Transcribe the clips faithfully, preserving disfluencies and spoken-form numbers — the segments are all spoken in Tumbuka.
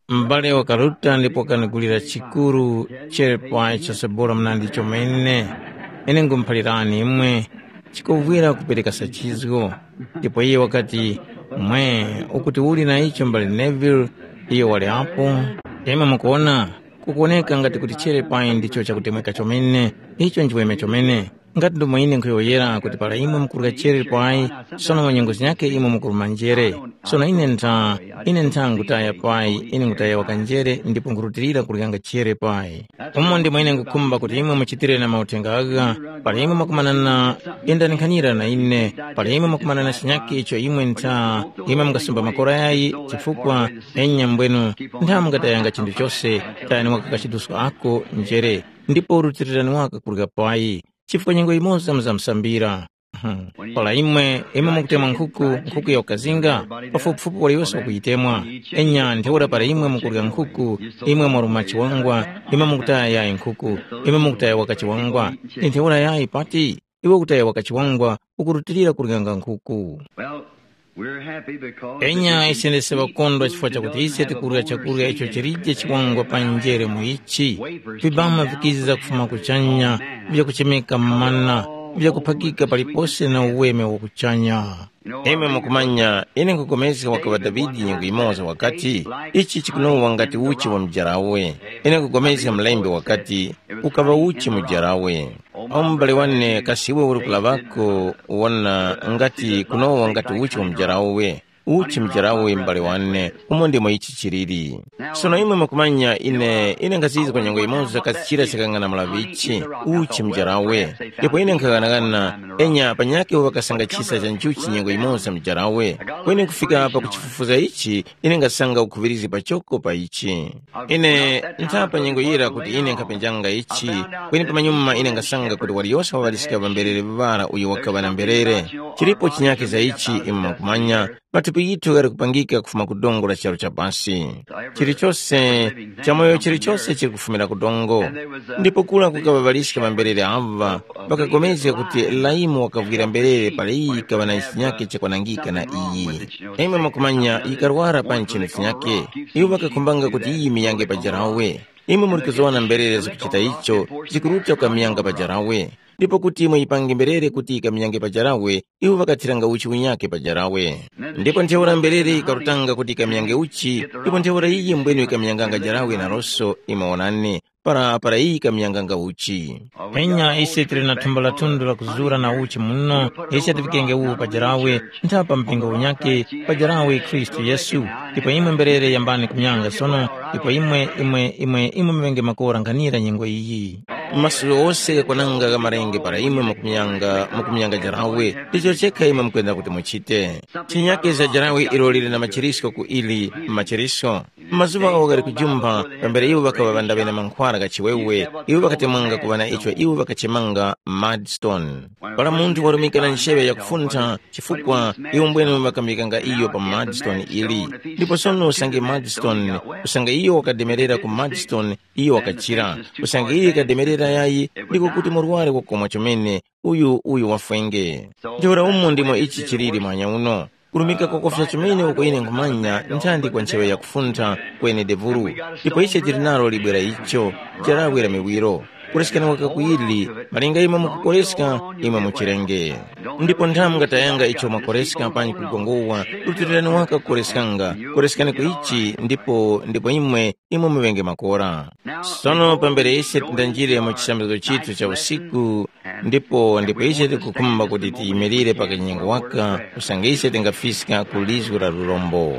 M'bale wakaruta ndipo wakanigulira chikuru cherepai chosebora mnandi chomene. Ine ngumuphalirani imwe, chikovwera kupereka sachizgo. Ndipo iye wakati, mwe, ukuti uli na icho m'bale Neville, iyo wali apo. Imwe mukuona, kukuoneka ngati kuti cherepai ndicho chakutemweka chomene, icho nchiweme chomene. Ngati ndomwe ine nkhuyowoyera kuti para imwe mukurya chere pai, sono mu nyengo zinyakhe imwe mukuruma njere. Sono ine ntha, ine ntha ngutaya pai, ine ngutaya wakanjere ndipo nkhurutilira kuryanga chere pai. Umo ndimo ine ngukhumba kuti imwe muchitire na mauthenga agha, para imwe mwakumanana, yendanikhanira na ine, para imwe mwakumanana chinyakhe icho imwe ntha, imwe mungasumba makora yayi, chifukwa enya mbwenu ntha mungatayanga chinthu chose, tayani waka kachiduska ako njere, ndipo rutilirani waka kurya pai. Chifukwa nyengo yimoza muzamusambira. Para imwe, imwe mukutemwa nkhuku, nkhuku ya ukazinga, pafupifupi waliyose wakuyitemwa. Enya ntheura para imwe mukurya nkhuku, imwe mwaruma chiwangwa, imwe mukutaya yayi nkhuku, imwe mukutaya waka chiwangwa. Ndi ntheura yayi pati, iwe ukutaya waka chiwangwa, ukurutilira kuryanga nkhuku. Well, we're happy because Enya ise ndese ŵakondwa chifukwa chakuti ise tikurya chakurya icho chilije chiwangwa pa njere mu ichi. Vibama vikiza kufuma kuchanya, vyakuchemeka mana, vyakuphakika palipose na uweme wa kuchanya. Imwe mukumanya, ine nkupulikana wakaŵa Davide nyengo yimoza wakati, ichi chikunowa ngati uchi wa mujarawe. Ine nkupulikana mlembi wakati, ukaŵa uchi mujarawe. Awu mubali wane kasi iwe uli kulaŵako wona ngati kunowa ngati uchi wa mujarawe. Uchi mujarawe mubali wane, umo ndimo ichi chiliri. Sono imwe mukumanya ine, ine ngazizwa nyengo imoza kasi chira chakangana mulaŵichi, uchi mujarawe. Ndipo ine nkhaghanaghana, enya panyakhe uwo ŵakasanga chisa cha njuchi nyengo imoza mujarawe. Kweni kufika pa kuchifufuza ichi, ine ngasanga ukhuŵirizi pachoko pa ichi. Ine nthapa nyengo yira kuti ine nkhapenjanga ichi, kweni pamanyuma ine ngasanga kuti waliyose wa ŵaliska ŵamberere ŵara uyo wakaŵa na mberere. Chilipo chinyake za ichi imwe mwakumanya, mathupi ghithu ghali kupangika kufuma ku dongo la charu cha pasi. Chilichose, chamoyo chilichose chili kufumira ku dongo. Ndipo kula kukaŵa ŵaliska ŵamberere ava, ŵakapulikana kuti Laimu wakavwira mberere para iyi yikaŵa na chinyake chakwanangika na iyi. Imwe mwakumanya yikarwara pa nchinu chinyake. Iwo ŵakakhumbanga kuti iyi miyange pa jarawe. Imwe muli kuzgona mberere zakuchita icho, zikuruta kukamyanga pa jarawe. Ndipo kuti imwe yipange mberere kuti yikamyange pa jarawe, iwo ŵakathiranga uchi unyakhe pa jarawe. Ndipo ntheura mberere yikarutanga kuti yikamyange uchi, ndipo ntheura iyi mbwene yikamyanganga jarawe na loso, imwe wonani, para para iyi yikamyanganga uchi. Enya ise tili na thumba la thundu la kuzura na uchi muno, ise tivikenge uwu pa jarawe, ntha pa mpingo unyakhe, pa jarawe Khristu Yesu. Ndipo imwe mberere yambani kumyanga sono, ndipo imwe imwe imwe imwe muvenge makora nkhanira nyengo iyi. Maso ghose ghakwananga gha marenge para imwe mukumyanga mukumyanga jarawe, ndicho chekha imwe mukwenda kuti muchite. Chinyake za jarawe ilo lili na machirisko ku ili machirisko. Mazuŵa agho ghali kujumpha, pambere iwo ŵakaŵa ŵandaŵe na mankhwara gha chiwewe, iwo ŵakatemwanga kuŵa na icho iwo ŵakachemanga mudstone. Para munthu warumika na ncheŵe yakufuntha, chifukwa iwo mbwene ŵakamikanga iyo pa mudstone ili. Ndipo sono usange mudstone, usange iyo wakademerera ku mudstone, iyo wakachira. Usange iyo ikademerera yayi, ndiko kuti murwari wakomwa chomene, uyu uyu wafwenge. Ntheura umo ndimo ichi chiliri mwanya uno. Kurumika kwakofya chomene uko ine nkhumanya nthandi kwa ntcheŵe yakufuntha kweni devulu. Ndipo ise tili nalo libwe la icho, jarawe la miwiro. Kuresekana waka ku ili, malinga imwe mukukoreska, imwe muchirenge. Ndipo nthamu ngatayanga icho mwakoreska panji kugongowa, rutilirani waka kukoreskanga, koresekani ku ichi ndipo ndipo imwe imwe muŵenge makora. Sono pambere ise tindanjire mu chisambizgo chithu cha usiku, ndipo ndipo ise tikukhumba kuti tiyimirire pa kanyengo waka, usange ise tingafiska ku lizgu la lurombo.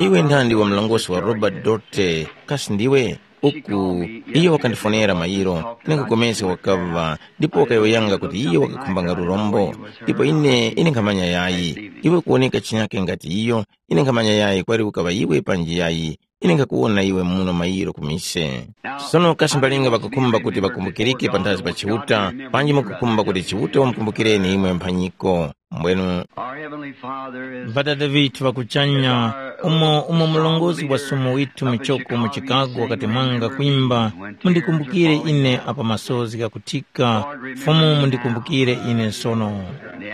Iwe nthandi wa mlongosi wa Robert Dorte, kasi ndiwe? Uku iyo wakandifonera mayiro, ningakugomezga wakava, ndipo wakayowoyanga kuti iyo wakakhumbanga lurombo. Ndipo ine ine nkhamanya yayi, iwe kuwoneka chinyake ngati iyo, ine nkhamanya yayi kwali ukaŵa iwe panji yayi. Ine nkhakuwona iwe muno mayiro ku mise. Sono kasi mbalinga ŵakukhumba kuti ŵakumbukirike panthazi pa Chiuta, panji mukukhumba kuti Chiuta wamukumbukireni imwe mphanyiko? Mbwenu Our Heavenly Father is Ŵadada ŵithu ŵa kuchanya, umo umo mlongozi wa sumo withu muchoko mu Chicago wakati mwanga kwimba, "Mundikumbukire ine apa masozi ghakuthika, Fumu mundikumbukire ine sono."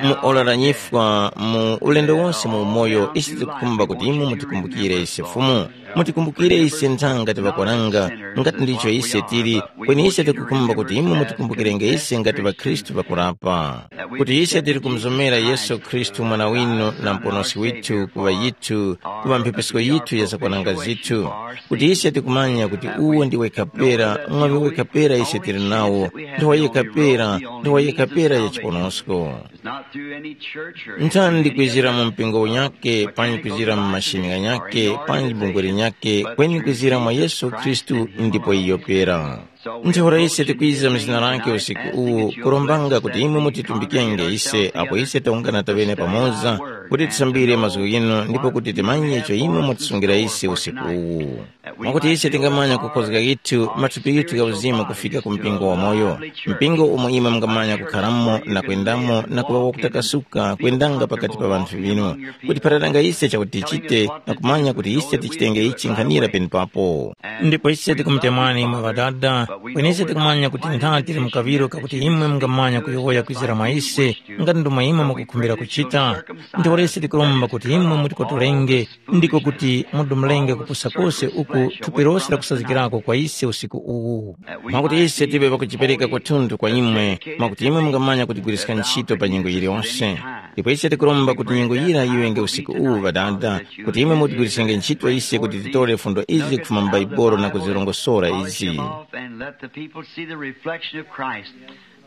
Mu ora la nyifwa, mu ulendo wonse mu umoyo, ise tikukhumba kuti imwe mutikumbukire ise Fumu. Mutikumbukire ise nthanga tiŵakwananga, ngati ndicho ise tili, kweni ise tikukhumba kuti imwe mutikumbukirenge ise ngati ŵakhristu ŵakurapa. Kuti ise tili kumuzomera Yesu Khristu mwana winu na muponoski withu kuŵa yithu, kuŵa mphepesko yithu ya zakwananga zithu. Kuti ise tikumanya kuti uwo ndiwe kapera, mwaŵi wekha pera ise tili nawo, ndi wa yekha pera, ndi wa yekha pera ya chiponosko. It's not through any church or Nthani ndi kwizira mu mpingo unyake, panji kwizira mu mashini ghanyake, panji bungwe linyake, kweni kwizira mwa Yesu Khristu ndipo iyo pera. Ntheura ise tikwiza mu zina lake usiku uwu, kurombanga kuti imwe mutitumbikenge ise apo ise taungana taŵene pamoza, kuti tisambire mazgu ghinu ndipo kuti timanye icho imwe mwatisungira ise usiku uwu. Mwakuti ise tingamanya kukhozga yithu mathupi yithu gha uzimu kufika ku mpingo wamoyo, mpingo umo imwe mungamanya kukharamo na kwendamo na kuŵa wakutakasuka kwendanga pakati pa ŵanthu ŵinu, kuti pharatanga ise chakuti tichite na kumanya kuti ise tichitenge ichi nkhanira penepapo. Ndipo ise tikumutemwani imwe Ŵadada, kweni ise tikumanya kuti nthani tili mu kaŵiro kakuti imwe mungamanya kuyowoya kwizira mwa ise, ngati ndomwe imwe mukukhumbira kuchita. Ntheura ise tikuromba kuti imwe mutikotolenge, ndiko kuti mudumulenge kupusa kose uku thupi lose lakusazgirako kwa ise usiku uwu. Mwakuti ise tiŵe pakujipereka kwathunthu kwa imwe, mwakuti imwe mungamanya kutigwiriska ntchito pa nyengo yiliyonse. Ndipo ise tikuromba kuti nyengo yira yiŵenge usiku uwu Ŵadada, kuti imwe mutigwirisenge ntchito ise kuti titore fundo izi kufuma mu Baibolo na kuzirongosora izi. Off and let the people see the reflection of Christ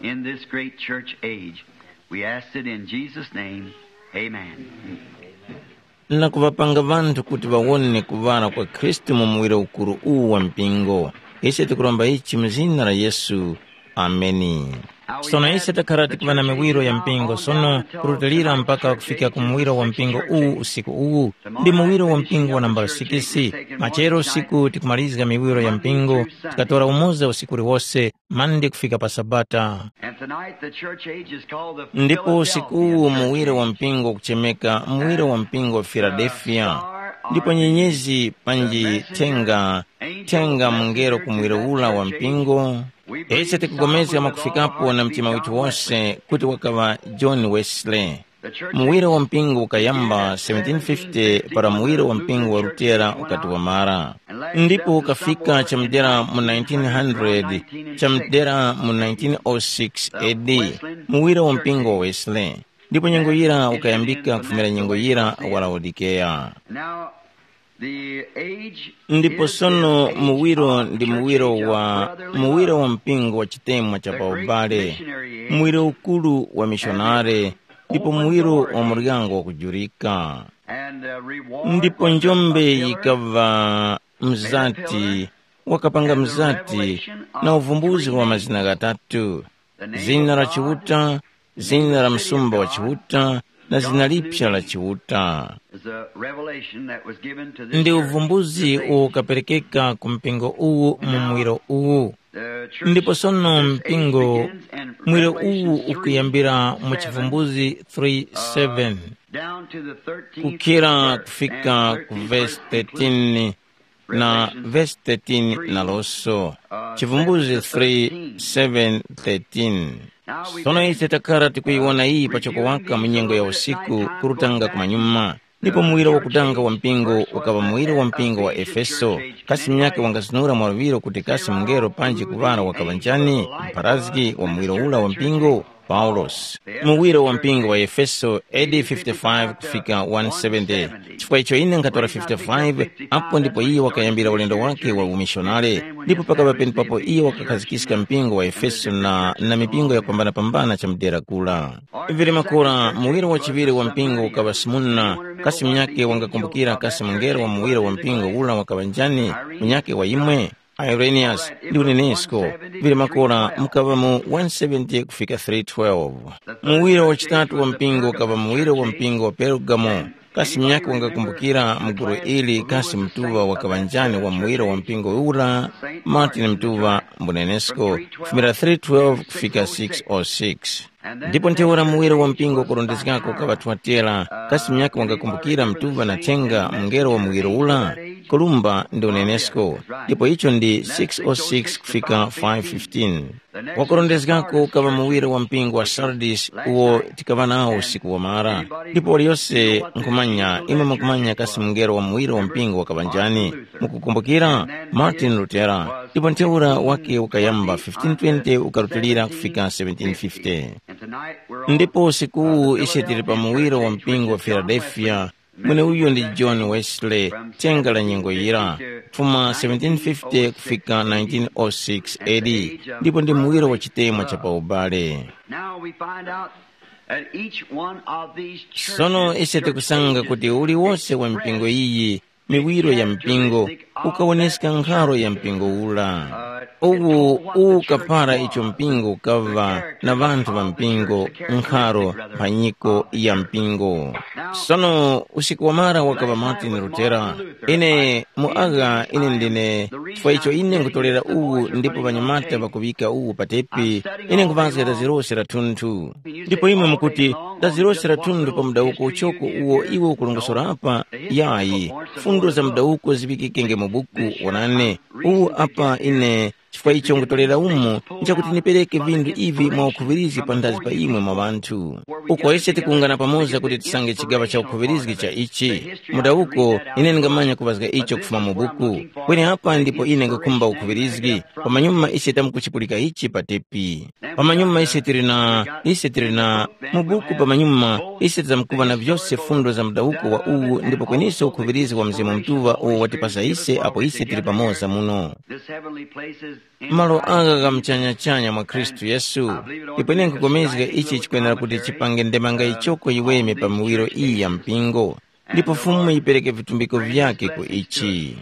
in this great church age. We ask it in Jesus' name. Amen. Na kuŵapanga ŵanthu kuti ŵawone kuŵala kwa Khristu mu muwiro ukuru uwu wa mpingo. Ise tikuromba ichi mu zina la Yesu. Ameni. Sono ise takhala tikuŵa na miwiro ya mpingo sono, kurutilira mpaka kufika ku muwiro wa mpingo uwu usiku uwu, ndi muwiro wa mpingo wa nambala sikisi. Machero usiku tikumalizga miwiro ya mpingo, tikatora umoza usiku uliwose, Mande kufika pa Sabata. And tonight the church age is called the Ndipo usiku uwu muwiro wa mpingo kuchemeka muwiro wa mpingo wa Filadelfiya. Ndipo nyenyezi panji thenga, thenga mungelo ku muwiro ula wa mpingo. Ise tikupulikana mwakufikapo na mtima withu wose kuti wakaŵa John Wesley. Muwiro wa mpingo ukayamba seventeen fifty para muwiro wa mpingo wa Lutera ukati wamara. Ndipo ukafika chamdera mu nineteen hundred, chamdera mu nineteen oh six A D, muwiro wa mpingo wa Wesley. Ndipo nyengo yira ukayambika kufumira nyengo yira wa Laodikeya. Now, the age Ndipo is sono the age muwiro of ndi church muwiro age of wa brotherly muwiro wa love. Mpingo wa chitemwa cha The great paubale, missionary age. Muwiro ukulu wa mishonare, ndipo muwiro wa muryango wakujurika. And, uh, reward Ndipo was a njombe pillar yikava mzati, wakapanga mzati na uvumbuzi wa mazina ghatatu, zina la Chiuta, zina la msumba wa Chiuta, na zina lipya la Chiuta. Is a revelation that was given to this Ndi church. Uvumbuzi uwo ukaperekeka ku mpingo uwu mu muwiro uwu. The church Ndipo sono mpingo, muwiro uwu ukuyambira mu Chivumbuzi three seven, down to the thirteenth kukhira verse kufika and ku thirteenth vesi verse thirteen na vesi thirteen naloso. Chivumbuzi three seven thirteen. Sono ise takhala tikuyiwona iyi pachoko waka mu nyengo ya usiku, kurutanga kumanyuma. Ndipo muwiro wakutanga wa mpingo ukaŵa muwiro wa mpingo wa Efeso. Kasi munyakhe wangazinura mwaluŵiro kuti kasi mungelo panji kuŵala wakaŵa njani, mpharazgi wa muwiro ula wa mpingo? Paulosi. Muwiro wa mpingo wa Efeso, A D fifty-five kufika one seventy. Chifukwa icho ine nkhatora fifty-five, apo ndipo iye wakayambira ulendo wake wa umishonare, ndipo pakaŵa penepapo iye wakakhazikiska mpingo wa Efeso na, na mipingo yakupambanapambana chamudera kura. Vili makora, muwiro wachiŵiri wa mpingo ukaŵa Simuna, kasi munyakhe wangakumbukira kasi mungelo wa muwiro wa mpingo ula wakaŵa njani, munyakhe wa imwe? Ireniyasi ndi unenesko, vili makora mukaŵa mu one seventy kufika three twelve. Muwiro wachitatu wa mpingo ukaŵa muwiro wa mpingo wa Pergamo. Kasi munyakhe wangakumbukira mu gulu ili kasi mtuŵa wakaŵa njani wa muwiro wa mpingo ura? Martin Mtuŵa, mbunenesko, kufumira three twelve kufika six oh six. Ndipo ntheura muwiro wa mpingo kurondezgako ukaŵa Thuatera, kasi myaka wangakumbukira mtuva na thenga mungelo wa muwiro ula? Kolumba ndi unenesko, ndipo icho ndi six oh six kufika five fifteen. Wakurondezgako ukaŵa muwiro wa mpingo wa Sardis uwo tikaŵa nawo usiku wamara. Ndipo waliyose nkhumanya imwe mukumanya kasi mungelo wa muwiro wa mpingo wakaŵa njani? Mukukumbukira? Martin Lutera. Ndipo ntheura wake ukayamba fifteen twenty ukarutilira kufika seventeen fifty. Ndipo usikuwu ise tili pa muwiro wa mpingo wa Filadelfiya. Mweneuyo ndi John Wesley, thenga la nyengo yira, kufuma seventeen fifty kufika nineteen oh six A D, ndipo ndi muwiro wa chitemwa cha paubale. Now we find out that each one of these churches Sono ise tikusanga kuti uliwonse wa mipingo iyi, miwiro ya mpingo, ukawoneska nkharo ya mpingo ula. Uwu ukapara icho mpingo ukava na ŵanthu ŵa mpingo, nkharo, mphanyiko ya mpingo. Sono usiku wamara wakaŵa Martin Lutera. Ine mu agha ine ndine, chifukwa icho ine nkutolera uwu ndipo ŵanyamata ŵakuŵika uwu pa tepi, ine nkuvazga tazirose la thunthu. Ndipo imwe mukuti, tazirose la thunthu pa mudawuko uchoko uwo iwe ukulongosora apa? Yayi, fundo za mudawuko ziŵikikenge mu buku. Wonani, uwu apa ine chifukwa icho nkutolera umu nchakuti nipereke vinthu ivi mwa ukhuŵirizgi panthazi pa imwe mwa ŵanthu. Uko ise tikuwungana pamoza kuti tisange chigaŵa cha ukhuŵirizgi cha ichi. Mudawuko, ine ndingamanya kuŵazga icho kufuma mu buku. Kweni apa ndipo ine ngakhumba ukhuŵirizgi, pamanyuma ise tamkuchipulika ichi pa tepi. Pamanyuma ise tili na, ise tili na, mu buku pamanyuma, ise tizamkuŵa na vyose fundo za mudawuko wa uwu ndipo kweniso ukhuŵirizgi wa Mzimu Mutuŵa uwo watipasa ise apo ise tili pamoza muno. This heavenly place is malo anga gha mchanyachanya mwa Khristu Yesu. Ndipo ine nkupulikana ichi chikwenera kuti chipange ndemanga ichoko yiweme pa miwiro iyi ya mpingo, ndipo Fumu yipereke vitumbiko vyake ku ichi.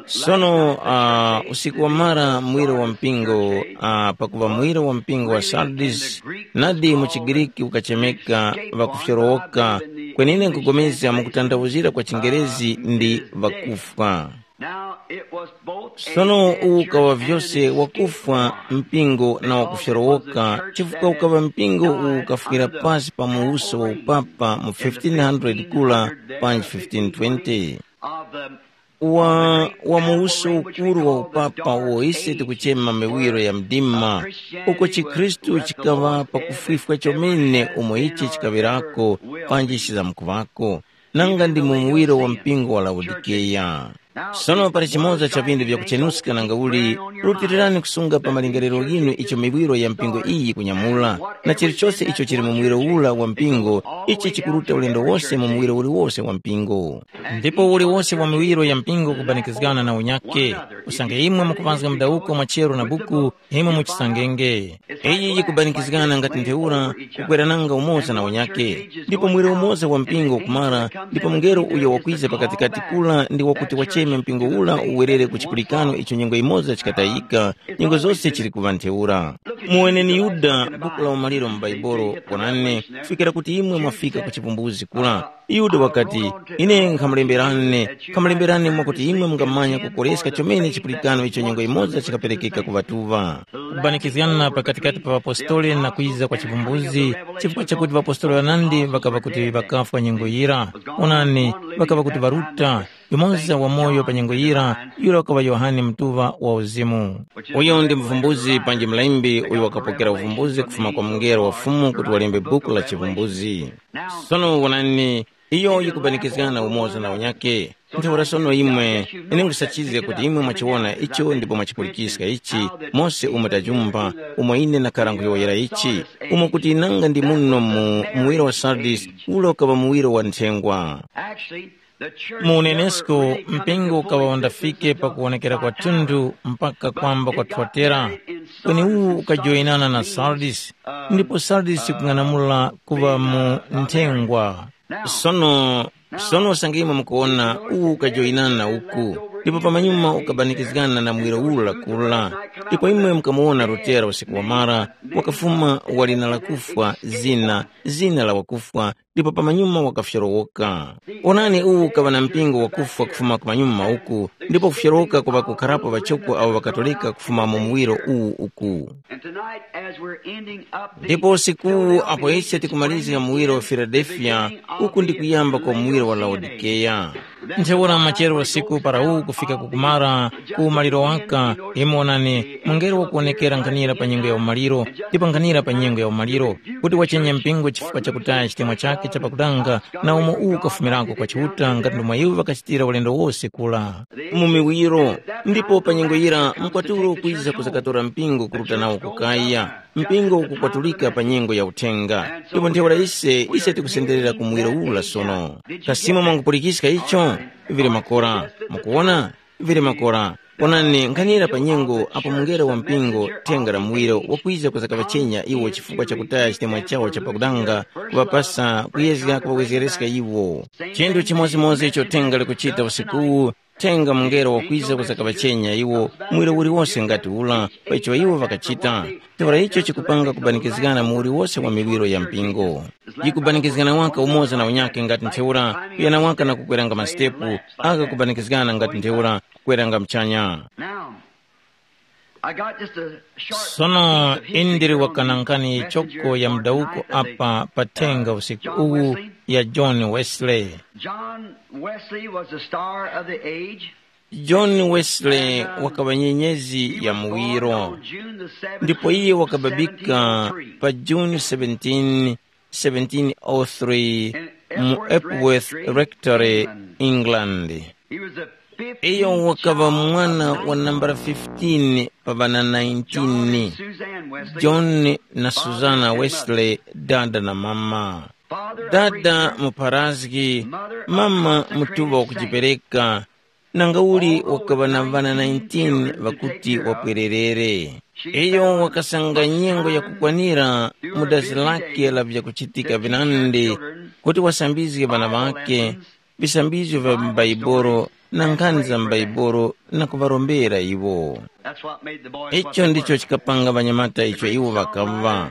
Sono uh, usiku wamara mwiro wa mpingo uh, pakuva mwiro wa mpingo wa Sardis, nadi mu chiGiriki ukachemeka ŵakufyorowoka, kwenine nkupulikana mukutanthauzira kwa chiNgerezi ndi ŵakufwa. Now it was both a Sono uwu ukawa vyose wakufwa mpingo na wakufyorowoka, chifukwa ukawa mpingo uwu ukafwira pasi pa muwuso wa upapa mu fifteen hundred kula panji fifteen twenty. Of the Wa wa muwuso ukuru wa upapa uwo ise tikuchema miwiro ya mdima, uko chikhristu chikawa pakufwifwa chomene umo ichi chikawerako panji chizamkuŵako, nanga ndi mu muwiro wa mpingo wa Laodikeya. Sono pali chimoza cha vindu vyakuchenuska nanga uli, rutirirani kusunga pa malingaliro ghinu icho miwiro ya mpingo iyi kunyamula, na chilichose icho chili mu muwiro ula wa mpingo, ichi chikuruta ulendo wose mu muwiro uliwose wa mpingo. Ndipo uliwose wa miwiro ya mpingo kubanikizgana na unyake, usange imwe mukupanzga mudawuko mwa chero na buku, imwe muchisangenge. Iyi yikubanikizgana ngati ntheura, kukwerananga umoza na unyake. Ndipo mwere umoza wa mpingo ukumara, ndipo mungelo uyo wakwiza pakatikati kula ndi wakuti wacheme mpingo ula uwerere ku chipulikano icho nyengo imoza chikatayika, nyengo zose chili kuŵa ntheura. Muweneni Yuda, buku la umaliro mu Bhaibuli, wonani, kufikira kuti imwe mwafika ku chivumbuzi kula. Yuda wakati, ine nkhamulemberani, nkhamulemberani mwakuti imwe mungamanya kukoreska chomene chipulikano icho nyengo imoza chikaperekeka ku ŵatuŵa. Kubanikizgana pakatikati pa ŵapostoli na kwiza kwa chivumbuzi, chifukwa chakuti ŵapostoli ŵanandi ŵakaŵa kuti ŵakafwa nyengo yira. Onani, ŵakaŵa kuti ŵaruta, yumoza wamoyo pa nyengo yira, yura wakaŵa Yohane Mutuŵa wa Uzimu. Uyo ndi muvumbuzi panji mlembi uyo wakapokera uvumbuzi kufuma kwa mungelo wa Fumu kuti walembe buku la chivumbuzi. Sono wonani, iyo yikubanikizgana umoza na unyake. Ntheura sono imwe, ine nkhusachizga kuti imwe mwachiwona icho ndipo mwachipulikiska ichi, mose umo tajumba, umo ine nakhara nkhuyowoyera ichi, umo kuti nanga ndi muno mu muwiro wa Sardis, ule ukaŵa muwiro wa nthengwa. Actually, the church mu unenesko never mpingo ukaŵa undafike pa kuwonekera kwa thunthu mpaka kwamba kwa Thuatera. Kweni uwu ukajoyinana na Sardis, ndipo Sardis kung'anamula kuŵa mu nthengwa. Sono, sono usange imwe mukuwona uwu ukajoyinana na uku, ndipo pamanyuma ukabanikizgana na muwiro ura kura. Ndipo imwe mukamuwona Lutera usiku wamara, wakafuma walina la kufwa, zina, zina la wakufwa, ndipo pamanyuma wakafyorowoka. Onani, uwu ukaŵa na mpingo wakufwa kufuma kumanyuma uku, ndipo kufyorowoka kuŵa kukharapo ŵachoko awo ŵakatoleka kufuma mu muwiro uwu uku. And tonight, as we're ending up the ndipo usikuwu apo ise tikumalizira muwiro wa Filadelfiya, uku ndi kuyamba kwa muwiro wa Laodikeya. Ntheura machero usiku para uwu kufika kukumara ku umaliro waka, imwe onani, mungelo wakuwonekera nkhanira pa nyengo ya umaliro, ndipo nkhanira pa nyengo ya umaliro, kuti wachenya mpingo chifukwa chakutaya chitemwa chake chapakutanga, na umo uwu ukafumirako kwa Chiuta ngati ndomwe iwo ŵakachitira ulendo wose kula. Mu miwiro, ndipo pa nyengo yira mkwatulo ukwiza kuzakatora mpingo kuruta nawo kukaya. Mpingo ukukwatulika pa nyengo ya uthenga. Ndipo ntheura ise, ise tikusenderera ku muwiro ula sono. Kasimo mwangupulikiska icho? Vili makora. Mukuwona? Vili makora. Onani, nkhanira pa nyengo apo mungelo wa mpingo thenga la muwiro wakwiza kuzakaŵachenya iwo chifukwa cha kutaya chitemwa chawo cha pakudanga, kuŵapasa kuyezga kuŵawezgereska iwo. Chinthu chimodzimodzi icho thenga likuchita usikuwu, thenga mungelo wakwiza kuzakaŵachenya iwo, muwiro uliwose ngati ula, pa icho iwo ŵakachita. Ntheura icho chikupanga kubanikizgana mu uliwose wa miwiro ya mpingo. Yikubanikizgana waka umoza na unyakhe ngati ntheura, kuyana waka na kukweranga masitepu, aka kubanikizgana ngati ntheura, kukweranga mchanya. Now, I got just a short sono piece of history indiri from wakanankani the messenger choko ya of mdauko Christ that apa pathenga usiku John uwu Wesley. Ya John Wesley. John Wesley was the star of the age. John Wesley wakaŵa nyenyezi ya muwiro, ndipo iye wakababika pa June seventeen, seventeen oh three, mu Epworth Rectory, England. Iyo wakaŵa mwana wa nambala fifteen pa ŵana nineteen, John na Susana Wesley, dada na mama. Dada mupharazgi, mama mutuŵa wakujipereka, nanga uli wakaŵa na ŵana nineteen ŵakuti wapwererere. Iyo wakasanga nyengo yakukwanira mu dazi lake la vyakuchitika vinandi kuti wasambizge ŵana ŵakhe, visambizgo vya m'Baibolo na nkhani za m'Baibolo na kuŵarombera iwo. Icho ndicho chikapanga ŵanyamata icho iwo ŵakaŵa.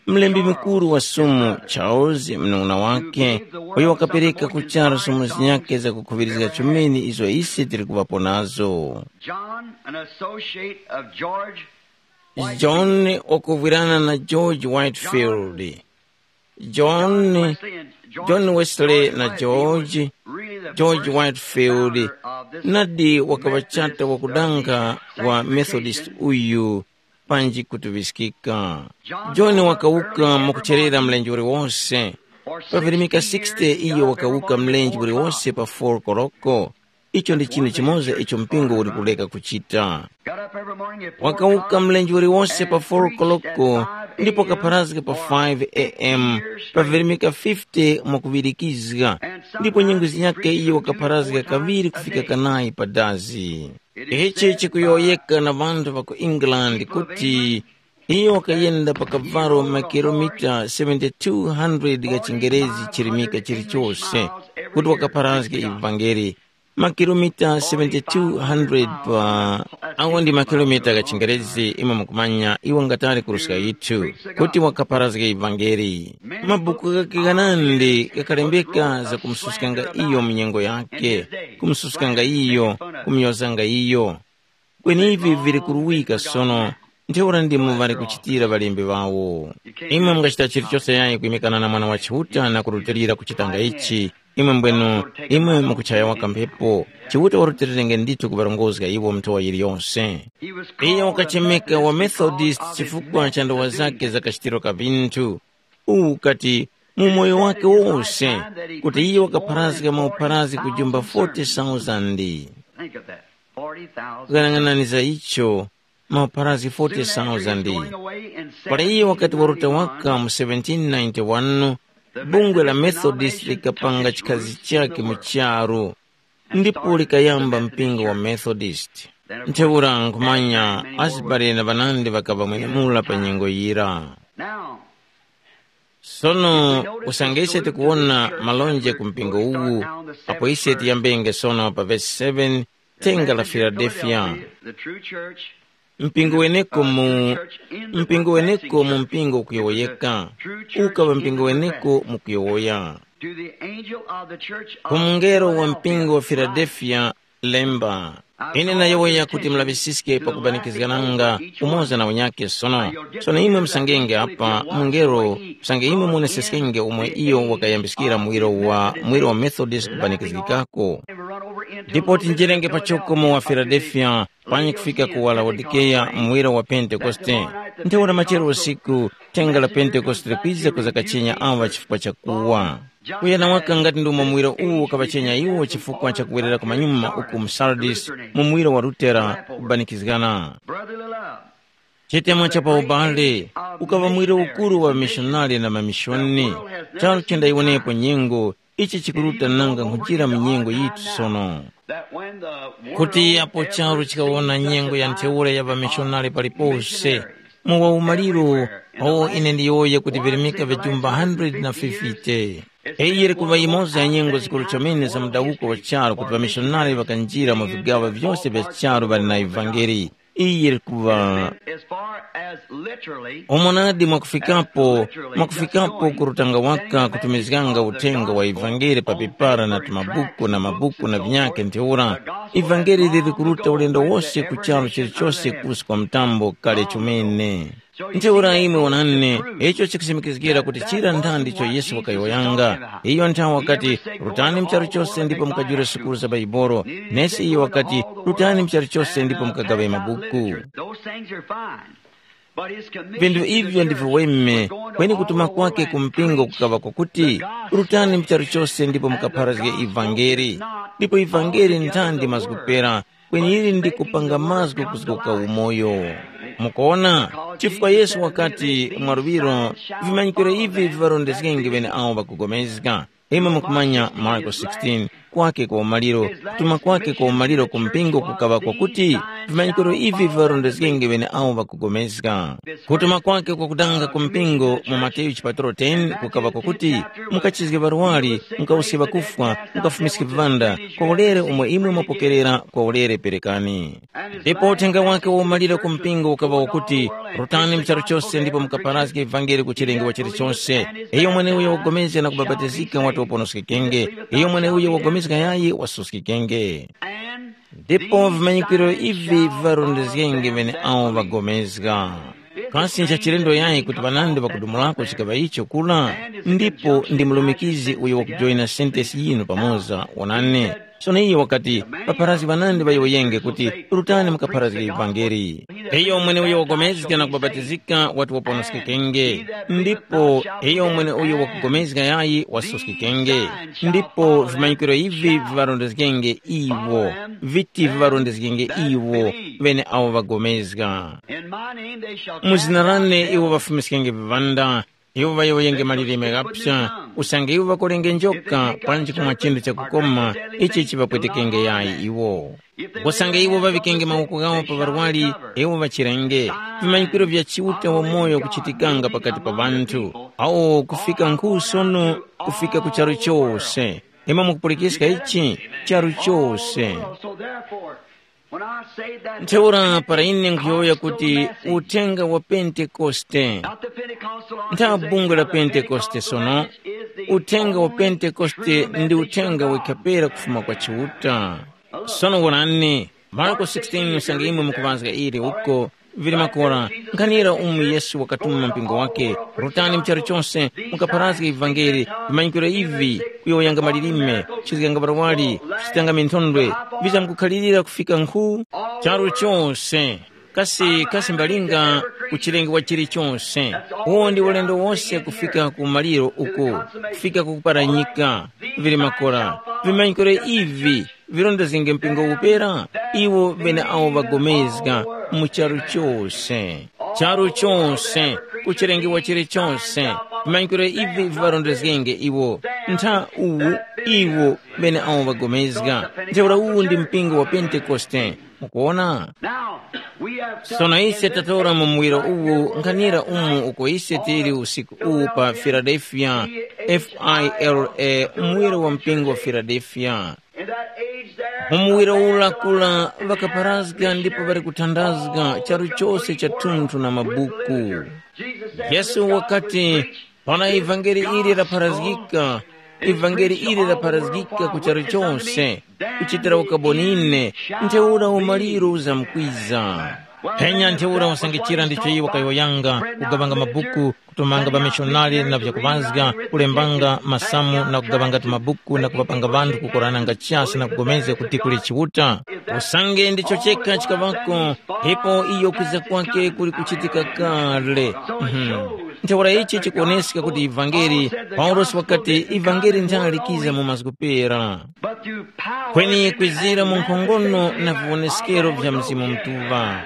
Mlembi mukuru wa Sumu Charles, mnung'una wake, uyo wakapereka ku charu somo zinyakhe zakukhuŵirizga chomene izo ise tili kuŵapo nazo. John, an associate of George John, wakuvwirana na George Whitefield. John, John Wesley na George, George Whitefield, nadi wakaŵa chata wakudanga wa Methodist uyu, panji kutuŵiskika. John wakawuka mwakucherera mlenje uliwose. Pavirimika sixty iyo wakawuka mlenje uliwose pa four koloko. Icho ndi chinthu chimoza icho mpingo uli kuleka kuchita. Wakawuka mlenje uliwose pa four koloko, ndipo kapharazga pa five a m, pavirimika fifty mwakuŵirikizga, ndipo nyengo zinyakhe iyo wakapharazga kaŵiri kufika kanayi pa dazi. Ichi chikuyowoyeka na ŵanthu ŵa ku England kuti iyo wakayenda pa kavalo makilomita seventy-two hundred gha chingerezi chirimika chilichose kuti wakapharazge ivangeli. Makilomita seventy-two hundred pa awo ndi makilomita gha chingerezi imwe mukumanya iwo ngatali kuruska yithu kuti wakapharazge ivangeli. Mabuku ghake ghanandi ghakalembeka za kumususkanga iyo mu nyengo yake, kumususkanga iyo, kumuyozanga iyo. Kweni ivi vili kuruwika sono, ntheura ndimo ŵali kuchitira ŵalembi ŵawo. Imwe mungachita chilichose yayi kwimikana na Mwana wa Chiuta na kurutilira kuchitanga ichi, imwe mbwenu, imwe mukuchaya waka mphepo. Chiuta warutilirenge ndithu kuŵarongozga iwo nthowa yiliyose. Iyo wakachemeka wa Methodist chifukwa cha ndowa zake za kachitiro ka vinthu. Uwu ukati mu moyo wake wose, kuti iye wakapharazga maupharazgi kujumba forty thousand. Think of that. Forty thousand. Ghanang'anani za icho, maupharazgi forty thousand. Pala iye wakati waruta waka mu seventeen ninety-one, bungwe la Methodist likapanga chikhazi chake mu charu, ndipo likayamba mpingo wa Methodist. Ntheura nkhumanya Asbury na ŵanandi ŵakaŵa mwenemura pa nyengo yira. Now, sono, usange ise tikuwona malonje ku mpingo uwu, apo ise tiyambenge sono pa vesi seven, thenga la Filadelfiya. Mpingo weneko mu mpingo weneko mu mpingo ukuyowoyeka. Ukaŵa mpingo weneko mukuyowoya. To the angel of the church ku of mungelo wa Philadelphia, mpingo wa Filadelfiya, lemba. Ine nayowoya kuti mulaŵisiske pakubanikizgananga umoza na unyake sono. Sono imwe musangenge apa mungelo, usange imwe muoneseskenge umwe iyo wakayambiskira muwiro wa muwiro wa Methodist kubanikizgikako. Ndipo tinjerenge pachoko mu wa Filadelfiya, panyi kufika ku wa Laodikeya muwiro wa Pentekoste. Ntheura machero usiku, thenga la Pentekoste likwiza kuzakachenya awa chifukwa cha kuwa. Kuyana waka ngati ndi umo muwiro uwu ukaŵachenya iwo chifukwa cha kuwerera kumanyuma uku mu Sardis, mu muwiro wa Lutera kubanikizgana. Brotherly love. Chitemo cha pa ubale ukaŵa mwiro ukuru wa mishonari na mamishoni. Charu chendayiwonepo nyengo, ichi chikuruta nanga nkhunjira mu nyengo yitu sono. Kuti apo charu chikawona nyengo ya ntheura ya ŵamishonari palipose, mu wa umaliro, awo ine ndiyowoye kuti virimika vijumba hundred na fifty. Iyi yiri kuŵa yimoza ya nyengo zikuru chomene za mudawuko wa charu kuti ŵamishonari ŵakanjira mu vigaŵa vyose vya charu ŵali na ivangeli. Iyi yiri kuŵa As far as literally, umonadi mwakufikapo, mwakufikapo ku rutanga waka kutumizganga uthenga wa ivangeli pa pepara na tumabuku na mabuku na vinyakhe ntheura. Ivangeli liri kuruta ulendo wose ku charu chilichose kusi kwa mtambo kale chomene. Ntheura imwe wonani, icho chikusimikizgira kuti chira nthandicho Yesu wakayowoyanga. Iyo nthawi wakati, rutani mu charu chose ndipo mukajule sukulu za Baibolo. Nesi iyo wakati, rutani mu charu chose ndipo mukagaŵe mabuku. Those things are fine. But his commission Vinthu to the ivyo ndi church viweme, was going to kweni all kutuma over kwake and ku mpingo preach kukaŵa kwakuti, the gospel rutani mu charu chose ndipo and the mukapharazge gospel ivangeli. Is not Ndipo ivangeli all together ntandi the mazgupera, word, kweni ili ndi kupanga mazgu kuzgoka umoyo. Mukuona? Chifukwa Yesu wakati mwaruviro, vimanyikiro ivi vivarondezgenge vene awo ŵakupulikana. Imwe mukumanya Marko sixteen, kwake kwa umaliro, kutuma kwake kwa umaliro ku mpingo kukaŵa kwakuti, vimanyikiro ivi vivarondezgenge vene awo ŵakupulikana. Kutuma kwake kwakutanga ku mpingo mu Mateyu chipatalo ten kukaŵa kwakuti, mukachizge ŵarwari, mukawuske ŵakufwa, mukafumiske viŵanda, kwa ulere umwe imwe mwapokerera kwa ulere perekani. Ndipo uthenga wake wa umaliro ku mpingo ukaŵa wakuti, rutani mu charu chose ndipo mukaparazge ivangeli ku chilengedwe chilichose. Iyo mweneuyo wapulikana na kubapatizika wati waponoskekenge. Iyo mweneuyo wapulikana yayi wasuskikenge. Ndipo vimanyikiro ivi vivarondezgenge vene awo ŵapulikana. Kasi nchachilendo yayi kuti ŵanandi ŵakudumulako chikaŵa icho kula? Ndipo ndi mulumikizi uyo wakujoyina sentesi yinu pamoza, wonani. Sono iyo wakati, paparazi ŵanandi ŵayowoyenge kuti, rutani mukapharazge ivangeli. Iyo mweneuyo wapulikana na kubapatizika wati waponoskekenge. Ndipo iyo mweneuyo wapulikana yayi wasuskikenge. Ndipo vimanyikiro ivi vivarondezgenge iwo. Viti vivarondezgenge iwo, vene awo ŵapulikana. In my name they shall Mu zina cast out lane devils. Iwo ŵafumiskenge viŵanda, iwo ŵayowoyenge malilime ghapsa, usange iwo ŵakolenge njoka, panji kumwa chinthu chakukoma, ichi chiŵapwetekenge yayi iwo. Usange iwo ŵaŵikenge mawoko ghawo pa ŵarwari, iwo ŵachirenge. Vimanyikiro vya Chiuta wamoyo kuchitikanga pakati pa ŵanthu, awo kufika nkhu sono, kufika ku charu chose. Imwe mukupulikiska ichi? Charu chose. So therefore, when I say that Ntheura para ine nkhuyowoya kuti uthenga wa Pentekoste, not the Pentecostal ntha organization bungwe la of the Pentekoste Pentecostal sono, is the uthenga wa only Pentekoste true ndi message uthenga of God. Wekapera kufuma kwa Chiuta. Sono wonani, Marko sixteen usange imwe mukuŵazga ili uko, vili makora, nkhanira umu Yesu wakatuma mpingo wake, rutani mu charu chose, mukaparazge ivangeli, vimanyikiro ivi, kuyowoyanga malilime, kuchizganga ŵarwari, kuchitanga minthondwe, vizamkukhalirira kufika nkhu charu chose. Kasi, kasi mbalinga ku chilengedwe chilichonse, uwo ndi ulendo wose kufika ku maliro uko, kufika ku kuparanyika, vili makora, vimanyikiro ivi, virondezgenge mpingo upera, iwo vene awo ŵagomezga mu charu chose. Charu chose, ku chilengedwe chilichonse, vimanyikiro ivi viŵarondezgenge iwo. Ntha uwu, iwo vene awo ŵagomezga. Ntheura uwu ndi mpingo wa Pentekoste. Mukuona? Now, we have Sono ise tatora mu muwiro uwu nkhanira umu uko ise tili usiku uwu pa Philadelphia, F I L A, muwiro wa mpingo wa Philadelphia. In that age Mu muwiro ula kura ŵakaparazga ndipo ŵali kuthandazga charu chose cha thunthu na mabuku. Yesu wakati, “Para ivangeli ili lapharazgika, ivangeli ili lapharazgika ku charu chose, kuchitira ukaboni ine, ntheura umaliro uzamkwiza. Phenya ntheura usangichira ndicho iwo kayowoyanga, kugawanga mabuku, kutumanga ŵamishonari na vyakuŵazga, kulembanga masamu na kugawanga tumabuku na kuŵapanga ŵanthu kukorananga chasi na kugomezga kuti kuli Chiuta. Usange ndicho chekha chikaŵako, ipo iyo kwiza kwake kuli kuchitika kale.” Mhm. Ntheura ichi chikuwoneska kuti ivangeli, Paulosi wakati ivangeli nthali likiza mu mazgu pera. Kweni kwizira mu nkhongono na viwoneskero vya Mzimu Mutuŵa.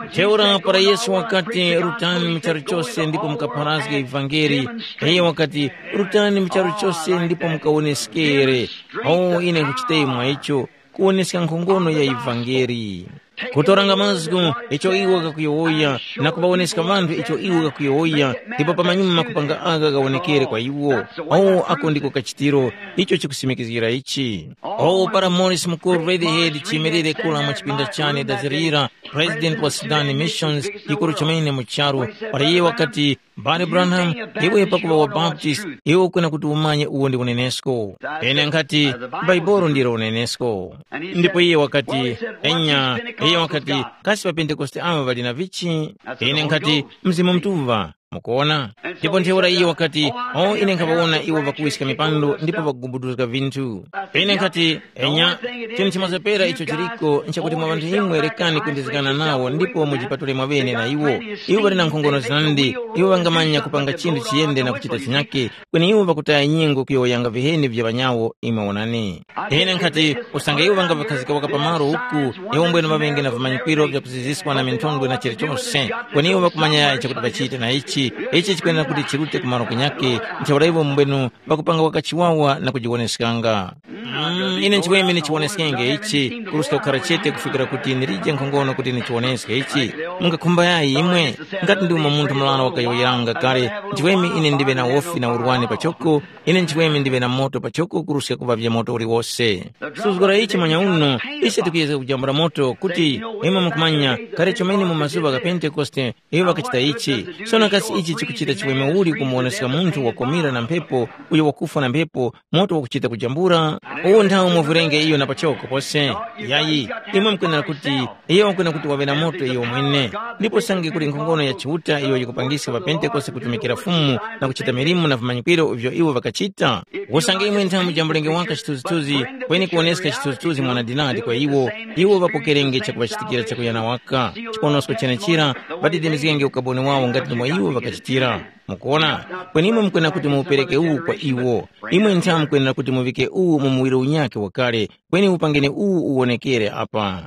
Ntheura para Yesu wakati, “Rutani mu charu chose ndipo mukapharazge ivangeli,” iyo wakati, “Rutani mu charu chose ndipo mukawoneskere.” Awo ine nkuchita mwa icho, kuwoneska nkhongono ya ivangeli. Kutoranga mazgu icho iwo kakuyowoya, na kuŵawoneska ŵanthu icho iwo kakuyowoya, ndipo pamanyuma kupanga aka kawonekere kwa iwo. Awo ako ndiko kachitiro, icho chikusimikizgira ichi. Awo para Morris mukuru Redhead chiyimirire kula mu chipinda chane dazirira, president wa Sudan Missions, yikuru chomene mu charu, para iye wakati, “Bale Branham, iwe pakuŵa wa Baptist, iwe ukwena kuti umanye uwo ndi unenesko.” Ine nkhati, “Bhaibuli ndilo unenesko.” Ndipo iye wakati, “Enya.” Iye wakati, “Kasi ŵapentekoste awo ŵali na vichi?” Ine nkhati, “Mzimu Mutuŵa.” Mukuona? Ndipo ntheura iye wakati, “O, ine nkhaŵawona iwo ŵakuwiska mipando ndipo ŵakugubuduzga vinthu.” Ine nkhati, “Enya, chinthu chimoza pera icho chiliko nchakuti mwa ŵanthu imwe rekani kwendezgana nawo ndipo mujipatule mwaŵene na iwo. Iwo ŵali na nkhongono zandi, iwo ŵangamanya kupanga chinthu chiyende na kuchita chinyake, kweni iwo ŵakutaya nyengo kuyowoyanga viheni vya ŵanyawo imwe wonani.” Ine nkhati, “Usange iwo ŵangaŵakhazika waka pamalo uku, iwo mbwene ŵaŵenge na vimanyikwiro vya kuziziswa na minthondwe na chilichose, kweni iwo ŵakumanya yayi chakuti ŵachite na ichi, ichi chikwenera kuti chirute ku malo kunyakhe, ntheura iwo mbwenu ŵakupanga waka chiwawa na kujiwoneskanga.” Mm, ine nchiweme ndichiwoneskenge ichi, kuruska kukhara chete kufikira kuti ndilije nkhongono kuti ndichiwoneske ichi. Mungakhumba yayi imwe? Ngati ndi umo munthu mulala wakayowoyeranga kale, nchiweme ine ndiŵe na wofi na urwani pachoko, ine nchiweme ndiŵe na moto pachoko kuruska kuŵavya moto uliwose. Suzgora ichi mwanyauno, ise tikuyezga kujambula moto kuti, imwe mukumanya, kale chomene mu mazuŵa gha Pentekoste, iwo ŵakachita ichi. Sono kasi ichi chikuchita chiweme uli kumuwoneska munthu wakomira na mphepo, uyo wakufwa na mphepo, moto wakuchita kujambula? Uwu nthawi muvwirenge iyo na pachoko pose. Yayi, imwe mukwenera kuti, iyo wakwena kuti waŵe na moto iyo mwene. Ndipo sange kuli nkhongono ya Chiuta iyo yikupangiska ŵaPentekoste kutumikira Fumu na kuchita milimo na vimanyikwiro ivyo iwo ŵakachita. Usange imwe nthawi mujambulenge waka chithunzithunzi, kweni kuwoneska chithunzithunzi mwa nadinadi kwa iwo, iwo ŵapokerenge chakuŵachitikira chakuyana waka. Chiponosko chenechira, ŵadedemezgenge ukaboni wawo ngati ndimo iwo ŵakachitira. Mukuona? Kweni imwe mukwena kuti muupereke uwu kwa iwo. Imwe ntha mukwenera kuti muvike uwu mu muwiro unyakhe wakale, kweni upangeni uwu uwonekere apa.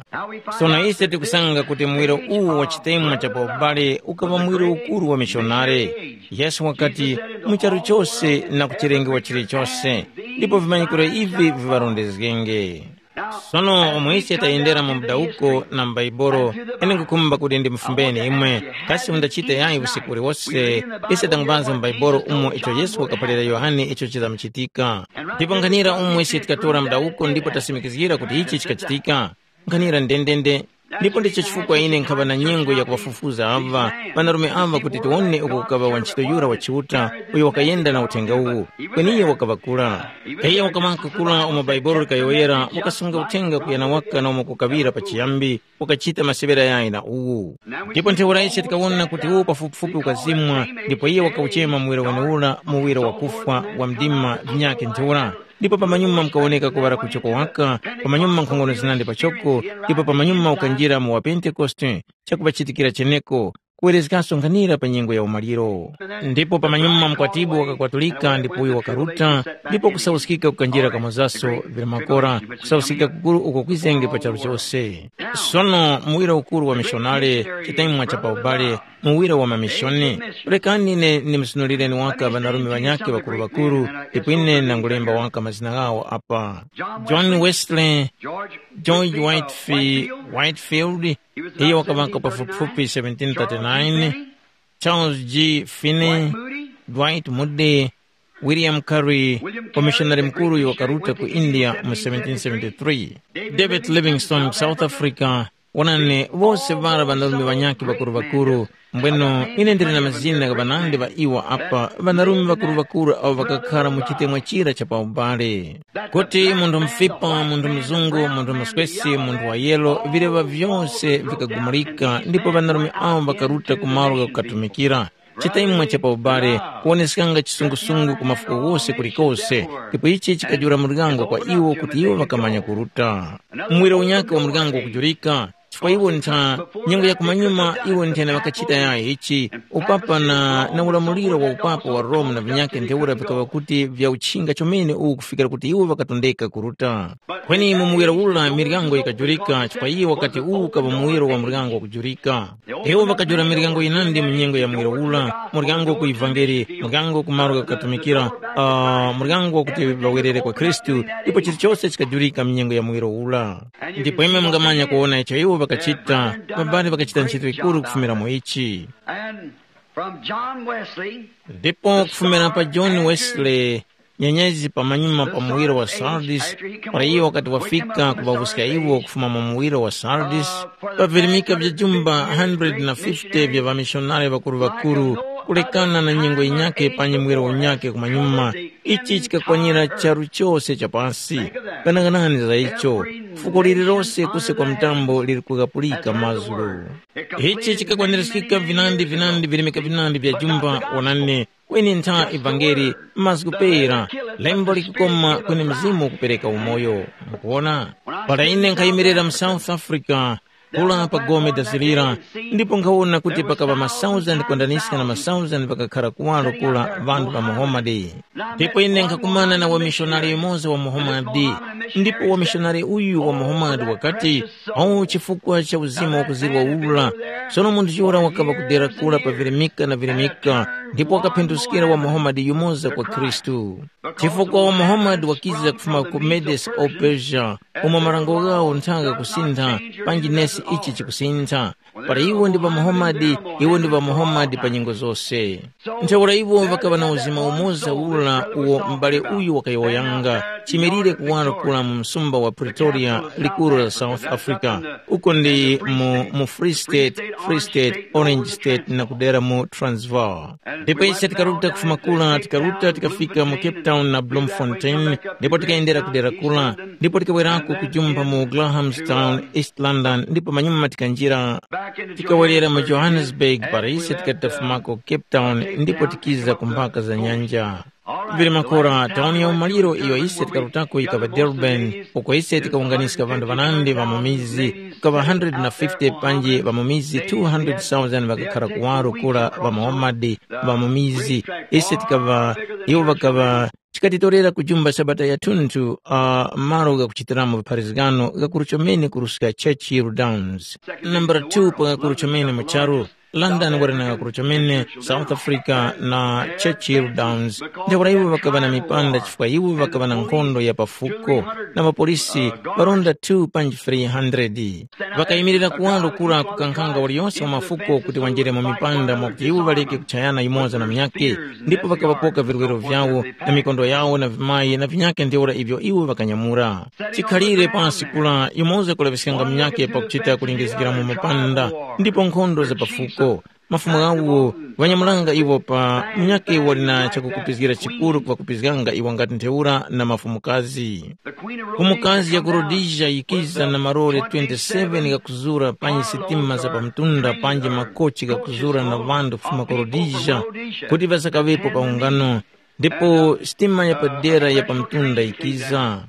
Sono ise tikusanga kuti muwiro uwu wa chitemwa cha pa ubale ukaŵa muwiro ukuru wa mishonare. Yesu wakati, mu charu chose na ku chilengero chilichose, ndipo vimanyikiro ivi viŵarondezgenge. Sono umo ise tayendera mu mdawuko na m'Baibolo, ine nkukhumba kuti ndimufumbeni imwe, kasi mundachite yayi usiku uliwose? Ise tangupanza mu Baibolo umo icho Yesu wakaphalira Yohane icho chizamuchitika. Ndipo nkhanira umo ise tikatora mdawuko ndipo tasimikizgira kuti ichi chikachitika, nkhanira ndendende. Ndipo ndicho chifukwa ine nkhaŵa na nyengo ya kuŵafufuza aŵa ŵanarume aŵa kuti tiwone uko kukaŵa wantchito yura wa Chiuta uyo wakayenda na uthenga uwu, kweni iyo wakaŵa kura. Kaya wakamaka kura umo Baibolo likayowoyera, wakasunga uthenga kuyana waka na umo kukaŵira pachiyambi, wakachita maseŵera yayi na uwu. Ndipo ntheura ise tikawona kuti uwu pafupifupi ukazimwa, ndipo iye wakawuchema muwiro wenewura muwiro wa kufwa wa mdima vinyakhe ntheura. Ndipo pamanyuma mukawoneka kuŵala kuchoko waka, pamanyuma nkhongono zinandi pachoko, ndipo pamanyuma ukanjira mu wa Pentekoste, chakuŵachitikira cheneko, kuwerezgaso nkhanira pa nyengo ya umaliro. Ndipo pamanyuma mkwatibwi wakakwatulika ndipo uyo wakaruta, ndipo kusauskika kukanjira kamozaso vili makora, kusauskika kukuru uko kwizenge pa charu chose. Sono muwira ukuru wa mishonare, chitemwa cha pa ubale, muwira wa mamishoni. Rekani ine ndimsunulireni waka ŵanarume ŵanyakhe ŵakuru-ŵakuru, ndipo ine ndangulemba waka mazina ghawo apa: John Wesley, George Whitefi-, Whitefield, iyo wakaŵaka pafupifupi seventeen thirty-nine, Charles G. Finney, Dwight Moody, William Carey, wamishonari mukuru uyo wakaruta ku India mu seventeen seventy-three, David Livingstone ku South Africa. Wonani, wose ŵara ŵanarume ŵanyakhe ŵakuru-ŵakuru. Mbweno ine ndili na mazina gha ŵanandi ŵa iwo apa, ŵanarume ŵakuru-ŵakuru awo ŵakakhara mu chitemwa chira cha pa ubale. Kuti munthu mufipa, munthu muzungu, munthu muswesi, munthu wa yelo, vileŵa vyose vikagumulika, ndipo ŵanarume awo ŵakaruta ku malo ghakukatumikira. Chitemwa cha pa ubale kuwoneskanga chisungusungu ku mafuko ghose kulikose, ndipo ichi chikajula muryango kwa iwo kuti iwo ŵakamanya kuruta. Muwiro unyakhe wa muryango ukujurika, chifukwa iwo ntha nyengo ya kumanyuma iwo nthena ŵakachita yayi ichi, upapa na, na ulamuliro wa upapa wa Roma na vinyakhe ntheura vikaŵa kuti vya uchinga chomene uwu kufikira kuti iwo ŵakatondeka kuruta. Kweni mu muwiro ula miryango yikajurika chifukwa iye wakati uwu ukaŵa muwiro wa muryango wakujurika. Iwo ŵakajula miryango yinandi mu nyengo ya muwiro ula, muryango ku ivangeli, muryango ku malo ghakukatumikira, uh, muryango wakuti ŵawerere kwa Khristu, ndipo chilichose chikajulika mu nyengo ya muwiro ula. Ndipo imwe mungamanya kuwona icho iwo ŵakachita, ŵabali ŵakachita ntchito yikuru kufumira mu ichi. And from John Wesley, ndipo kufumira pa John Wesley, nyenyezi pamanyuma pa muwiro wa Sardis, para iyo wakati wafika kuŵawuska iwo kufuma mu muwiro wa Sardis, pavirimika vya jumba hundred na fifty vya ŵamishonari ŵakuru-ŵakuru, kulekana na nyengo yinyakhe panyi muwiro unyakhe kumanyuma, ichi chikakwanira charu chose cha pasi. Ghanaghanani za icho, fuko lililose kuse kwa mtambo liri kughapulika mazgu. Ichi chikakwanirizgika vinandi vinandi virimika vinandi vya jumba, wonani, kweni ntha ivangeli, mazgu pera, lembo likukoma kweni mzimu ukupereka umoyo. Mukuwona? Para ine nkhayimirira mu South Africa, kula pa gome dazilira, ndipo nkhawona kuti pakaŵa masauzandi kwandaniska na masauzandi ŵakakhara kuwaro kula ŵanthu ŵa Muhammad. Ndipo ine nkhakumana na wamishonari yumoza wa Muhammad, ndipo wamishonari uyu wa Muhammad wakati, awu chifukwa cha uzima wakuzirwa ula, sono munthu yura wakaŵa kudera kula pa virimika na virimika, ndipo wakaphinduskira wa Muhammad yumoza kwa Khristu. Chifukwa wa Muhammad wakiza kufuma ku Medes o Persia, umo marango ghawo nthanga kusintha, panji nesi ichi chikusintha. Para iwo ndi ŵa Muhammad, iwo ndi ŵa Muhammad pa nyengo zose. Ntheura iwo ŵakaŵa na uzima umoza ula uwo m'bale uyu wakayowoyanga, chimirire kuwaro kula mu msumba wa Pretoria, likuru la South Africa, uko ndi mu, mu Free State, Free State, Orange State na kudera mu Transvaal. Ndipo ise tikaruta kufuma kula, tikaruta tikafika mu Cape Town na Bloemfontein, ndipo tikayendera kudera kula, ndipo tikawerako kujumba mu Grahamstown, East London, ndipo manyuma tikanjira tikawerera mu Johannesburg, para ise tikati tafumako ku Cape Town ndipo tikiza ku mphaka za nyanja. Vili makora, tauni ya umaliro iyo ise tikarutako yikaŵa Durban, uko ise tikawunganiska ŵanthu ŵanandi ŵa mu mizi, kukaŵa hundred na fifty panji ŵa mu mizi two hundred thousand ŵakakhara kuwaro kura ŵa Muhammad ŵa mu mizi. Ise tikaŵa, iwo ŵakaŵa chikatitorera ku jumba Sabata yathunthu, uh, malo ghakuchitiramo vipharizgano ghakuru chomene kuruska Churchill Downs. Nambala two pa ghakuru chomene mu charu, London wali na ghakuru chomene, South Africa na Churchill Downs. Ntheura iwo ŵakaŵa na mipanda chifukwa iwo ŵakaŵa na nkhondo ya pafuko, na ŵapolisi ŵaronda two panji three hundred. Ŵakayimirira kuwaro kura kukankhanga waliyose wa mafuko kuti wanjire mu mipanda mwakuti iwo ŵaleke kuchayana yumoza na munyakhe, ndipo ŵakaŵapoka virwero vyawo na mikondo yawo na vimayi na vinyakhe ntheura ivyo iwo ŵakanyamura. Chikhalire pansi kula yumoza kulaŵiskanga munyakhe pakuchita kulingizgira mu mapanda ndipo nkhondo za pafuko. Mafumu ghawo ŵanyamulanga iwo pa munyakhe wali na chakukupizgira chikuru kuŵakupizganga iwo ngati ntheura na mafumukazi. Mfumukazi ya ku Rhodesia yikiza na malore twenty-seven ghakuzura panji sitima za pamtunda panji makochi ghakuzura na ŵanthu kufuma ku Rhodesia kuti ŵasakaŵepo pa ungano, ndipo sitima yapadera ya pamtunda yikiza.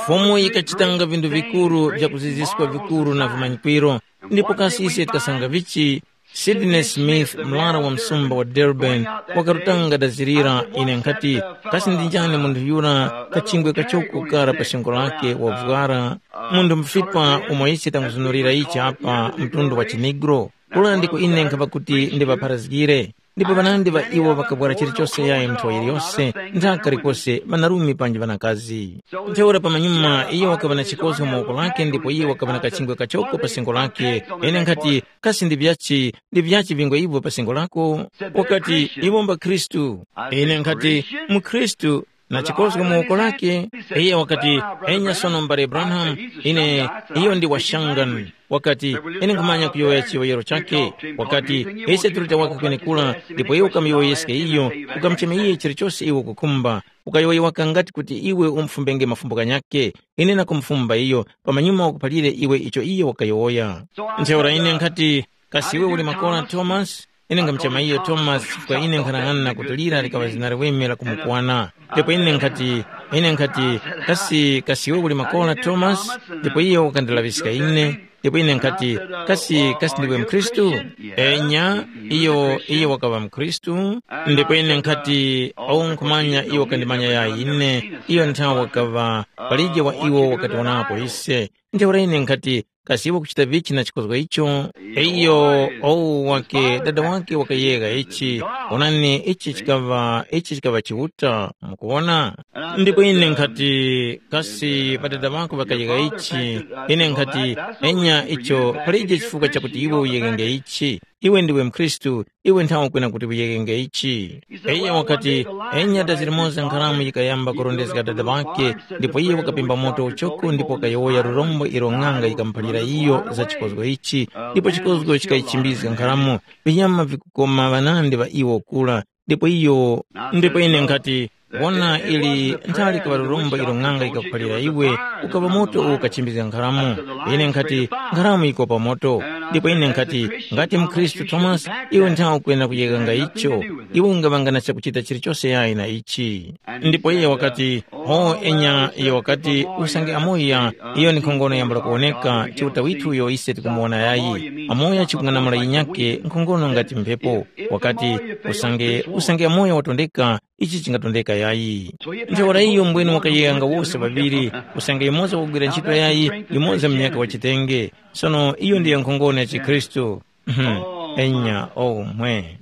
Fumu yikachitanga vinthu vikuru vya kuziziska vikuru na vimanyikwiro, ndipo kasi ise tikasanga vichi? Sydney Smith, mlara wa msumba wa Durban, wakarutanga dazirira. Ine nkhati, kasi ndi njani munthu yura kachingwe kachoko kara pa shingo lake wavwara, munthu mufipa umo ise tanguzunurira ichi apa mtundu wa chinigro? Kula ndiko ine nkhava kuti ndiŵapharazgire. Ndipo ŵanandi ŵa iwo ŵakabwera chilichose yayi nthawi yiliyose, nthaka likose ŵanarume panji ŵanakazi. Ntheura pamanyuma iyo wakaŵa na chikozgo mu woko lake ndipo iyo wakaŵa na kachingwe kachoko pa singo lake. Ine nkhati, kasi ndi vyachi ndi vyachi vingwe ivyo pa singo lako? Wakati, iwo mba Khristu. Ine nkhati, mukhristu, na chikozgo mu woko lake. Iye wakati, enya sono mbale Branham, ine iyo ndi washangani. Wakati, ine nkhumanya kuyowoya chiyowoyero chake. Wakati, ise tuli tawaka kwenekura. Ndipo iwe ukamuyowoyeske iyo, ukamucheme iye chilichose iwe ukukhumba. Ukayowoya waka ngati kuti iwe umfumbenge mafumbo ghanyakhe. Ine nakumufumba iyo, pamanyuma wakuphalire iwe icho iye wakayowoya. Ntheura ine nkhati, kasi iwe uli makola Tomasi? Ine ngamchema iyo Tomasi chifukwa ine nkhanang'ana kuti lira likaŵa zina liweme la kumukwana. Ndipo ine nkhati, ine nkhati, kasi kasi iwe uli makola Tomasi? Ndipo iyo wakandilaŵiska ine. Ndipo ine nkhati, kasi kasi ndiwe mkhristu? Enya, iyo iyo wakaŵa mkhristu. Ndipo ine nkhati, awo nkhumanya iyo wakandimanya yayi ine. Iyo nthawi wakaŵa palije wa iwo wakatiwonapo ise. Ntheura ine nkhati, kasi iwe kuchita vichi na chikozgo icho? Iyo, owu wake dada wake wakayegha ichi. Onani ichi chikaŵa ichi chikaŵa Chiuta, mukuwona. Ndipo ine nkhati, kasi ŵadada ŵako ŵakayegha ichi? Ine nkhati, enya icho palije chifukwa chakuti iwe uyeghenge ichi. Iwe ndiwe mkhristu. Iwe nthawe kwena kuti uyeghenge ichi. Iye wakati, enya dazi limoza nkharamu yikayamba kurondezga dada ŵakhe. Ndipo iye wakapimba moto uchoko ndipo wakayowoya lurombo ilo ng'anga yikamuphalira iyo za chikozgo ichi. Ndipo chikozgo chikayichimbizga nkharamu. Vinyama vikukoma ŵanandi ŵa iwo kula. Ndipo iyo ndipo ine nkhati, wona ili nthali kaŵa lurombo ilo ng'anga yikakuphalira iwe, ukaŵa moto uwo ukachimbizga nkharamu. Ine nkhati, nkharamu yikopa moto. Ndipo ine nkhati, ngati mkhristu Tomasi, iwe nthawe ukwenda kuyeganga icho. Iwe ungaŵanga na chakuchita chilichose yayi na ichi. Ndipo iye wakati, ho enya iyo wakati, usange amoya, iyo ndi nkhongono yambula kuwoneka, Chiuta withu uyo ise tikumuwona yayi. Amoya chikung'anamula yinyake nkhongono ngati mphepo. Wakati, usange usange amoya watondeka, ichi chingatondeka yayi. Ntheura iyo mbwene wakayeyanga wose ŵaŵiri, usange yumoza wakugwira ntchito yayi, yumoza munyakhe wa chitenge. Sono iyo ndiyo nkhongono ya chikhristu. Mhm. Enya omwe.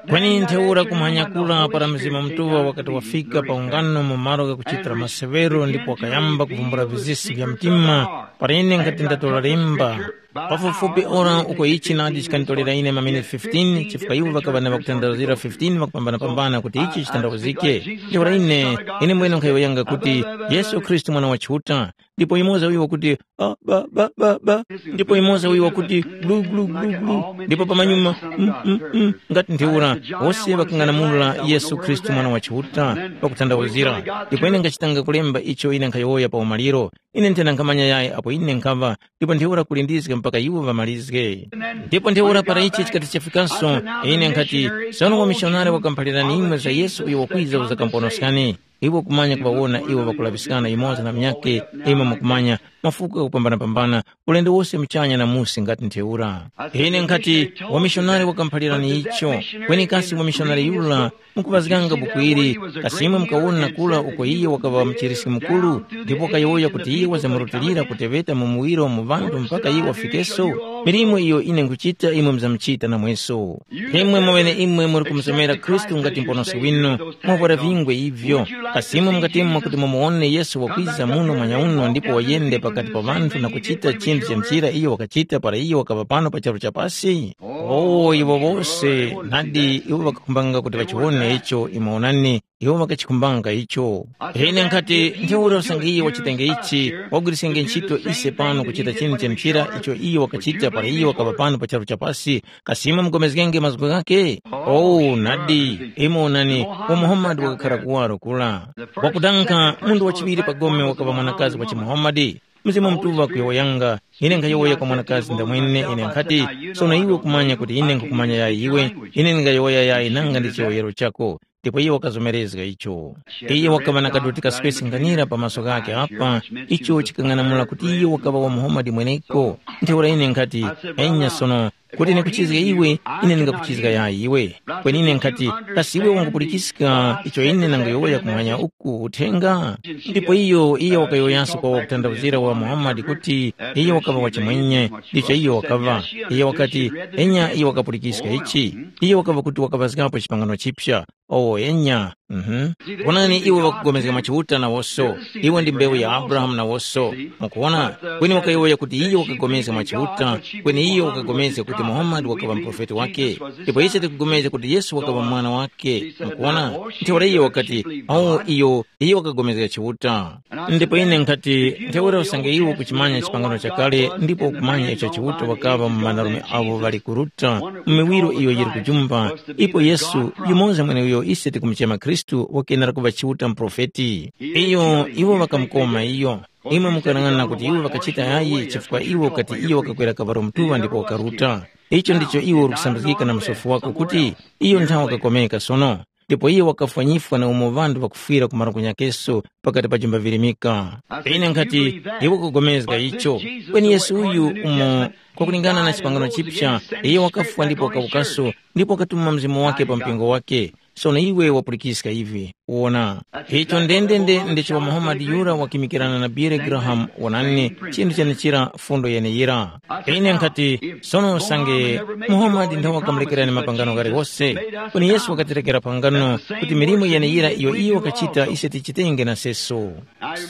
Kweni ntheura kumanyakula para Mzimu Mutuŵa wakati wafika pa ungano mu malo ghakuchitira maseŵero ndipo wakayamba kuvumbula vizisi vya mtima, para ine nkhati ndatora lemba. Pafupifupi ora uko ichi nadi chikanditorera ine maminiti fifteen, chifukwa iwo ŵakaŵa na ŵakutandazira fifteen ŵakupambanapambana kuti ichi chitandazike. Ntheura ine, ine mwene nkhayowoyanga kuti, Yesu Khristu Mwana wa Chiuta. Ndipo yumoza wiwo kuti, ah, ba, ba, ba, ba. Ndipo yumoza wiwo kuti, glu, glu, glu, glu. Ndipo pamanyuma, mm, mm, mm, ngati ntheura, wose ŵakang'anamula Yesu Khristu Mwana wa Chiuta, pakuthandawuzira. Ndipo ine ngachitanga kulemba icho ine nkhayowoya pa umaliro. Ine nthena nkhamanya yayi apo ine nkhaŵa, ndipo ntheura kulindizga mpaka iwo ŵamalizge. Ndipo ntheura para ichi chikati chafikanso, ine nkhati, sono wamishonari wakamuphalirani imwe za Yesu uyo wakwiza uzakamponoskani. Iwe ukumanya kuŵawona iwo ŵakulaŵiskana yumoza na munyakhe, imwe mukumanya, mafuko ghakupambanapambana, ulendo wose muchanya na musi ngati ntheura. Ine nkhati, wamishonari wakamuphalirani icho, kweni kasi wamishonari yura, mukuŵazganga buku ili, kasi imwe mukawona kura uko iye wakaŵa muchiriski mukuru, ndipo wakayowoya kuti iye wazamurutilira kuteŵeta mu muwiro mu ŵanthu mpaka iye wafikeso? Milimo iyo ine nkhuchita imwe muzamuchita namweso. Imwe mweneimwe muri kumusomera Khristu ngati Muponoski winu, mwavwara vingwe ivyo. Kasi imwe mungatemwa kuti mumuwone Yesu wakwiza muno mwanyauno ndipo wayende pakati pa ŵanthu na kuchita chinthu cha njira iyo wakachita para iyo wakaŵa pano pa charu cha pasi? O, iwo wose, nadi iwo ŵakakhumbanga kuti ŵachiwone icho, imwe onani, iwo ŵakachikhumbanga icho. Ine nkhati, ntheura usange iye wachitenge ichi, wagwiriskenge ntchito ise pano kuchita chinthu cha njira icho iye wakachita para iyo wakaŵa pano pa charu cha pasi, kasi imwe mugomezgenge mazgu ghakhe? Oh, nadi, imwe onani, wa Muhammad wakakhara kuwaro kura. Wakudankha munthu wachiŵiri pa gome wakaŵa mwanakazi wa chiMuhammad. Mzimu Mutuŵa kuyowoyanga, ine nkhayowoya kwa mwanakazi ndamwene, ine nkhati, sono iwe ukumanya kuti ine nkhukumanya yayi iwe, ine ndingayowoya yayi nanga ndi chiyowoyero chako. ndipo iyo wakazomerezga icho. Iyo wakaŵa na kadoti kaswesi nganira pa maso ghakhe apa, icho chikang'anamula kuti iyo wakaŵa wa Muhamadi mweneko. Ntheura ine nkhati, enya sono, kuti nikuchizga iwe, ine ndingakuchizga yayi iwe. Kweni ine nkhati, kasi iwe wangupulikiska icho ine nanguyowoya kumwanya uku uthenga? Ndipo iyo, iyo wakayowoyanso kwa wakuthandawuzira wa Muhamadi kuti iyo wakaŵa wachimwenye, ndicho iyo wakaŵa. Iyo wakati, enya iyo wakapulikiska ichi. Iyo wakaŵa kuti wakaŵazgapo chipangano chipya. Owo enya. Mhm. Wonani iwe wakugomezga mwa Chiuta nawoso. Iwe ndi mbewu ya Abrahamu nawoso. Mukuwona? Kweni wakayowoya kuti iyo wakagomezga mwa Chiuta, kweni iyo wakagomezga kuti Muhammad wakaŵa muprofeti wake. Ndipo ise tikugomezga kuti Yesu wakaŵa mwana wake. Mukuwona? Ntheura iyo wakati, awo iyo, iyo wakagomezga Chiuta. Ndipo ine nkhati, ntheura usange iwe ukuchimanya chipangano chakale ndipo ukumanya icho Chiuta wakaŵa mu ŵanarume avo ŵali kuruta mu miwiro iyo yili kujumba, ipo Yesu yumoza mweneuyo ise tikumuchema Khristu wakenera kuŵa Chiuta muprofeti. Iyo iwo ŵakamukoma iyo. Imwe mukalang'ana kuti iwo ŵakachita yayi chifukwa iwo kati iyo wakakwera kavalo mutuŵa ndipo wakaruta. Icho ndicho iwo uri kusambizgika na msofi wako kuti iyo nthawi wakakomeka sono. Ndipo iyo wakafwanyifwa na umo ŵanthu ŵakufwira ku marango nyakeso pakati pa jumba virimika. Ine nkhati, iwe kupulikana icho. Kweni Yesu uyu umo, kwakulingana na chipangano chipya, iye wakafwa ndipo wakawukaso, ndipo wakatuma mzimu wake pa mpingo wake. Sono iwe wapulikiska ivi. Wona, icho ndendende ndicho wa Muhammad yura wakimikirana na Billy Graham, wonani, chinthu chenechira fundo yeneyira. Ine nkhati, sono usange Muhammad nthawe wakamulekerani mapangano ghaliwose, kweni Yesu wakatirekera pangano kuti milimo yeneyira iyo iyo wakachita ise tichitenge na seso.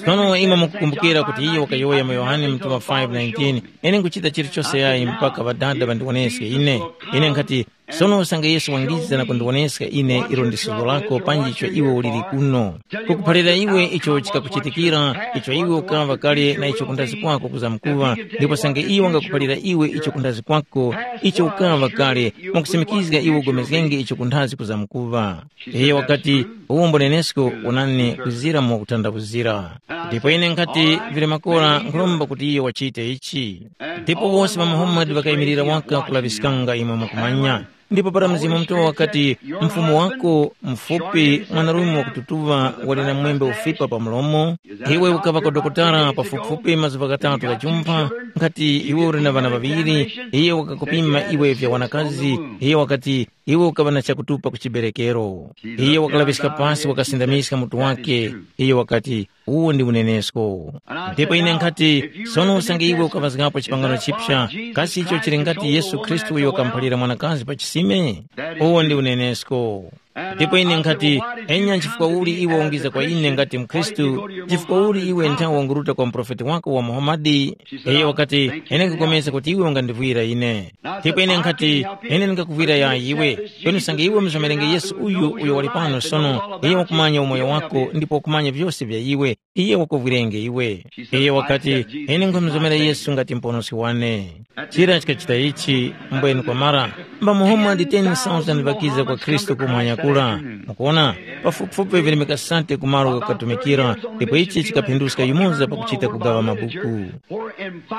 Sono imwe mukukumbukira kuti iyo wakayowoya mu Yohane mutuŵa five nineteen, ine nkuchita chilichose yayi mpaka Ŵadada ŵandiwoneske ine. Ine nkhati, sono usange Yesu wangiza na kundiwoneska ine ilo ndi suzgo lako panji icho iwe uliri kuno, kukuphalira iwe icho chikakuchitikira, icho iwe ukaŵa kale na icho kundazi kwako kuzamkuŵa, ndipo usange iyo wangakuphalira iwe icho kundazi kwako, icho ukaŵa kale, mwakusimikizga iwe ugomezgenge icho kundazi kuzamkuŵa. Iye wakati, uwombo nenesko, wonani kuzira mu kuthandakuzira. Ndipo ine nkhati, vili makora nkhuromba kuti iyo wachite ichi. Ndipo wose ŵa Muhammad ŵakayimirira waka kulaŵiskanga imwe mukumanya. Ndipo para Mzimu Mutuŵa wakati, mfumu wako mfupi, mwanarume wakututuŵa, wali na mwembe ufipa pa mlomo, iwe ukaŵa kwa dokotala pafupifupi mazuŵa ghatatu ghajumpha, nkhati iwe uli na ŵana ŵaŵiri, iye wakakupima iwe vya wanakazi, iye wakati, iwe ukaŵa na chakutupa ku chiberekero. Iye wakalaŵiska pasi wakasindamiska mutu wake. Iye wakati, uwo ndi unenesko. Ndipo ine nkhati, sono usange iwe ukaŵazgapo chipangano chipsa, kasi icho chili ngati Yesu Khristu uyo wakamuphalira mwanakazi pa chisime? Uwo ndi unenesko. Ndipo ine nkhati, enya nchifukwa uli iwe ungiza kwa ine ngati mkhristu? Nchifukwa uli iwe nthawi wanguruta kwa muprofeti wako wa Muhamadi? Iye wakati, ine nkupulikana kuti iwe ungandivwira ine. Ndipo ine nkhati, ine ndingakuvwira yayi iwe. Kweni usange iwe umuzomerenge Yesu uyu uyo wali pano sono, iye wakumanya umoyo wako ndipo wakumanya vyose vya iwe. Iye wakuvwirenge iwe. Iye wakati, ine nkhumuzomera Yesu ngati muponoski wane. Chira chikachita ichi, mbweni kwamara, mbamuhomwa ndi ten thousand ŵakiza kwa Khristu kumwanya kura. Mukuona, pafupifupi virimika sate ku malo ghakutumikira, ndipo ichi chikaphinduska yumoza pakuchita kugaŵa mabuku.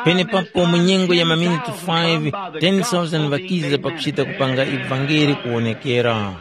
Penepapo mu nyengo ya maminiti five, ten thousand ŵakiza pakuchita kupanga ivangeli kuwonekera.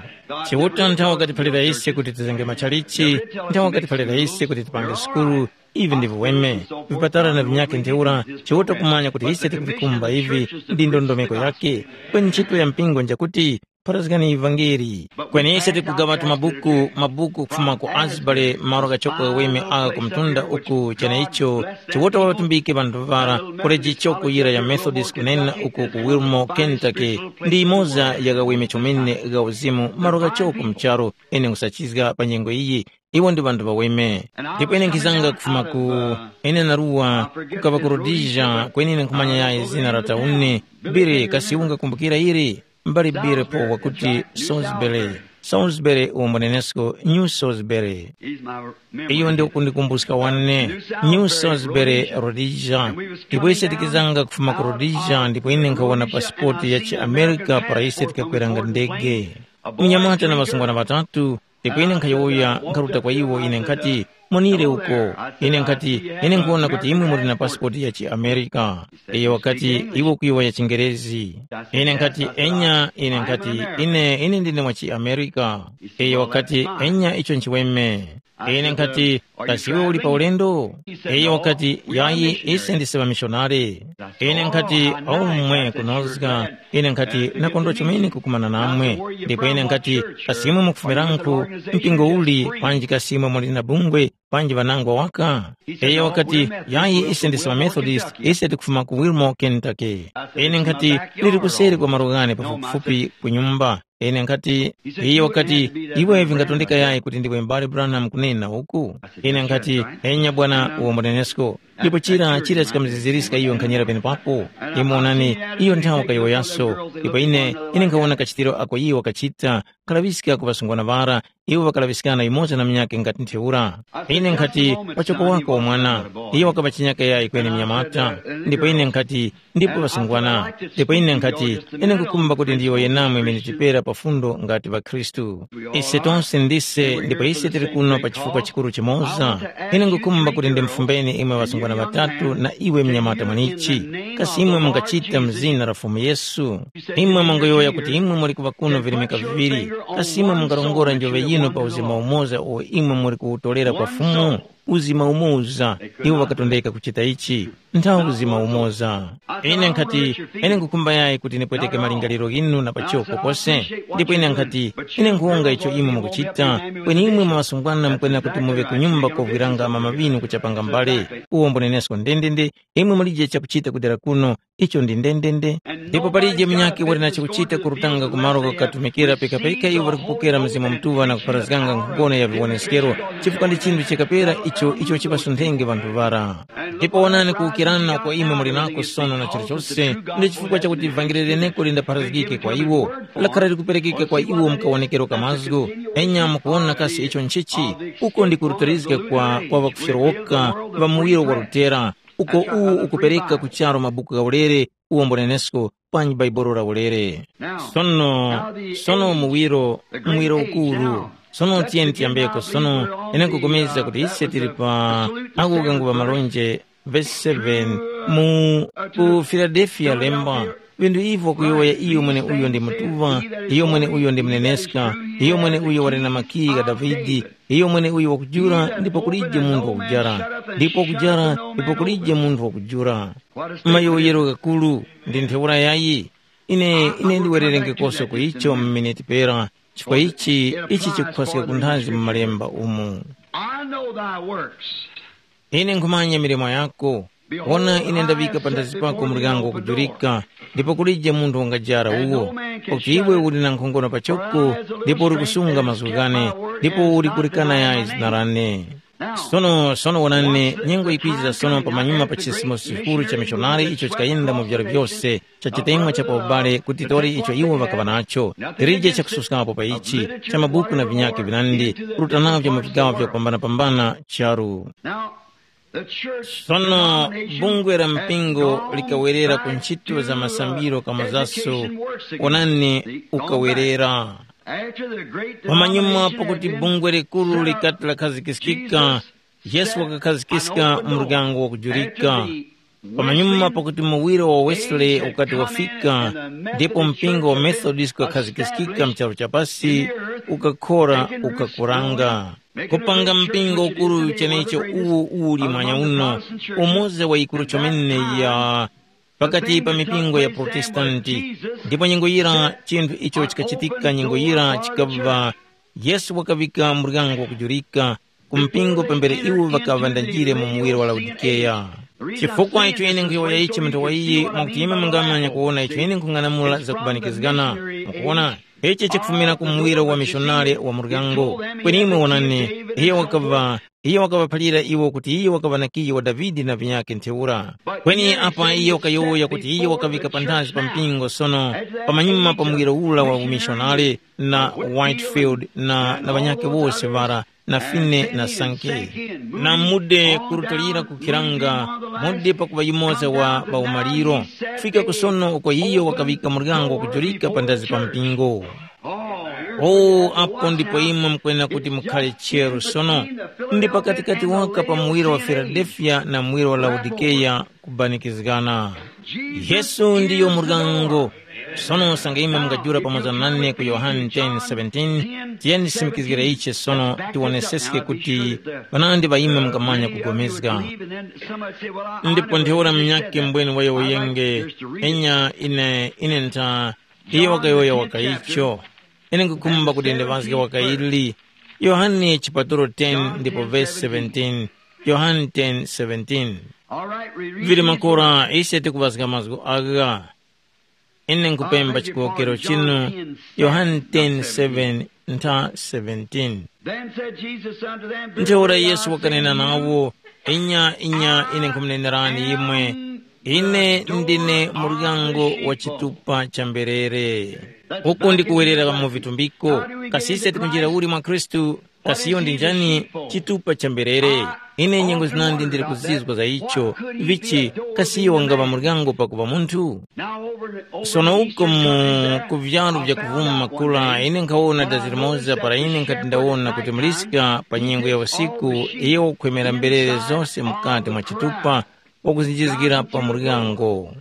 Chiuta nthawe wakatiphalira ise kuti tizenge machalichi, nthawe wakatiphalira ise kuti tipange sukulu, ivi ndi viweme, vipatala na vinyakhe ntheura. Chiuta kumanya kuti ise tikuvikumba ivi ndi ndondomeko yake, kweni ntchito ya mpingo njakuti pharazgani ivangeli. Kweni ise tikugaŵatu mabuku, mabuku kufuma ku Asbury, malo ghachoko ghaweme agha ku mtunda uku cheneicho. Chiuta watumbike ŵanthu ŵara, koleji choko yira ya Methodist kunena uku ku Wilmore, Kentucky, ndi imoza ya ghaweme chomene gha uzimu malo ghachoko mu charu. Ine nkhusachizga pa nyengo iyi, iwo ndi ŵanthu ŵaweme. Ndipo ine nkhizanga kufuma ku, ine naruwa, kukaŵa ku Rhodesia, kweni ine nkhumanya yayi zina la tauni. Bire, kasi ungakumbukira ili? Mbali Bire po wakuti Salisbury. Salisbury umo nenesko New Salisbury. Iyo ndi ukundikumbuska wane, New Salisbury, Rhodesia. Ndipo ise tikizanga kufuma ku Rhodesia, ndipo ine nkhawona pasipoti ya chiAmerika para ise tikakweranga ndege. Mnyamata na ŵasungwana ŵatatu, ndipo ine nkhayowoya nkharuta kwa iwo, ine nkhati, Monire uko. Ine nkhati, ine nkuwona kuti imwe muli na pasipoti ya chiAmerika. Iyo wakati, iwe ukuyowoya chiNgerezi. Ine nkhati, enya, ine nkhati, ine, ine ndine wa chiAmerika. Iyo wakati, enya, icho nchiweme. Ine nkhati, kasi iwe uli pa ulendo? Iyo wakati, yayi, ise ndise ŵamishonari. Ine nkhati, aumwe kunozga. Ine nkhati, nakondwa chomene kukumana namwe. Ndipo ine nkhati, kasi imwe mukufumirankhu, mpingo uli, panji kasi imwe muli na bungwe, panji ŵanangwa waka? Iyo wakati, yayi, ise ndise ŵaMethodist, ise tikufuma ku Wilmore, Kentucky. Ine nkhati, liri kuseri kwa malo ghane pafupifupi ku nyumba. Ine nkhati, iyo wakati, iwe vingatondeka yayi kuti ndiwe m'bale Branham kunena uku? Ine nkhati, enya bwana uwo mwanenesko. Ndipo chira chira chikamuziziriska iyo nkhanyira penepapo. Imwe onani, iyo nthawi kayowoyaso. Ndipo ine ine nkhawona kachitiro ako iyo wakachita, kalaŵiska ku ŵasungwana ŵara, iwo ŵakalaŵiskana yumoza na munyakhe ngati ntheura. Ine nkhati, wachoko wako wa mwana, iyo wakaŵa chinyaka yayi kweni mnyamata. Ndipo ine nkhati, ndipo ŵasungwana. Ndipo ine nkhati, ine nkukhumba kuti ndiyowoye namwe imene tipera pa fundo ngati ŵakhristu. Ise tonse ndise ndipo ise tili kuno pa chifukwa chikuru chimoza. Ine nkukhumba kuti ndimufumbeni imwe ŵasungwana ŵatatu na iwe mnyamata mwanichi, kasi imwe mungachita mu zina la Fumu Yesu? Imwe mungayowoya kuti imwe muli kuŵa kuno virimika viŵiri, kasi imwe mungarongora njove yinu pa uzima umoza uwo imwe muli kuwutolera kwa Fumu? Uzima umoza, iwo ŵakatondeka kuchita ichi. Nthawi uzima umoza. Ine nkhati, ine nkukhumba yayi kuti nipweteke malingaliro ghinu na pachoko pose. Ndipo ine nkhati, ine nkhuwonga icho imwe mukuchita, kweni imwe mwa ŵasungwana mukwenera kuti muŵe ku nyumba kovwiranga mama ŵinu kuchapanga mbale. Uwo mbunenesko ndendende, imwe mulije chakuchita kudera kuno, icho ndi ndendende. Ndipo palije munyakhe wali na chakuchita kurutanga ku malo ghakutumikira, pikapika iwo ŵali kupokera Mzimu Mutuŵa na kupharazganga nkhongono ya viwoneskero, chifukwa ndi chinthu chakapera icho icho chiŵasunthenge ŵanthu ŵara. Ndipo wonani kuwukirana kwa imwe muli nako sono na chilichose, ndi chifukwa chakuti vangeli leneko lindapharazgike kwa iwo, lakhala likuperekeka kwa iwo mu kawonekero ka mazgu. Enya mukuwona kasi icho nchichi? Uko ndi kulutarizga kwa kwa ŵakufyerowoka ŵa muwiro wa lutera, uko uwu ukupereka ku charu mabuku ghaulere, uwombo nenesko panji Baibolo laulere. Sono, sono muwiro, muwiro ukuru. Sono tiyeni tiyambeko sono, ine nkupulikana kuti ise tili pa, ako kangupa malonje, verse seven, mu ku Filadelfiya lemba, vinthu ivyo kuyowoya iyo mwene uyo ndi mutuŵa, iyo mwene uyo ndi muneneska, iyo mwene uyo wali na makiyi gha Davide, iyo mwene uyo wakujula ndipo kulije munthu wakujara, ndipo wakujara ndipo kulije munthu wakujula. Mayowoyero ghakulu ndi ntheura yayi. Ine ine ndiwererengekoso ku icho mu miniti pera, chifukwa ichi ichi chikukhwaska kunthazi mu malemba umu. I know thy works. Ine nkhumanya milimo yako. Wona ine ndaŵika panthazi pako muryango wakujurika, ndipo kulije munthu wangajara uwo. Pakuti iwe uli na nkhongono pachoko, ndipo uli kusunga mazgu ghane, ndipo uli kulikana yayi zina lane. Sono sono wonani, nyengo yikwiza sono pamanyuma pa chisimuso chikuru cha mishonari icho chikayenda mu vyaro vyose, cha chitemwa cha pa ubale kuti tore icho iwo ŵakaŵa nacho, tilije chakususkapo pa ichi, cha mabuku na vinyakhe vinandi, kuruta navyo mu vigawo vyakupambanapambana charu. Now, the church Sono denomination bungwe la has mpingo gone likawerera ku right ntchito za to masambiro the kamozaso education works again. Onani, ukawerera. After the great pamanyuma denomination pakuti had been bungwe likuru set up, likati lakhazikiskika, Jesus Yesu said, wakakhazikika "I know the muryango door." Wakujulika. After the Pamanyuma Wesley pakuti muwiro wa Wesley ukati wafika, ndipo mpingo wa Methodist ukakhazikika mcharu cha pasi, ukakhora, ukakuranga, kupanga mpingo ukuru chenecho uwo uli mwanya uno, umoza wa ikuru chomene ya pakati pa mipingo ya Protestanti. Ndipo nyengo yira chinthu icho chikachitika, nyengo yira chikabva Yesu wakaŵika muryango wakujurika ku mpingo pambere iwo ŵakaŵa ndanjire mu muwiro wa Laodikeya. Chifukwa icho ine nkhuyowoya ichi munthu wa iyi mwakuti imwe mungamanya kuwona icho ine nkhung'anamula zakubanikizgana. Mukuwona, ichi chikufumira ku muwiro wa mishonare wa muryango. Kweni imwe wonani, iye wakaŵa iye wakaŵaphalira iwo kuti iye wakaŵa na kiyi wa Davide na vinyakhe ntheura. Kweni apa iye wakayowoya kuti iye wakaŵika panthazi pa mpingo sono, pamanyuma pa muwiro ula wa umishonare na Whitefield na, na ŵanyakhe wose ŵara, na Fine na Sanke. Na mude kurutilira kukhiranga, mude pakuŵa yumoza wa paumaliro, kufika kusono uko iyo wakaŵika muryango kujurika panthazi pa mpingo. O, apo ndipo imwe mukwenera kuti mukhale cheru sono. Ndi pakatikati waka pa muwiro wa Filadelfiya na muwiro wa Laodikeya kubanikizgana. Yesu ndiyo muryango. Sono sanga imwe mungajula pamoza nane ku Yohane ten seventeen, tiyeni tisimikizgire ichi sono tiwoneseske kuti panandi pa imwe mungamanya kugomezga. Ndipo ntheura munyakhe mbweni wayowoyenge, enya ine ine ntha, iyo wakayowoya wakaicho. Ine nkukhumba kuti ndiŵazge wakaili. Yohane chipatulo ten ndipo vesi seventeen. Yohane ten seventeen. Vili makora ise tikuŵazga mazgu agha. Ine nkupemba chikowokero chinu. Yohane ten seven ntha seventeen. Then said Jesus unto them, Ntheura Yesu wakanena nawo, inya inya ine nkumunenerani imwe, ine ndine muryango wa chitupa cha mberere. Uku ndikuwerera mu vitumbiko. Kasi ise tikunjira uli mwa Khristu? Kasi iyo ndi njani? Chitupa cha mberere. Ine nyengo zinandi ndili kuzizwa za icho. Vichi? Kasi iyo wangaŵa muryango pakuŵa munthu? Sono uko mu ku vyalu vya kuvuma makula ine nkhawona dazi limoza para ine nkhati ndawona kuti muliska pa nyengo ya usiku, iyo wakukhwemera mberere zose mukati mwa chitupa, wakuzinjizgira pa muryango.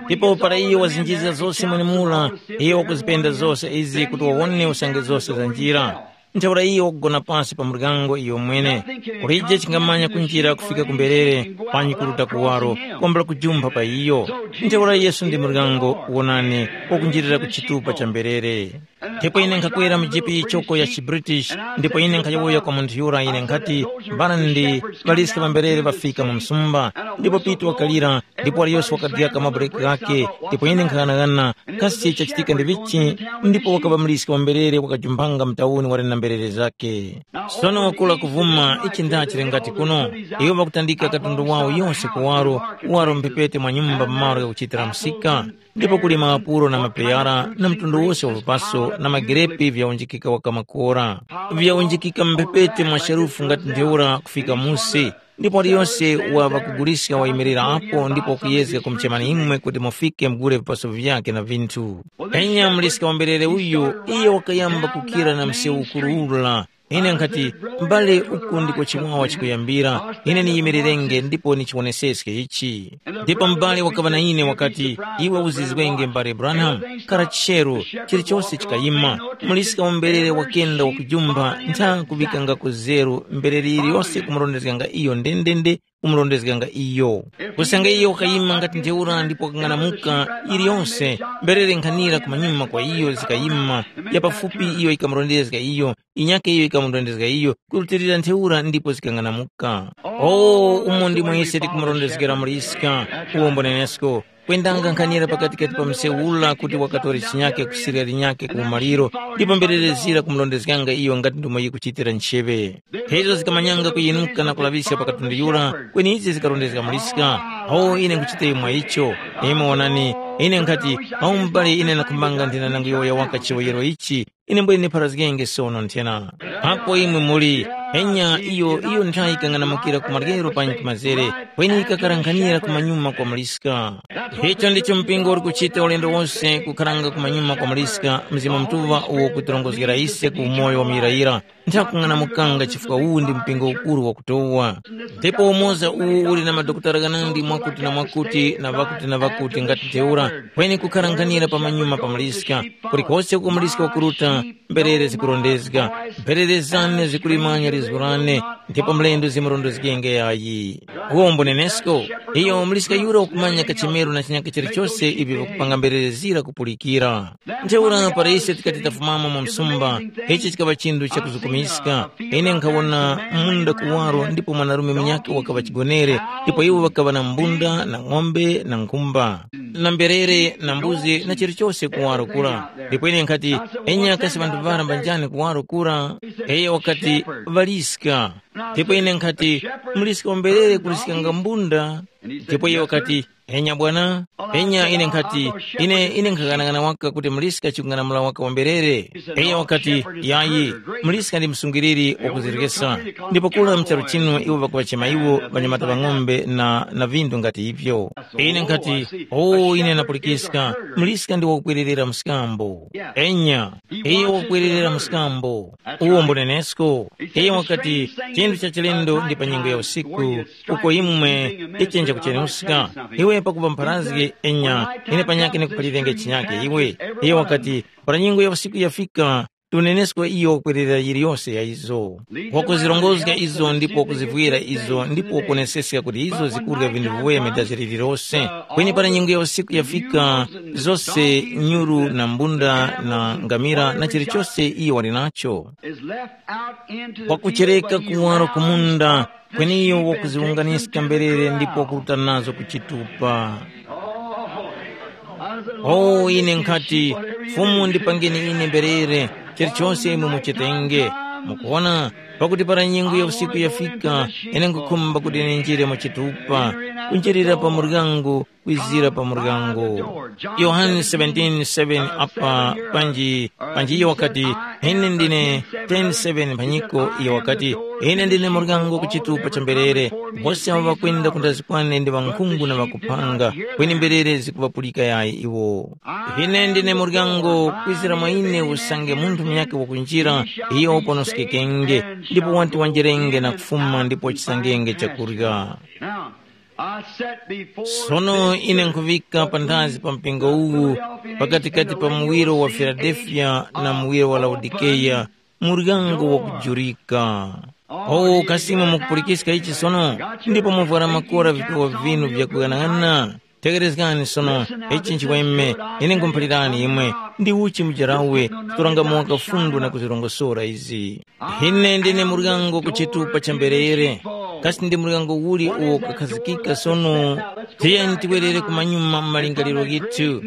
Ndipo para iyo wazinjizga zose mwenemura, iyo wakuzipenda zose izi kuti wawone usange zose za njira. Ntheura iyo wakugona pasi pa muryango iyo mwene, kulije chingamanya kunjira kufika ku mberere, panyi kuruta kuwaro, kwambula kujumpha pa iyo. Ntheura Yesu ndi muryango, wonani, wakunjirira ku chitupa cha mberere. Ndipo ine nkhakwera mu jipi yichoko ya chiBritish, ndipo ine nkhayowoya kwa munthu yura ine nkhati, mbana ndi ŵaliska ŵamberere ŵafika mu msumba, ndipo Pitu wakalira, ndipo waliyose wakadyaka mabuleki ghakhe, ndipo ine nkhaghanagana, kasi chachitika ndi vichi? Ndipo wakaŵa muliska wa mberere wakajumpanga mu tauni wali na mberere zakhe. Sono wakula kuvuma ichi ndachili ngati kuno, iwo ŵakutandika katundu wawo yose kuwaro, waro mphepete mwa nyumba malo ghakuchitira msika, ndipo kuli maapuro na mapeyara na mtundu wose wa vipaso na magerepi vyaunjikika waka makora, vyaunjikika mphepete mwa sharufu ngati ntheura kufika musi. Ndipo waliyose wa ŵakuguliska wayimirira apo ndipo wakuyezga kumuchemani imwe kuti mufike mugule vipaso vyakhe na vinthu. Enya muliska wamberere uyu, iyo wakayamba kukira na msewu ukuru ura. Ine nkhati, m'bale, uku ndiko chiwawa chikuyambira. Ine niyimirerenge ndipo nichiwoneseske ichi. Ndipo m'bale wakaŵa na ine wakati, iwe uzizwenge m'bale Branham, kara chero, chilichose chikayima. Muliska wamberere wakenda wakujumpha ntha kuŵikangako zeru mberere yiliyose kumurondezganga iyo ndendende, kumurondezganga iyo. Kusanga iyo wakayima ngati ntheura ndipo wakang'anamuka, yiliyose mberere nkhanira kumanyuma kwa iyo zikayima, ya pafupi iyo ikamurondezga iyo, inyake iyo ikamurondezga iyo, kurutilira ntheura ndipo zikang'anamuka. O, umo ndimo ise tikumurondezgera muliska, uwombo nenesko. Kwendanga nkhanira pakatikati pa msewu ula kuti wakatora chinyake kusirya linyake ku umaliro, ndipo mberere zira kumurondezganga iyo ngati ndumo yikuchitira ncheŵe. Izo zikamanyanga kuyinuka na kulaŵiska pa katundu yura, kweni izi zikarondezga muliska. Awo ine nkuchita imwe icho. Imwe wonani, ine nkhati, awo m'bale ine nakhumbanga nthena nangu yowoya waka chiwoyero ichi, ine mbwene nipharazgenge sono nthena. Apo imwe muli, enya iyo iyo nthayi ikang'anamukira ku maryero panyi ku mazere, kweni ikakarankhanira ku manyuma kwa muliska. Icho ndicho mpingo uri kuchita ulendo wose kukharanga ku manyuma kwa muliska, Mzimu Mutuŵa uwo ukutirongozgera ise ku umoyo wa muyirayira. Nthakung'anamukanga chifukwa uwu ndi mpingo ukuru wakutowa. Ndipo umoza uwu uli na madokotala ghanandi mwakuti na mwakuti na ŵakuti na ŵakuti ngati ntheura, kweni kukharanghanira pamanyuma pa muliska, kulikose uko muliska wakuruta, mberere zikurondezga, mberere zane zikulimanya lizgu lane, ndipo mlendo zimurondezgenge yayi. Uwombo nenesko, iyo muliska yura wakumanya kachemero na chinyaka chilichose ivi vakupanga mberere zira kupulikira. Ntheura para ise tikati tafumamo mu msumba, ichi chikaŵa chinthu chakuzukumiska. Ine nkhawona munda kuwaro ndipo mwanarume munyakhe wakaŵa chigonere, ndipo iwo ŵakaŵa na mbunda na ng'ombe na nkhumba na mberere na mbuzi na chilichose kuwaro kura. Ndipo ine nkhati, enya kasi ŵanthu ŵara mbanjani kuwaro kura? Iyo wakati, ŵaliska. Ndipo ine nkhati, muliska wa mberere kuliskanga mbunda? Ndipo iye wakati, enya bwana, enya ine nkhati, ine ine nkhaghanagana waka kuti muliska chikung'anamula waka wamberere. Iye wakati, yayi, muliska ndi msungiriri wakuzirikesa. Ndipo kula mcharu chinu iwo ŵakuŵachema iwo ŵanyamata ŵa ng'ombe na na vindu ngati ivyo. Ine nkhati, o ine napulikiska, muliska ndi wakukwererera mskambo. Enya, iye wakukwererera mskambo. Uwo mbunenesko. Iye wakati, chinthu cha chilendo ndi pa nyengo ya usiku, uko imwe ichenja kuchenuska. Iwe pakupa mpharazge enya, ine panyakhe nikuphalirenge chinyake iwe. Iye wakati, para nyengo ya usiku yafika, tunenesko iyo kwerera yiliyose ya izo. Wakuzirongozga izo ndipo wakuzivwira izo ndipo wakuoneseska kuti izo zikurya vinthu viweme daziri lilose. Kweni para nyengo ya usiku yafika, zose nyuru na mbunda na ngamira na chilichose iyo wali nacho. Is left out into the field wakuchereka where you kuwaro have kumunda, kweni iyo wakuziwunganiska mberere ndipo wakuruta nazo ku chitupa. Oh, ine nkhati, Fumu ndipangeni ine mberere, chilichonse imwe muchitenge. Mukuona, pakuti para nyengo ya usiku yafika, ine nkukhumba kuti ninjire mu chitupa, kunjirira pa muryango, kwizira pa muryango. Yohane seventeen seven apa panji, panji iyo wakati, ine ndine ten seven phanyiko, iyo wakati, ine ndine muryango ku chitupa cha mberere, wose abo ŵakwenda kundazi kwane ndi ŵankhungu na ŵakuphanga, kweni mberere zikuŵapulika yayi iwo. Ine ndine muryango, kwizira mwa ine usange munthu munyakhe wakunjira, iyo uponoskekenge, ndipo wati wanjerenge na kufuma ndipo wachisangenge chakurya. Now, I set before Sono ine nkhuvika panthazi pa mpingo uwu, pakatikati pa muwiro wa Filadelfiya na muwiro wa Laodikeya, muryango wakujurika. O, kasi imwe mukupulikiska ichi sono? Ndipo muvwara makora vipewa vinu vyakuyang'ana. Tegherezgani sono, ichi nchiweme, ine nkhumuphalirani imwe, ndi uchi mujarawe, kutoranga mowa kafundo na kuzirongosora izi. Ine ndine muryango ku chitupa cha mberere. Kasi ndi muryango uli uwo ukakhazikika sono? Tiyeni tiwerere kumanyuma mu malingaliro ghithu.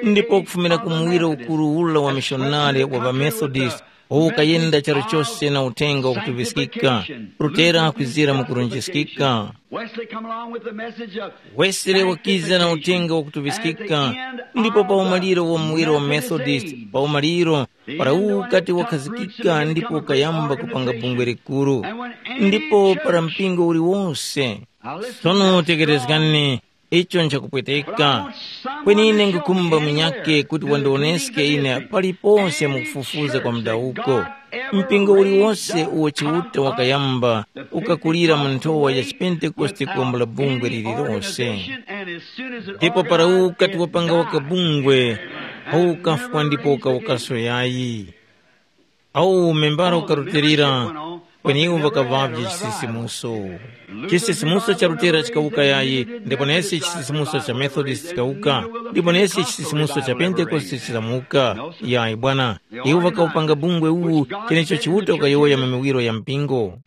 Ndipo kufumira ku muwiro ukuru ula wa mishonare wa ŵaMethodist, uwo ukayenda charu chose na uthenga wakutuŵiskika, Lutera kwizira mu kurunjiskika. Wesley come along with the message of Wesere wakiza na uthenga wakutuŵiskika, ndipo pa umaliro wa muwiro wa Methodist, pa umaliro, para uwu ukati wakhazikika ndipo ukayamba kupanga bungwe likuru. Ndipo para mpingo uliwonse. Sono tekerezgani, icho nchakupweteka. Kweni ine ngukumba munyake kuti wandioneske ine paliponse mu kufufuza kwa mudawuko. Mpingo uliwonse uwo Chiuta wakayamba ukakulira mu nthowa ya chipentekoste kuwambula bungwe lililonse. Ndipo para ukati wapanga waka bungwe, awu ukafwa ndipo ukawukaso yayi. Awu membara ukarutilira, kweni iwo ŵakaŵavye chisisimuso. Chisisimuso cha Lutera chikawuka yayi, ndipo nesi chisisimuso cha Methodist chikawuka, ndipo nesi chisisimuso cha Pentekoste chizamuka. Yayi bwana, iwo ŵakawupanga bungwe uwu, chenecho Chiuta ukayowoya mu miwiro ya mpingo.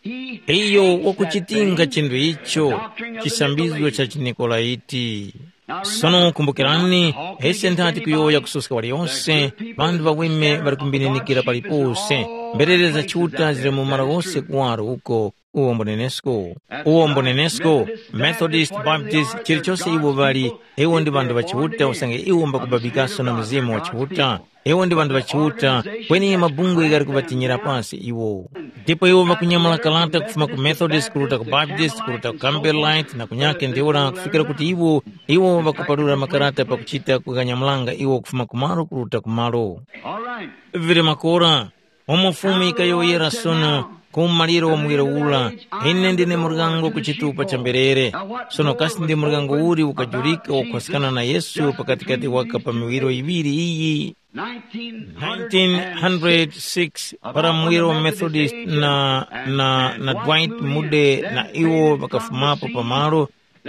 Iyo wakuchitinga chinthu icho, chisambizgo cha chiNikolaiti. Sono kumbukirani, ese nthati kuyowoya kusoska waliyonse, ŵanthu ŵaweme ŵali kumbininikira palipose, mberere za Chiuta zili mu malo ghose kuwaro uko, uwo mbunenesko. Uwo mbunenesko, Methodist, Baptist, chilichose iwo ŵali, iwo ndi ŵanthu ŵa Chiuta usange iwo mbakubabikaso na Mzimu wa Chiuta. Iwo ndi ŵanthu ŵa Chiuta, kweni mabungwe ghali kuŵatinyira pasi iwo. Ndipo iwo ŵakunyamula kalata kufuma ku Methodist, kuruta ku Baptist, kuruta ku Campbellite, na kunyake ntheura kufikira kuti iwo, iwo ŵakupalula makarata pakuchita kuganyamulanga iwo kufuma kumalo kuruta kumalo. All right. Vili makora, umo Fumu yikayowoyera sono, ku umaliro wa muwiro ula, ine ndine muryango ku chitupa cha mberere. Sono kasi ndi muryango uli ukajulika wakukhwaskana na Yesu pakatikati waka pa miwiro yiŵiri iyi? nineteen hundred six, para muwiro wa Methodist na, na, na Dwight Moody na iwo ŵakafumapo pamalo,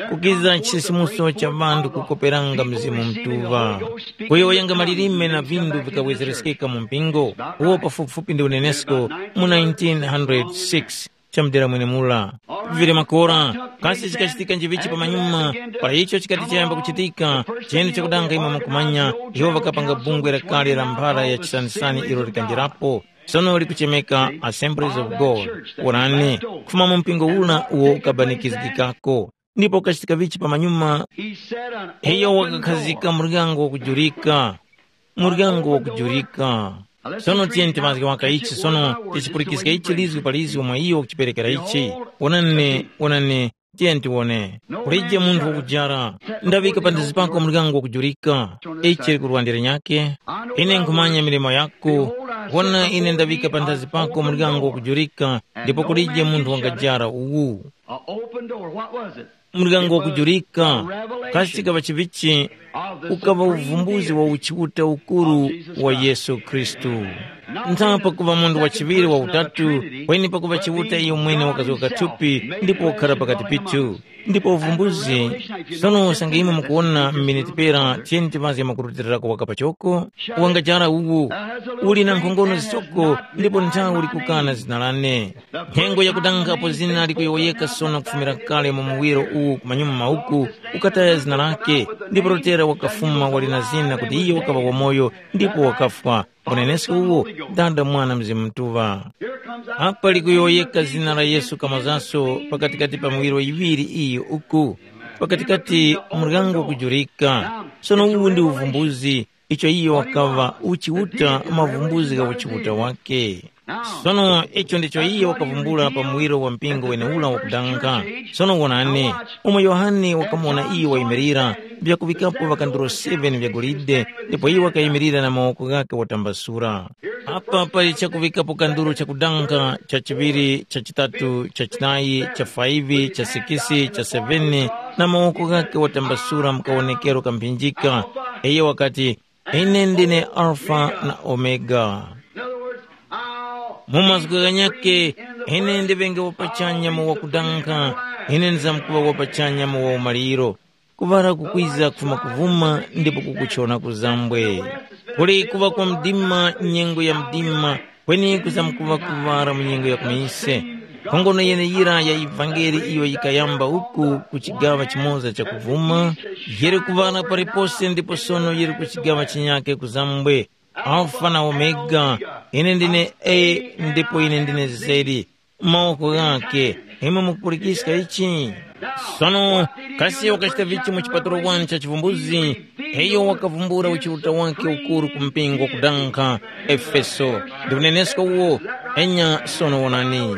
kukiza chisisimuso cha ŵanthu kukoperanga Mzimu Mutuŵa. Kuyowoyanga malilime na vinthu vikawezereskeka mu mpingo, uwo pafupifupi ndi unenesko mu nineteen hundred six. Chamudera mwenemura. Vivire makora, kasi chikachitika njivichi pamanyuma, para icho chikati chayamba kuchitika, chene chakudanga imwe mukumanya, iwo ŵakapanga bungwe lakale la mphara ya chisanisani ilo likanjirapo, sono likuchemeka Assemblies of God. Wonani, kufuma mu mpingo ula uwo ukabanikizgikako. Ndipo kachitika vichi pamanyuma, He said an iyo open wakakhazika door. Muryango wakujurika, muryango wakujurika. Sono tiyeni timazge waka ichi sono, tichipulikiska ichi lizwi pa lizwi mwa iyo wakuchiperekera ichi. Wonani, wonani, tiyeni tiwone. Kulije munthu wakujara, ndaŵika panthazi pako muryango wakujurika. Ichi likurwandira nyake. Ine nkhumanya milimo yako. Wona, ine ndaŵika panthazi pako muryango wakujurika, ndipo kulije munthu wangajara uwu. A open door. What was it? Muryango wakujurika, kasi chikaŵa chivichi, ukaŵa uvumbuzi wa uchiuta ukuru wa Yesu Khristu. Ntha pakuŵa munthu wa chiŵiri wa utatu, kweni pakuŵa Chiuta iyo mwene wakazoka thupi ndipo wakhara pakati pithu. Ndipo uvumbuzi, sono usange imwe mukuwona m'miniti pera, tiyeni timazge makurutilirako waka pachoko, wangajara uwu, uli na nkhongono zichoko ndipo nthawi likukana zina lane. Nyengo yakudanga apo zina likuyowoyeka sono kufumira kale mu muwiro uwu ku manyuma mauku, ukataya zina lake, ndipo Rotera wakafuma wali na zina kuti iyo wakaŵa wamoyo ndipo wakafwa. Unenesko uwo, Dada, Mwana, Mzimu Mutuŵa. Apa likuyowoyeka zina la Yesu kamazaso pakatikati pa miwiro yiŵiri iyi uku, pakatikati muryango kujurika. Sono uwu ndi uvumbuzi, icho iyo wakaŵa uchiuta mavumbuzi gha uchiuta wake. Sono icho ndicho iyo wakavumbula pa muwiro wa mpingo wenewura wakudanga. Sono wonani, umo Yohane wakamuwona iyo wayimirira, vyakuŵikapo ŵakanduro seven vya golide, ndipo iyo wakayimirira na mawoko ghakhe watambasura. Apa pali chakuŵikapo kanduro chakudanga, cha chiŵiri, cha chitatu, cha chinayi, cha faivi, cha sikisi, cha seveni, na mawoko ghakhe watambasura mu kawonekero kamphinjika. Iyo wakati, “Ine ndine Alfa na Omega.” In other words, I'll Mu mazgu ghanyakhe, ine ndiŵenge wapachanya mu wakudankha, ine ndizamkuŵa wapachanya mu waumaliro. Kuŵala kukwiza kufuma kuvuma ndipo kukuchona kuzambwe. Kuli kuŵa kwa mdima, nyengo ya mdima, kweni kuzamkuŵa kuŵala mu nyengo ya kumise. Nkhongono yeneyira ya ivangeli iyo yikayamba uku ku chigaŵa chimoza cha kuvuma, yili kuŵala palipose ndipo sono yili ku chigaŵa chinyakhe kuzambwe. Alfa na Omega, ine ndine A ndipo ine ndine Z. Mawoko ghakhe, imwe mukupulikiska ichi? Sono, kasi wakachita vichi mu chipatulo wani cha chivumbuzi? Iyo wakavumbula uchiuta wake ukuru ku mpingo wakudankha, Efeso. Ndikuneneska uwo, enya sono wonani.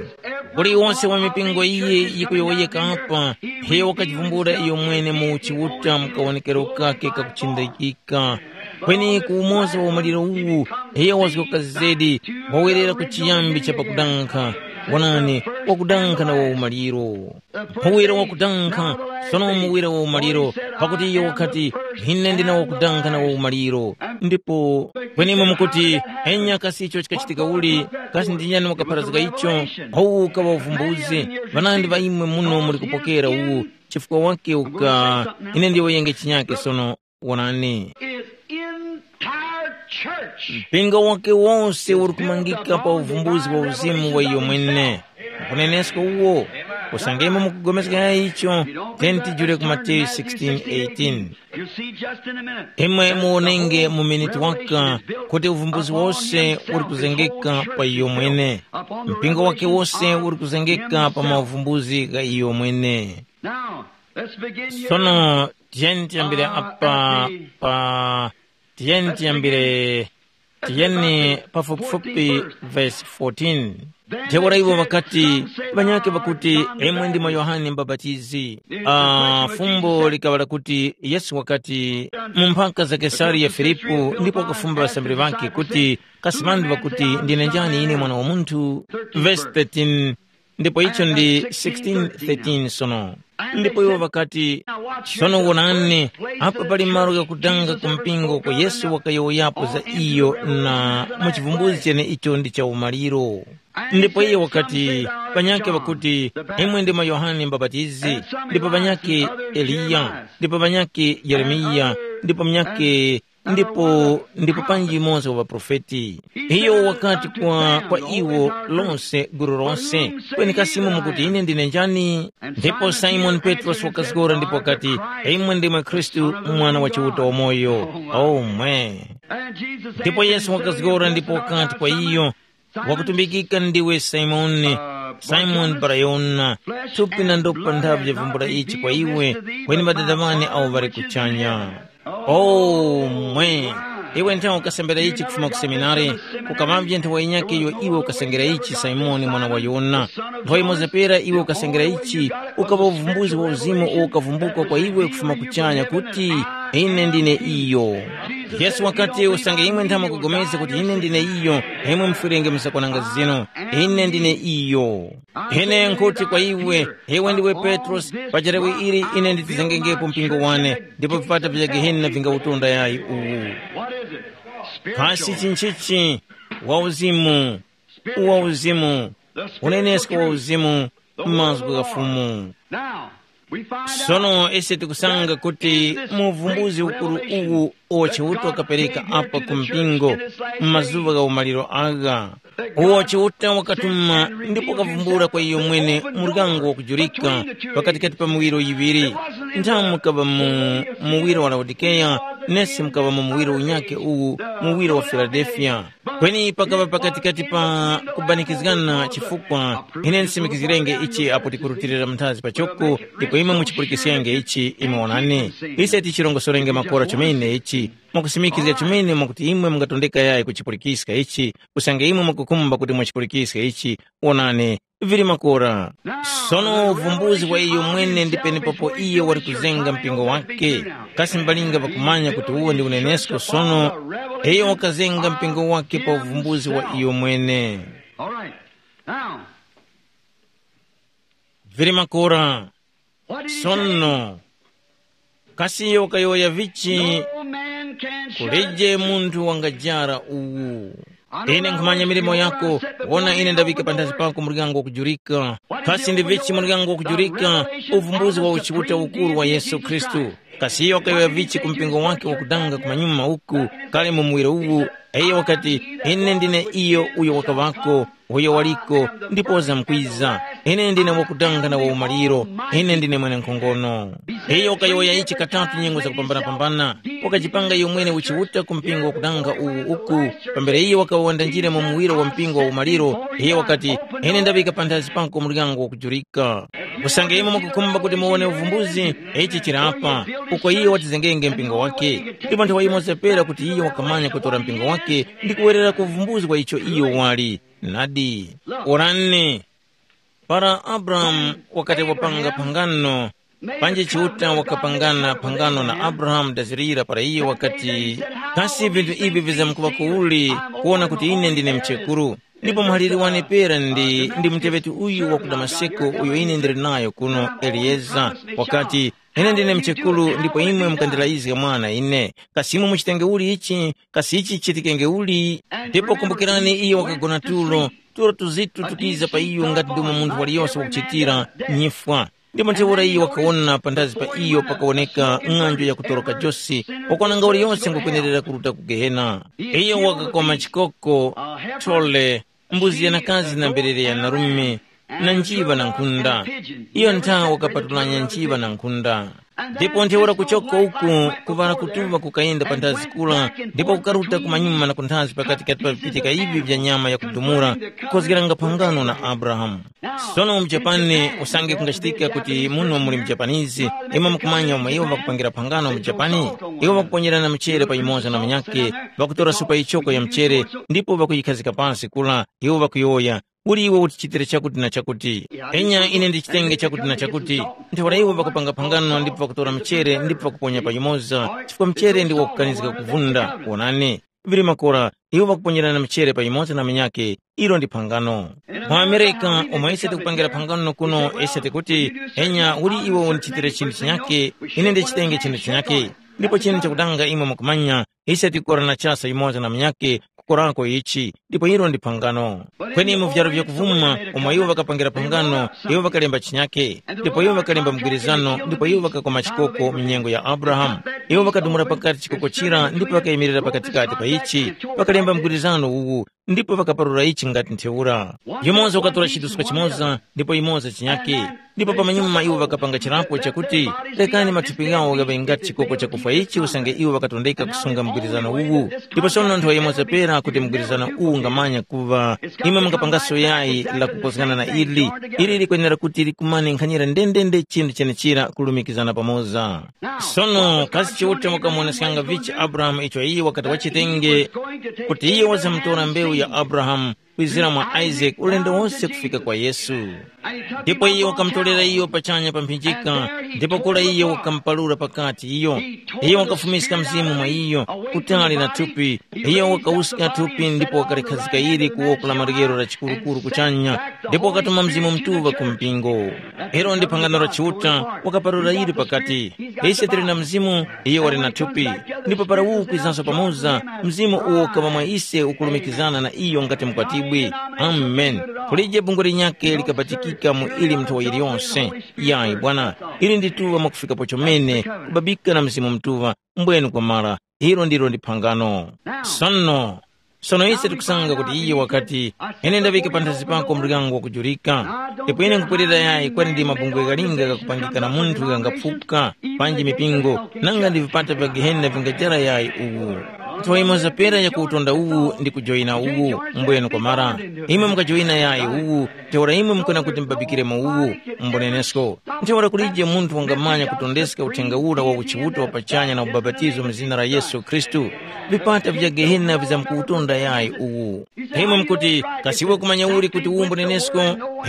Kuli yose wa mipingo iyi yikuyowoyeka apa, iyo wakachivumbula iyo mwene mu uchiuta mu kawonekero kake kakuchindikika. Kweni ku umoza wa umaliro uwu, iyo wazgoka zedi, wawerera ku chiyambi cha pakudankha. Wonani, wakudankha na wa umaliro. Muwira wakudankha, sono muwira wa umaliro, pakuti iyo wakati, “Ine ndine wakudankha na wa umaliro.” Ndipo kwenimwe mukuti, “Enya kasi icho chikachitika uli, kasi ndi nyani wakapharazga icho?” Uwu ukaŵa uvumbuzi, ŵanandi ŵa imwe muno muli kupokera uwu, chifukwa wake uka, ine ndiyowoyenge chinyake sono. Wonani, His entire church. Mpingo wake wose uli kumangika pa uvumbuzi wa uzimu wa iyo mwene. Kunenesko uwo, kusangemo mukupulikana icho, tenti jule ku Mateyu sixteen eighteen. You'll see just in a minute. Imwe muwonenge mu miniti waka kuti uvumbuzi wose uli kuzengeka pa iyo mwene. Mpingo wake wose uli kuzengeka pa mauvumbuzi gha iyo mwene. Now, let's begin here. Sono, tiyeni tiyambire apa pa, tiyeni tiyambire, tiyeni pafupifupi verse fourteen. Ntheura iwo ŵakati, ŵanyakhe ŵakuti, “Imwe ndimwe Yohane Mubapatizi.” Ah, fumbo likaŵa lakuti Yesu wakati, mu mphaka za Kesariya Filipu, ndipo wakafumba ŵasambiri ŵakhe kuti, “Kasi ŵanthu ŵakuti ndine njani ine Mwana wa Munthu?” Verse thirteen. Ndipo icho ndi sixteen thirteen sono. Ndipo iwo ŵakati, “Sono wonani, apa pali malo ghakudanga ku mpingo uko Yesu wakayowoyapo za iyo na mu chivumbuzi chene icho ndi cha umaliro.” Ndipo iye wakati, “Ŵanyakhe ŵakuti, imwe ndimwe Yohane Mubapatizi, ndipo ŵanyakhe Eliya, ndipo ŵanyakhe Yeremiya, ndipo munyakhe ndipo, ndipo panji yumoza wa ŵaprofeti.” Iyo wakati kwa, kwa iwo lonse, gulu lonse, “Kweni kasi imwe mukuti ine ndine njani?” Ndipo Simoni Petrosi wakazgora ndipo wakati, “Imwe ndimwe Khristu, Mwana wa Chiuta wamoyo.” Omwe. Ndipo Yesu wakazgora ndipo wakati kwa iyo, “Wakutumbikika ndiwe Simoni, Simoni Barayona, thupi na ndopa nthavi yavumbula ichi kwa iwe, kweni Ŵadada ŵane awo ŵali kuchanya. O mwe! Iwe nthawe ukasambira ichi kufuma ku seminari, kukamavye nthawe yinyakhe iyo iwe ukasengera ichi Simoni mwana wa Yona. Nthawe yimoza pera iwe ukasengera ichi, ukaŵa uvumbuzi wa uzimu uwo ukavumbuka kwa iwe kufuma kuchanya kuti, ine ndine iyo. Yesu wakati usange imwe nthawe mukupulikana kuti ine ndine iyo, imwe mufwerenge msakwananga zinu, ine ndine iyo. Ine nkhuti kwa iwe, iwe ndiwe Petrosi, pa charewe ili ine nditizengengepo mpingo wane, ndipo vipata vya Gehena vingawutonda yayi uwu. Kasi chinchichi? Wa uzimu, wa uzimu, unenesko wa uzimu, mazgu gha Fumu. Sono ise tikusanga kuti mu uvumbuzi ukuru uwu uwo Chiuta wakapereka apa ku mpingo mu mazuŵa gha umaliro agha, uwo Chiuta wakatuma ndipo wakavumbula kwa iyo mwene muryango wakujurika pakatikati pa miwiro yiŵiri. Nthamu mukaŵa mu muwiro wa Laodikeya, nesi mukaŵa mu muwiro unyakhe uwu, muwiro wa Filadelfiya. Kweni pakaŵa pakatikati pa kubanikizgana chifukwa ine ndisimikizgirenge ichi apo tikurutilira mnthazi pachoko, ndipo imwe muchipulikiskenge ichi imwe wonani. Ise tichirongosorenge makora chomene ichi, mwakusimikizga chomene mwakuti imwe mungatondeka yayi kuchipulikiska ichi, usange imwe mwakukhumba kuti mwachipulikiska ichi, wonani, vili makora. Sono uvumbuzi wa iyo mwene ndi penepapo iye wali kuzenga mpingo wake. Kasi mbalinga pakumanya kuti uwo ndi unenesko sono, iyo wakazenga mpingo wake pa uvumbuzi wa iyo mwene. All right. Now, vili makora. What did he say? Sono, kasi iyo wakayowoya vichi? No man can shut kuleje munthu wangajara uwu. Ine nkhumanya milimo yako, wona ine ndawika panthazi pako muryango wakujurika. Kasi ndi vichi muryango wakujurika? Uvumbuzi wa uchiuta ukuru wa Yesu Khristu. Kasi iyo wakayowoya vichi ku mpingo wake wakudanga kumanyuma uku, kale mu muwiro uwu, iyo wakati, ine ndine iyo uyo wakaŵako, uyo waliko, ndipo wazamkwiza. Ine ndine wakudanga na waumaliro, ine ndine mwenenkhongono. Iyo wakayowoya ichi katatu nyengo zakupambanapambana, wakajipanga iyo mwene uchiuta ku mpingo wakudanga uwu uku, pambere iyo wakaŵa wandanjire mu muwiro wa mpingo wa umaliro, iyo wakati, ine ndaŵika panthazi pako muryango wakujurika. Usange imwe mukukhumba kuti muwone uvumbuzi, ichi chili apa, uko iyo watizengenge mpingo wake. Ndipo nthawe yimoza pera kuti iyo wakamanya kutora mpingo wake ndi kuwerera ku uvumbuzi wa icho iyo wali. Nadi. Onani, para Abrahamu wakati wapanga phangano, panji Chiuta wakapangana phangano na Abrahamu dazirira para iyo wakati, kasi vinthu ivi vizamkuŵa kuuli kuwona kuti ine ndine mchekuru? Ndipo muhaliri wane pera ndi, ndi muteŵeti uyu wa ku Damaseko uyo ine ndili nayo kuno, Eliyeza, wakati, ine ndine mchekuru ndipo imwe mukandilayizga mwana ine. Kasi imwe muchitenge uli ichi? Kasi ichi chichitikenge uli? Ndipo kumbukirani iyo wakagona tulo, tulo tuzitu tukiza pa iyo ngati ndomwe munthu waliyose wakuchitira nyifwa. Ndipo ntheura iyo wakawona panthazi pa iyo pakawoneka ng'anjo yakutoroka josi, wakwananga uliyose ngukwenerera kuruta ku Gehena. Iyo wakakoma chikoko, thole, mbuzi yanakazi na mberere ya narume, na njiŵa na nkhunda. Iyo ntha wakapatulanya njiŵa na nkhunda. Ndipo ntheura kuchoka uku, kuŵala kutuŵa kukayenda panthazi kura, ndipo kukaruta kumanyuma na kunthazi pakatikati pa vipitika ivi vya nyama yakudumula, kukhozgeranga phangano na Abrahamu. Sono mu Japani usange kungachitika kuti muno muli mujapanizi, imwe mukumanya umo iwo ŵakupangira phangano mu Japani? Iwo ŵakuponyerana mchere pa yumoza na munyakhe, ŵakutora supa yichoko ya mchere, ndipo ŵakuyikhazika pasi kula, iwo ŵakuyowoya, uli iwe utichitire chakuti na chakuti. Enya ine ndichitenge chakuti na chakuti. Ntheura iwo ŵakupanga phangano ndipo ŵakutora mchere ndipo ŵakuponya pa yumoza, chifukwa mchere ndi wakukanizga kuvunda. Wonani, vili makora, iwo ŵakuponyerana mchere pa yumoza na munyakhe, ilo ndi phangano. Mu Amerika, umo ise tikupangira phangano kuno, ise tikuti, enya uli iwe undichitire chinthu chinyakhe, ine ndichitenge chinthu chinyakhe. Ndipo chinthu chakudanga imwe mukumanya, ise tikukorana chasa yumoza na munyakhe, kukorako ichi, ndipo ilo ndi phangano. Kweni mu vyaro vyakuvuma, umo iwo ŵakapangira phangano, iwo ŵakalemba chinyakhe, ndipo iwo ŵakalemba mgwirizano, ndipo iwo ŵakakoma chikoko mu nyengo ya Abrahamu. Iwo ŵakadumula pakati chikoko chira ndipo ŵakayimirira pakatikati pa ichi, ŵakalemba mgwirizano uwu, ndipo ŵakaparura ichi ngati ntheura. Yumoza wakatora chiduska chimoza, ndipo yumoza chinyakhe. Ndipo pamanyuma iwo ŵakapanga chirapo chakuti, rekani mathupi ghawo ghaŵe ngati chikoko chakufwa ichi usange iwo ŵakatondeka kusunga mgwirizano uwu. Ndipo sono nthawe yimoza pera kuti mgwirizano uwu mungamanya kuŵa imwe mungapangaso yayi la kukozgana na ili. Ili likwenera kuti likumane nkhanira ndendende chinthu chenechira kulumikizana pamoza. Sono kasi Chiuta wakamuoneskanga vichi Abrahamu icho iye wakati wachitenge kuti iye wazamutora mbewu ya Abrahamu kwizira mwa Isaac ulendo wose kufika kwa Yesu. Ndipo iye wakamutolera iyo pachanya pa mphinjika, ndipo kura iye wakamupalura pakati iyo. Iye wakafumiska mzimu mwa iyo, kutali na thupi. Iye wakawuska thupi ndipo wakalikhazika ili ku woko la maryero la chikurukuru kuchanya, ndipo wakatuma Mzimu Mutuŵa ku mpingo. Ilo ndi phangano la Chiuta, wakaparura ili pakati. Ise tili na Mzimu, iye wali na thupi. Ndipo para uwu kwizanso pamoza, Mzimu uwo ukaŵa mwa ise ukulumikizana na iyo ngati mkwatibwi. Amen. Kulije bungwe linyakhe likabatikika mu ili mnthowa yiliyonse. Yayi bwana, ili ndituŵa mwakufikapo chomene, kubabika na Mzimu Mutuŵa, mbwenu kwamara, ilo ndilo ndi phangano. Sono, sono ise tikusanga kuti iye wakati, ine ndaŵika panthazi pako muryango wakujurika. Ndipo ine nkupwerera yayi kwali ndi mabungwe ghalinga ghakupangika na munthu ghangapfuka, panji mipingo, nanga ndi vipata vya gehena vingajara yayi uwu. Nthowa imoza pera ya kuwutonda uwu ndi kujoyina uwu, mbwenu kwamara. Imwe mukajoyina yayi uwu, ntheura imwe mukwena kuti mubabikiremo uwu, mbunenesko. Ntheura kulije munthu wangamanya kutondeska uthenga ura wa uchiuta wa pachanya na ubapatizo mu zina la Yesu Khristu. Vipata vya gehena vizamkuwutonda yayi uwu. Imwe mukuti, kasi iwe kumanya uli kuti uwu mbunenesko?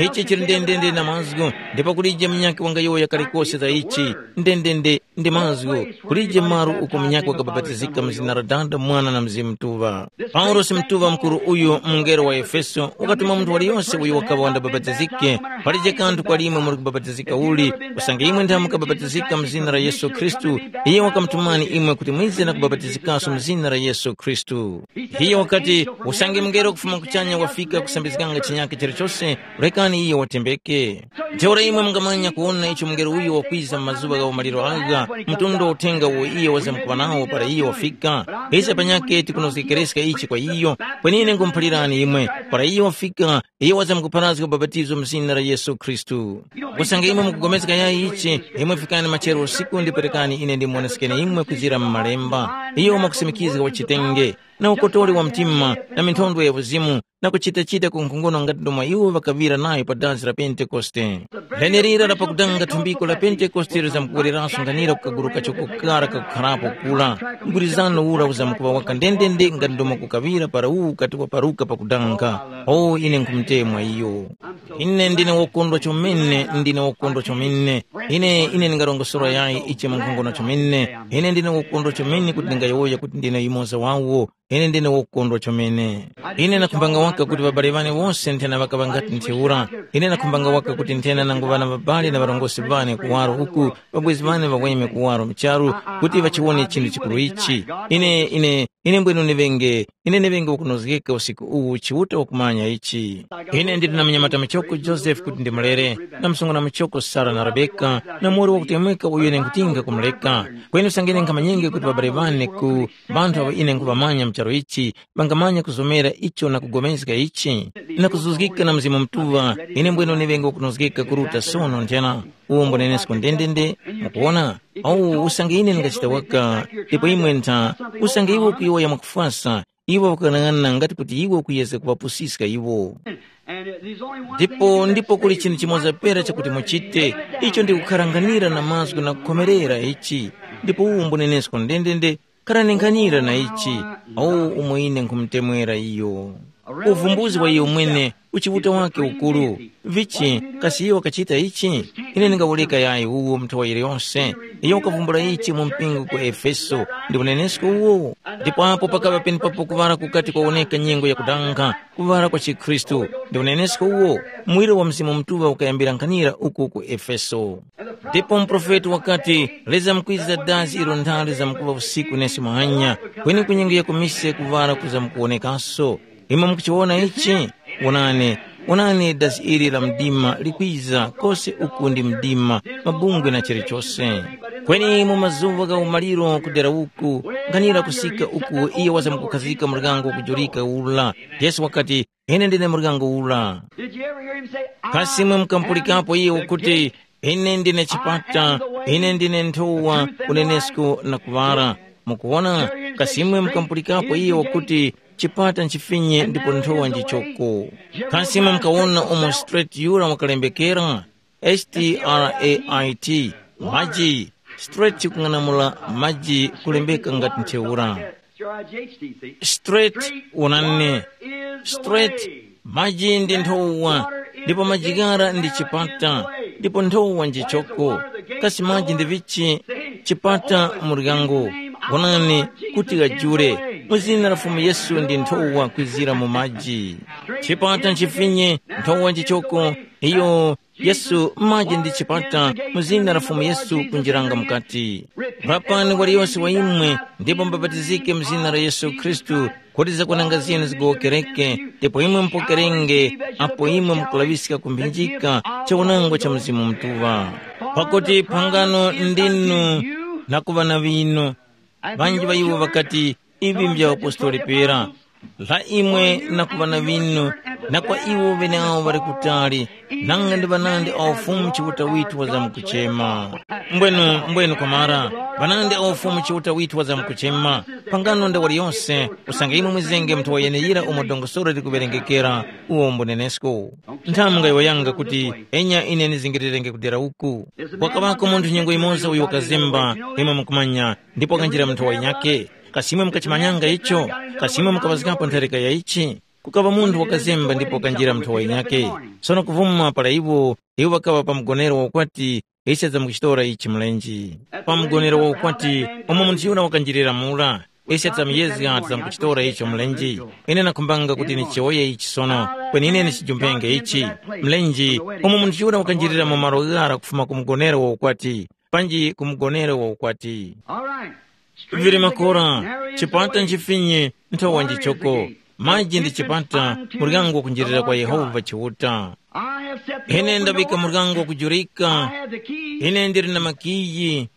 Ichi chili ndendende na mazgu, ndipo kulije munyakhe wangayowoya kalikose za ichi. Ndendende ndi mazgu, kulije maru uko munyakhe wakabapatizika mu zina la Dada, Mwana na Mzimu Mutuŵa. Paulosi Mutuŵa Mukuru uyu, mungelo wa Efeso, wakatuma munthu waliyose uyo wakaŵa wandabapatizike, palije kanthu kwa limwe muli kubapatizika uli, usange imwe nthawe mukabapatizika mu zina la Yesu Khristu, iye wakamutumani imwe kuti mwize na kubapatizikanso mu zina la Yesu Khristu. Iye wakati, usange mungelo kufuma kuchanya wafika kusambizganga chinyakhe chilichose, rekani iye watembeke. Ntheura imwe mungamanya kuwona icho mungelo uyo wakwiza mu mazuŵa gha umaliro agha, mtundu wa uthenga uwo iyo wazamkuŵa nawo para iyo wafika. Ise panyakhe tikunozgekereska ichi kwa iyo, kweni ine nkhumuphalirani imwe, para iyo wafika, iyo wazamkupharazga ubapatizo mu zina la Yesu Khristu. Usange imwe mukupulikana yayi ichi, imwe fikani machero usiku ndipo rekani ine ndimuwonesekeni imwe kuzira mu Malemba. Iyo mwakusimikizga wachitenge, na ukotoli wa mtima, na minthondwe ya uzimu, na kuchitachita ku nkhongono ngati ndomwe iwo ŵakaŵira nayo pa dazi la Pentekoste. Lenelira la pakudanga thumbiko la Pentekoste lizamkuwereranso nganira ku kagulu kachoko kara kakukharapo kura. Mgwirizano ura uzamkuŵa waka ndendende ngati ndomwe kukaŵira para uwu ukati waparuka pakudanga. O, ine nkhumutemwa iyo. Ine ndine wokondwa chomene, ndine wokondwa chomene. Ine, ine ndingarongosora yayi ichi mu nkhongono chomene. Ine ndine wokondwa chomene kuti ndingayowoya kuti ndine yumoza wawo. Ine ndine wokondwa chomene. Ine nakhumbanga waka kuti ŵabale ŵane wose nthena ŵakaŵa ngati ntheura. Ine nakhumbanga waka kuti nthena nangu ŵana ŵabale na ŵarongozgi ŵane kuwaro uku, ŵabwezi ŵane ŵaweme kuwaro mu charu, kuti ŵachiwone chinthu chikuru ichi. Ine, ine, ine mbwenu ndiŵenge, ine ndiŵenge wakunozgeka usiku uwu Chiuta wakumanya ichi. Ine ndili na munyamata muchoko Joseph kuti ndimulere, na msungwana muchoko Sara na Rebeka, na muwoli wakutemweka uyo ine nkutinga kumuleka. Kweni usange ine nkhamanyenge kuti ŵabale ŵane ku ŵanthu awo ine nkhuŵamanya mu charu ichi, ŵangamanya kuzomera icho na kugomezga ichi, na kuzuzgika na Mzimu Mutuŵa, ine mbwene uneŵenge wakunozgeka kuruta sono nthena, uwo mbunenesko ndendende. Mukuwona? Awu usange ine ndingachita waka, ndipo imwe ntha, usange iwo kuyowoya mwakufwasa, iwo ŵakanang'ana ngati kuti iwo kuyezga kuŵapusiska iwo. Ndipo ndipo kuli chinthu chimoza pera chakuti muchite, icho ndi kukharanganira na mazgu na kukhomerera ichi. Ndipo uwu mbunenesko ndendende, kharanenganyira na ichi, awu umo ine nkhumutemwera iyo. Uvumbuzi wa iyo mwene, uchiuta wake ukuru. Vichi, kasi iyo wakachita ichi? Ine ndingawuleka yayi uwu mnthowa yiliyonse. Iyo wakavumbula ichi mu mpingo ku Efeso, ndi unenesko uwo. Ndipo apo pakaŵa penepapo kuŵala kukati kwawoneka nyengo yakudanga, kuŵala kwa chikhristu, ndi unenesko uwo. Muwiro wa Mzimu Mutuŵa ukayambira nkhanira uku ku Efeso. Ndipo muprofeti wakati, leza mkwiza dazi ilo nthali zamkuŵa usiku nesi muhanya, kweni ku nyengo ya kumise kuŵala kuzamkuwonekaso. Imwe mukuchiwona ichi? Wonani, wonani dazi ili la mdima likwiza, kose uku ndi mdima, mabungwe na chilichose. Kweni mu mazuŵa gha umaliro kudera uku, nkhanira kusika uku iyo wazamkukhazika muryango kujurika ula. Yesu wakati, ine ndine muryango ula. Did you ever hear him say, Kasi mwe mukampulikapo iye ukuti, ine ndine chipata, ine ndine nthowa, unenesko na kuŵala? Mukuwona, kasi mwe mukampulikapo iye ukuti, chipata nchifinye ndipo nthowa njichoko. Kasi imwe mukawona umo straight yura wakalembekera? Straight, maji. Straight kung'anamula maji kulembeka ngati ntheura. Straight, wonani. Straight, maji ndi nthowa, ndipo maji ghara ndi chipata, ndipo nthowa njichoko. Kasi maji ndi vichi? Chipata, muryango. Wonani, kuti ghajule. Mu zina la Fumu Yesu ndi nthowa kwizira mu maji. Chipata nchifinye, nthowa njichoko. Iyo Yesu maji ndi chipata, mu zina la Fumu Yesu kunjiranga mukati. Lapani waliyose wa imwe, ndipo mubapatizike mu zina la Yesu Khristu, kuti zakwananga zinu zigowokereke, ndipo imwe mupokerenge, apo imwe mukulaŵiska kumphinjika cha unangwa cha Mzimu Mutuŵa. Pakuti phangano ndinu na kuŵa na ŵinu. Ŵanji ŵa iwo ŵakati, ivi mbya apostoli pera, la imwe na ku ŵana ŵinu, na kwa iwo ŵeneawo ŵali kutali, nanga ndi ŵanandi awo Fumu Chiuta withu wazamkuchema. Mbwenu, mbwenu kwamara, ŵanandi awo Fumu Chiuta withu wazamkuchema, pangano nda waliyose, usange imwe mwizenge muthu wa yeneyira umo dongosolo likuŵerengekera, uwo mbunenesko. Nthamu ngayowoyanga kuti, enya ine ndizingirirenge kudera uku. Kwakaŵako munthu nyengo yimoza uyo wakazemba, imwe mukumanya, ndipo wakanjira mu nthowa yinyakhe. Kasi imwe mukachimanyanga icho? Kasi imwe mukaŵazgapo ntharika ya ichi? Kukaŵa munthu wakazemba ndipo wakanjira mu nthowa yinyakhe. Sono kuvuma para iwo, iwo ŵakaŵa pa mgonero wa ukwati, ise tidzamukuchitora ichi mlenje. Pa mgonero wa ukwati, umo munthu yura wakanjirira mura, ise tidzamuyezga tidzamukuchitora icho mlenje. Ine nakhumbanga kuti nichiwoye ichi sono, kweni ine ndichijumpenge ichi. Mlenje, umo munthu yura wakanjirira mu malo ghara kufuma ku mgonero wa ukwati, panji ku mgonero wa ukwati. All right. Vili makora, chipata nchifinye, nthowa njichoko, maji ndi chipata, muryango kunjirira kwa Yehova Chiuta. Ine ndabika muryango kujurika. Ine ndili na makiyi.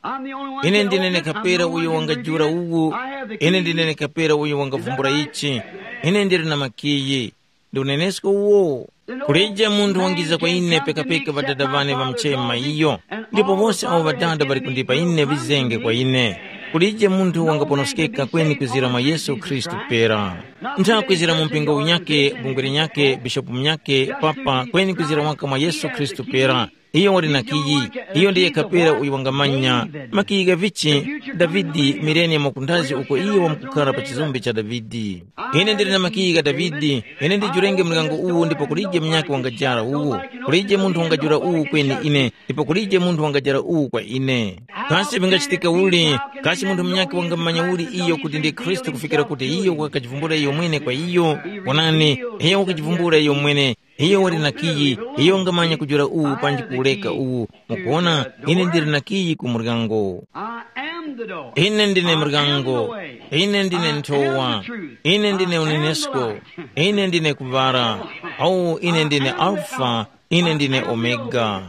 Ine ndine nekapera uyo wangajura uwu. Ine ndine nekapera uyo wangavumbula ichi. Ine ndili na makiyi. Ndi unenesko uwo. Kulije munthu wangiza kwa ine pekapeka ŵadada ŵane ŵamuchema iyo, ndipo wose awo ŵadada ŵali kundipa ine vizenge kwa ine. Kulije munthu wangaponoskeka kweni kwizira mwa Yesu Khristu pera. Ntha kwizira mu mpingo unyakhe, bungwe linyakhe, bishopu munyakhe, papa, kweni kwizira waka mwa Yesu Khristu pera. Iyo wali na kiyi, iyo ndiye kapera uyo wangamanya makiyi gha vichi, Davide, mileniya mwakundazi uko iyo wamkukhala pa chizumbe cha Davide. Ine ndili na makiyi gha Davide, ine ndijurenge muryango uwu ndipo kulije munyakhe wangajara uwu, kulije munthu wangajura uwu kweni ine, ndipo kulije munthu wangajara uwu kwa ine. Kasi vingachitika uli, kasi munthu munyakhe wangamanya uli iyo kuti ndi Khristu kufikira kuti iyo wakajivumbula iyo mwene kwa iyo? Onani, iyo wakajivumbula iyo mwene, iyo wali na kiyi, iyo wangamanya kujula uwu panji kuwureka uwu. Mukuwona, ine ndili na kiyi ku muryango. I am the door. Ine ndine muryango. Ine ndine nthowa. Ine ndine unenesko. Ine ndine kuŵala. Awu ine ndine Alfa. Ine ndine Omega.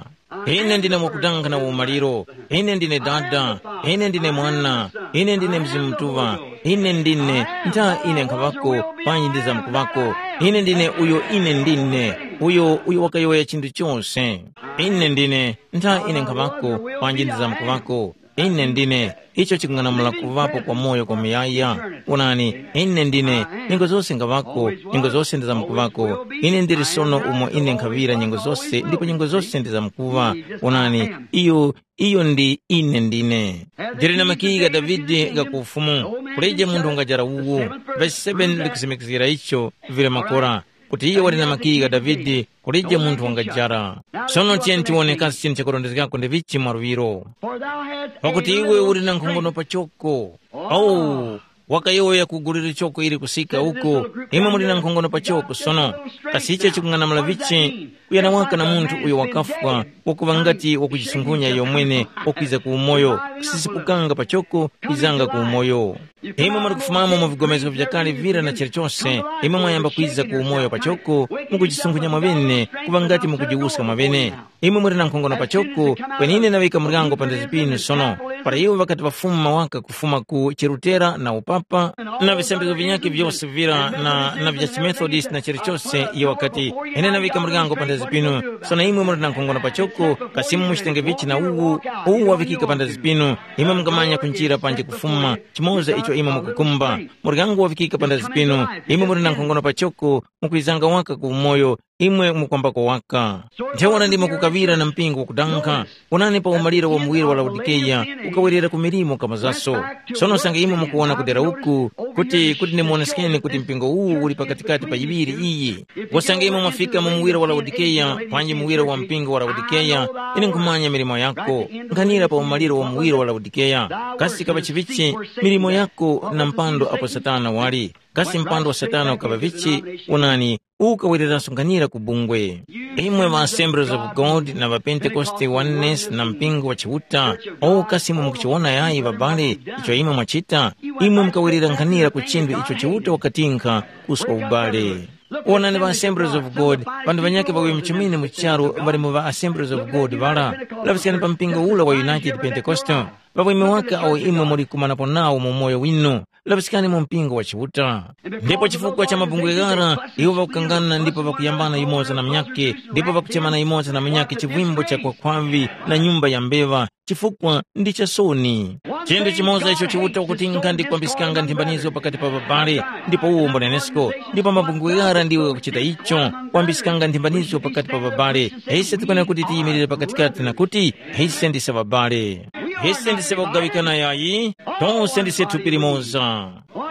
Ine ndine wakudanga na umaliro. Ine ndine Dada. Ine ndine Mwana. Ine ndine Mzimu Mutuŵa. Ine ndine, ntha ine nkhaŵako, panji ndizamkuŵako. Ine ndine uyo ine ndine, uyo uyo wakayowoya chinthu chose. Ine ndine, ntha ine nkhaŵako, panji ndizamkuŵako. Ine ndine, icho chikung'anamula kuŵapo kwa moyo kwa muyaya. Onani, ine ndine, nyengo zose ngaŵako, nyengo zose ndizamkuŵako. Ine ndili sono umo ine nkhaŵira nyengo zose, ndipo nyengo zose ndizamkuŵa. Onani, iyo, iyo ndi ine ndine. Ndili na makiyi gha Davide gha ku ufumu, kulije munthu wangajara uwu. Vesi seven likusimikizgira icho, vili makora, kuti iyo wali na makiyi gha Davide, kulije munthu wangajara. Sono tiyeni tiwone kasi chinthu chakurondezgako ndi vichi mwa luŵiro. Pakuti iwe uli na nkhongono pachoko. Oh, wakayowoya ku gulu lichoko ili kusika uko, imwe muli na nkhongono pachoko sono. Kasi icho chikung'anamula vichi? Kuyana waka na munthu uyo wakafwa, wakuŵa ngati wakujisungunya iyo mwene, wakwiza ku umoyo, kusisipukanga pachoko, kwizanga ku umoyo. Imwe muli kufumamo mu vigomezgo vyakale vira na chilichose, imwe mwayamba kwiza ku umoyo pachoko, mukujisungunya mwaŵene, kuŵa ngati mukujiwuska mwaŵene. Imwe muli na nkhongono pachoko, kweni ine ndaŵika muryango pa ndezi pinu sono. Para iwo ŵakati ŵafuma waka kufuma ku Cherutera na upapa, na visambizgo vinyakhe vyose vira na, na vya chiMethodist na chilichose, iye wakati, ine naŵika muryango pandazi pinu, sono imwe muli na nkhongono pachoko, kasi imwe muchitenge vichi na uwu, uwu wavikika pandazi pinu, imwe mungamanya kunjira panji kufuma, chimoza icho imwe mukukumba. Muryango wavikika pandazi pinu, imwe muli na nkhongono pachoko, mukwizanga waka ku umoyo, imwe mukwambako waka. Ntheura ndimo kukaŵira na mpingo wakudankha. Onani pa umaliro wa muwiro wa Laodikeya, ukawerera ku milimo kamazaso. Sono usange imwe mukuwona kudera uku, kuti kuti ndimuwoneskeni kuti mpingo uwu uli pakatikati pa yiŵiri iyi. Usange imwe mwafika mu muwiro wa Laodikeya, panji muwiro wa mpingo wa Laodikeya, ine nkhumanya milimo yako. Nkhanira pa umaliro wa muwiro wa Laodikeya. Kasi kaŵa chivichi milimo yako na mpando apo Satana wali. Kasi mpando wa Satana ukaŵa vichi? Onani, ukawereranso nkhanira ku bungwe. Imwe ma Assemblies of God na ŵa Pentekoste, Oneness na mpingo wa Chiuta, o kasi imwe mukuchiwona yayi ŵabale icho imwe mwachita? Imwe mukawerera nkhanira ku chinthu icho Chiuta wakatinkha kuswa ubale. Wonani ŵa Assemblies of God, ŵanthu ŵanyakhe ŵakuŵa muchomene mu charu ŵali mu ŵa Assemblies of God ŵala. Laŵiskani pa mpingo ula wa United Pentecostal. Ŵakwimye waka awo imwe muli kumanapo nawo mu umoyo winu, laŵiskani mu mpingo wa Chiuta. Ndipo chifukwa cha mabungwe ghara, iwo ŵakukangana ndipo ŵakuyambana yumoza na munyakhe, ndipo ŵakuchemana yumoza na munyakhe chivimbo cha kwakhwavi na nyumba ya mbeŵa, chifukwa ndi chasoni. Chinthu chimoza icho Chiuta wakutinkha ndi kwambiskanga nthimbanizgo pakati pa ŵabale, ndipo uwo mbunenesko, ndipo mabungwe ghara ndiwo ghakuchita icho, kwambiskanga nthimbanizgo pakati pa ŵabale. Ise tikwenera kuti tiyimirire pakatikati na kuti, ise ndise ŵabale. Ise ndise ŵakugaŵikana yayi, tose ndise thupi limoza.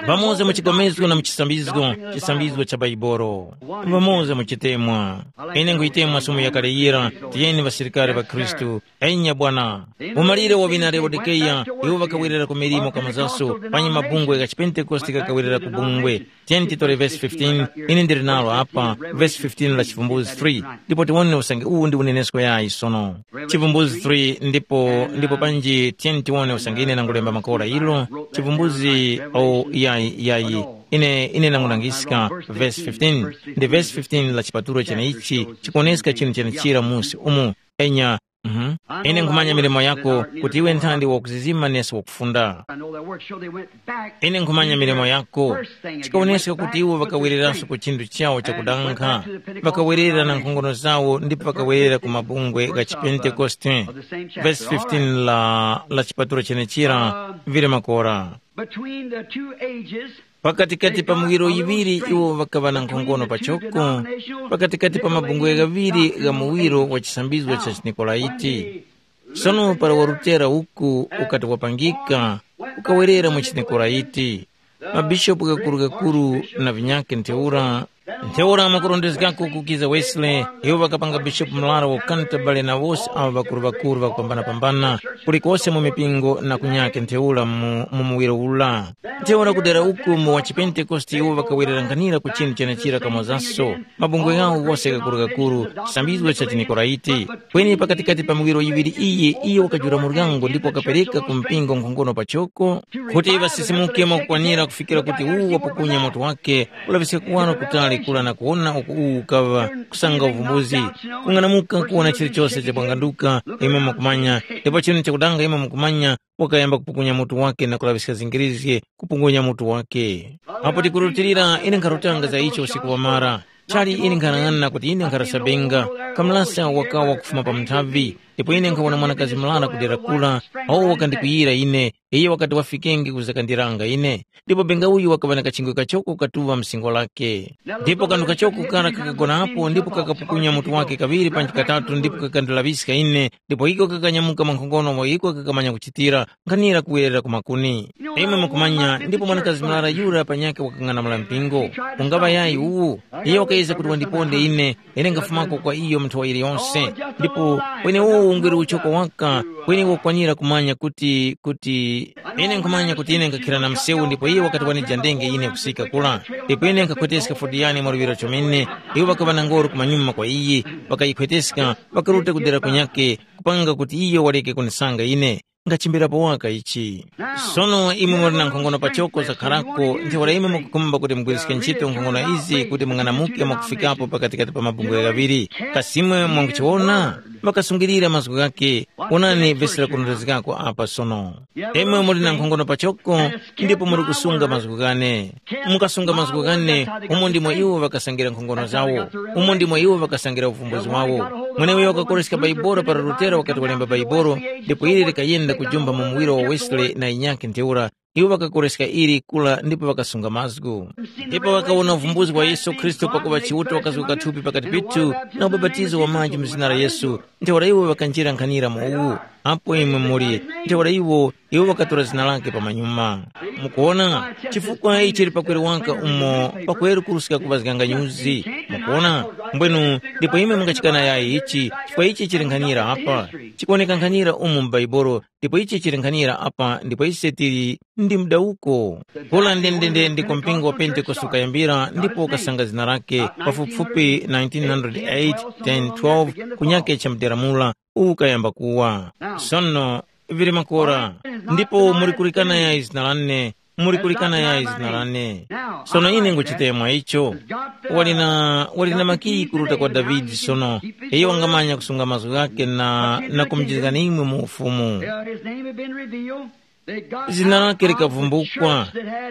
Pamoza mu chikomezgo na mu chisambizgo, chisambizgo cha Baibolo. Pamoza mu chitemwa. Ine nkhuyitemwa sumu yakale yira, tiyeni ŵasilikari ŵa Khristu. Enya bwana. Umalire wa ŵina Laodikeya, iwo ŵakawerera ku milimo kamazaso, panyi mabungwe gha chipentekoste ghakawerera ku bungwe. Tiyeni titore vesi fifteen, ine ndili nalo apa, vesi fifteen la Chivumbuzi three, ndipo tiwone usange uwu ndi unenesko yayi sono. Chivumbuzi three, ndipo, ndipo panji tiyeni tiwone usange ine nangulemba makora ilo, Chivumbuzi, o, yayi, yayi, ine, ine nangunangiska, vesi fifteen, ndi vesi fifteen la chipatulo cheneichi, chikuwoneska chinthu chenechira musi umu, enya, mhm. Ine nkhumanya milimo yako, kuti iwe nthandi wakuzizima nesi wakufunda. I know their works, so they went back. Ine nkhumanya milimo yako. Chikawoneska kuti iwo ŵakawereranso ku chinthu chawo chakudankha, ŵakawerera na nkhongono zawo ndipo ŵakawerera ku mabungwe gha chipentekoste. Vesi fifteen la, la chipatulo chenechira, vili makora. Between the two ages, pakatikati pa miwiro yiŵiri iwo ŵakaŵa na nkhongono pachoko, pakatikati pa mabungwe ghaŵiri gha muwiro wa chisambizgo cha chiNikolaiti. Sono para wa Lutera uku ukati wapangika, ukawerera mu chiNikolaiti. Mabishopu ghakuru-ghakuru na vinyakhe ntheura, ntheura mwakurondezgako kukiza Wesley, iwo ŵakapanga bishopu murara wa Canterbury na wose awo ŵakuru-ŵakuru ŵakupambana-pambana, kulikose mu mipingo na kunyakhe ntheura mu, mu muwiro ula. Ntheura kudera uku mu wa chiPentekoste iwo ŵakawererankhanira ku chinthu chenechira kamozaso, mabungwe ghawo ghose ghakuru-ghakuru, chisambizgo cha chiNikolaiti. Kweni pakatikati pa miwiro yiŵiri iyi, iyo wakajula muryango ndipo wakapereka ku mpingo nkhongono pachoko, kuti ŵasisimuke mwakukwanira kufikira kuti uwu wapukunya mutu wake, ulaŵiska kuwaro kutali kura na kuwona uku uwu ukaŵa kusanga uvumbuzi. Kung'anamuka kuwona chilichose chapwanganduka, imwe mukumanya, ndipo chinu chakudanga imwe mukumanya, wakayamba kupukunya mutu wake na kulaŵiska zingirizge kupukunya mutu wake. Apo tikurutilira, ine nkharutanga za icho usiku wamara. Chali ine nkhanang'ana kuti ine nkharasabenga, kamulasa wakawa kufuma pa munthavi, ndipo ine nkhawona mwanakazi murara kudera kura, awo wakandikwiyira ine, iyo wakati wafikenge kuzakandiranga ine. Ndipo benga uyu wakaŵa na kachingwe kachoko katuŵa msingo lake. Ndipo kanthu kachoko kara kakagonapo ndipo kakapukunya mutu wake kaŵiri panji katatu ndipo kakandilaŵiska ine, ndipo iko kakanyamuka mwankhongono mwa iko kakamanya kuchitira, nkhanira kuwerera ku makuni. Imwe mukumanya, ndipo mwanakazi murara yura panyakhe wakang'anamula mpingo. Ungaŵa yayi uwu? Iye wakayezga kuti wandiponde ine, ine ngafumako kwa iyo mu nthowa yiliyonse. Ndipo kwenewo ungwere uchoko waka, kweni wakwanira kumanya kuti, kuti ine nkhumanya kuti ine ngakhira na msewu ndipo iye wakati wanijandenge ine kusika kula. Ndipo ine nkhakhweteska fodiyani mwaluŵiro chomene, iwo ŵakaŵa na ngoro kumanyuma kwa iyi, ŵakayikhweteska, ŵakaruta kudera kunyakhe, kupanga kuti iyo waleke kunisanga ine. Ngachimbirapo waka ichi. Sono imwe muli na nkhongono pachoko zakharako, ntheura imwe mukukhumba kuti mugwiriske ntchito nkhongono izi kuti mung'anamuke mwakufikapo pakatikati pa mabungwe ghaŵiri. Kasi imwe mwanguchiwona? ŵakasungilira mazgu ghakhe. Wonani vesi lakurondezgako apa sono. Imwe muli na nkhongono pachoko, ndipo muli kusunga mazgu ghane. Mukasunga mazgu ghane, umo ndimo iwo ŵakasangira nkhongono zawo. Umo ndimo iwo ŵakasangira uvumbuzi wawo. Mweneuyo wakakoreska Baibolo para Lutero wakati walemba Baibolo, ndipo ili likayenda kujumba mu muwiro wa Wesley na inyakhe ntheura. Iwo ŵakakoreska ili kula ndipo ŵakasunga mazgu. Ndipo ŵakawona uvumbuzi wa Yesu Khristu pakuŵa Chiuta wakazuka thupi pakati pithu, na ubapatizo wa manji mu zina la Yesu. Ntheura iwo ŵakanjira nkhanira mu uwu. Apo imwe muli, ntheura iwo, iwo ŵakatora zina lake pamanyuma. Mukuona, chifukwa ichi chili pakweru waka umo pakweru kuruska kuŵazganga nyuzi. Mukuona, mbwenu, ndipo imwe mungachikana yayi ichi, chifukwa ichi chili nkhanira apa. Chikuwoneka nkhanira umu mu Baibolo, ndipo ichi chili nkhanira apa, ndipo ise tili ndi mdawuko. Kula ndendende ndiko mpingo wa Pentekoste ukayambira ndipo ukasanga zina lake pafupifupi nineteen hundred eight, ten, twelve, kunyake cha mdera mula ukayamba kuwa. Sono vili makora, ndipo muli kulikana yayi zina lane, muli kulikana yayi zina lane. Sono ine nguchite mwa icho. Wali na, wali na makiyi kuruta kwa Davide sono, iyo wangamanya kusunga mazgu ghake na, na kumujizgani imwe mu ufumu. His name had been revealed. Zina lake likavumbukwa.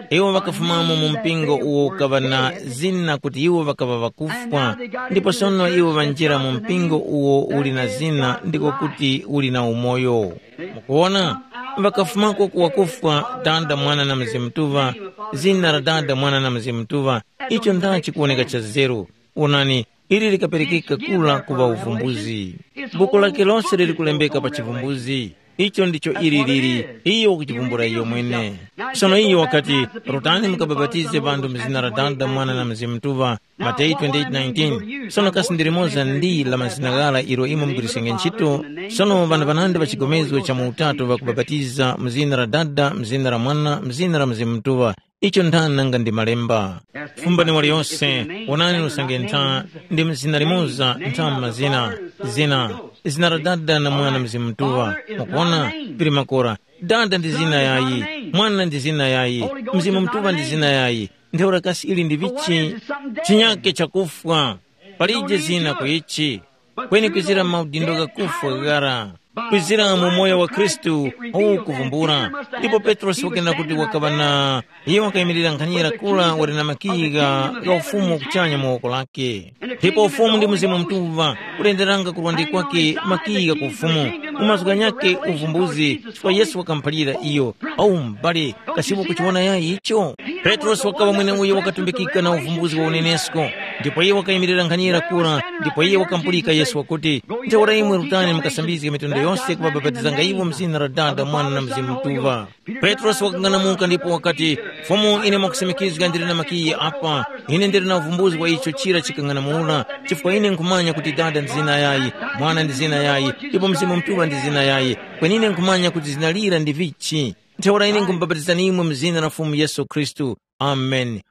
Iwo ŵakafumamo mu mpingo uwo ukaŵa na zina kuti iwo ŵakaŵa ŵakufwa, ndipo sono iwo ŵanjira mu mpingo uwo uli na zina ndiko kuti uli na umoyo. Mukuwona, ŵakafumako ku wakufwa, Dada, Mwana na Mzimu Mutuŵa, zina la Dada, Mwana na Mzimu Mutuŵa. Icho ndachi kuwoneka cha zeru. Wonani, ili likaperekeka kula kuŵa uvumbuzi. Buku lake lose lili kulembeka pa chivumbuzi. Icho ndicho ili lili, iyo wakuchivumbula iyo mwene. Sono iyo wakati, rutani mukabapatize ŵanthu mu zina la Dada, Mwana na Mzimu Mutuŵa, Mateyu twenty-eight nineteen. Sono kasi ndi limoza ndi la mazina ghara ilo imwe mugwirisenge ntchito? Sono ŵanthu ŵanandi ŵa chigomezgo cha mu utatu ŵakubapatiza mu zina la Dada, mu zina la Mwana, mu zina la Mzimu Mutuŵa. Icho nthani nanga ndi malemba. Fumbani waliyose, wonani usange ntha ndi mzina limoza ntha mu mazina, zina, zina la Dada na Mwana Mzimu Mutuŵa. Mukuona, pili makora, Dada ndi zina yayi, Mwana ndi zina yayi, Mzimu Mutuŵa ndi zina yayi. Ntheura kasi ili ndi vichi? Chinyake chakufwa. Palije zina ku ichi. Kweni kwizira maudindo ghakufwa ghara, kwizira mu moyo wa Khristu uwu kuvumbula. Ndipo Petrosi wakena kuti wakaŵa na, iye wakayimirira nkhanyira kura wali na makiyi gha gha ufumu kuchanya mu woko lake. Ndipo ufumu ndi Mzimu Mutuŵa kulenderanga kurwande kwake makiyi gha ku ufumu. Mu mazgu ghanyakhe uvumbuzi, chifukwa Yesu wakamuphalira iyo, au m'bale, kasi ukuchiwona yayi icho? Petrosi wakaŵa mweneuyo wakatumbikika na uvumbuzi wa unenesko, ndipo iye wakayimirira nkhanyira kura, ndipo iye wakamupulika Yesu wakuti, ntheura imwe rutani mukasambizge mitundu yose kubabapatizanga iwo mu zina la Dada, Mwana na Mzimu Mutuŵa. Petrosi wakang'anamuka ndipo wakati, Fumu, ine mwakusimikizga ndili na makiyi apa, ine ndili na uvumbuzi wa icho chira chikang'anamula, chifukwa ine nkhumanya kuti Dada ndi zina yayi, Mwana ndi zina yayi, ndipo Mzimu Mutuŵa ndi zina yayi, kweni ine nkhumanya kuti zina lira ndi vichi. Ntheura ine nkhumubapatizani imwe mu zina la Fumu Yesu Khristu. Amen.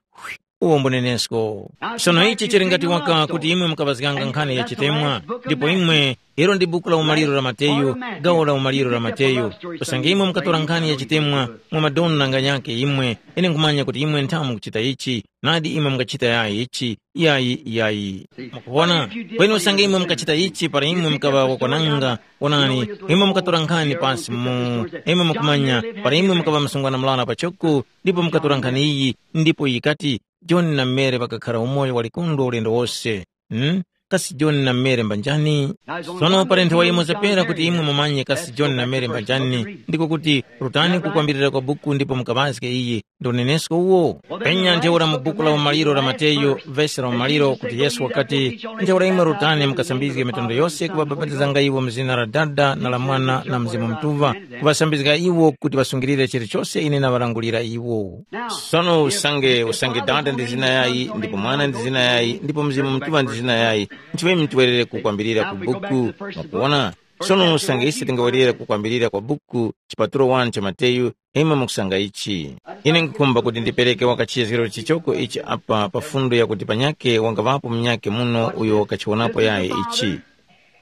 Uwo mbunenesko. Sono ichi chili ngati waka kuti imwe mukaŵazganga nkhani ya chitemwa, ndipo imwe, ilo ndi buku la umaliro la Mateyu, gawo la umaliro la Mateyu. Usange imwe mukatora nkhani ya chitemwa, mwa madona nganyake imwe, ine nkhumanya kuti imwe nthamu mukuchita ichi, nadi imwe mungachita yayi ichi, yayi, yayi. Mukuwona? Kweni usange imwe mukachita ichi para imwe mukaŵa wakwananga, wonani, imwe mukatora nkhani pasi mu, imwe mukumanya, para imwe mukaŵa msungwana mulala pachoko, ndipo mukatora nkhani iyi, ndipo yikati, John na Mary ŵakakhara umoyo wa likondwa ulendo wose. Hmm? Kasi John na Mary mbanjani? Sono palenthe wa imwe zapera kuti imwe mumanye kasi John na Mary mbanjani, ndiko kuti rutani kukwambirira kwa buku ndipo mukaŵazge iyi, ndi unenesko uwo. Penya ntheura mu buku la umaliro la Mateyu, vesi la umaliro, kuti Yesu wakati, ntheura imwe rutani mukasambizge mitundu yose kubabapatizanga iwo mu zina la Dada na la Mwana na Mzimu Mutuŵa, kuŵasambizga iwo kuti ŵasungilire chilichose ine naŵalangulira iwo. Sono usange usange Dada ndi zina yayi, ndipo Mwana ndi zina yayi, ndipo Mzimu Mutuŵa ndi zina yayi, nchimwe mutwerere kukwambirira ku buku. Mwakuwona? Sono usange ise tingawerera kukwambirira kwa buku, chipatulo wani cha Mateyu, imwe mukusanga ichi. Ine nkukhumba kuti ndipereke wakachiyezgero chichoko ichi apa pa fundo yakuti panyakhe wangaŵapo munyakhe muno uyo wakachiwonapo yayi ichi.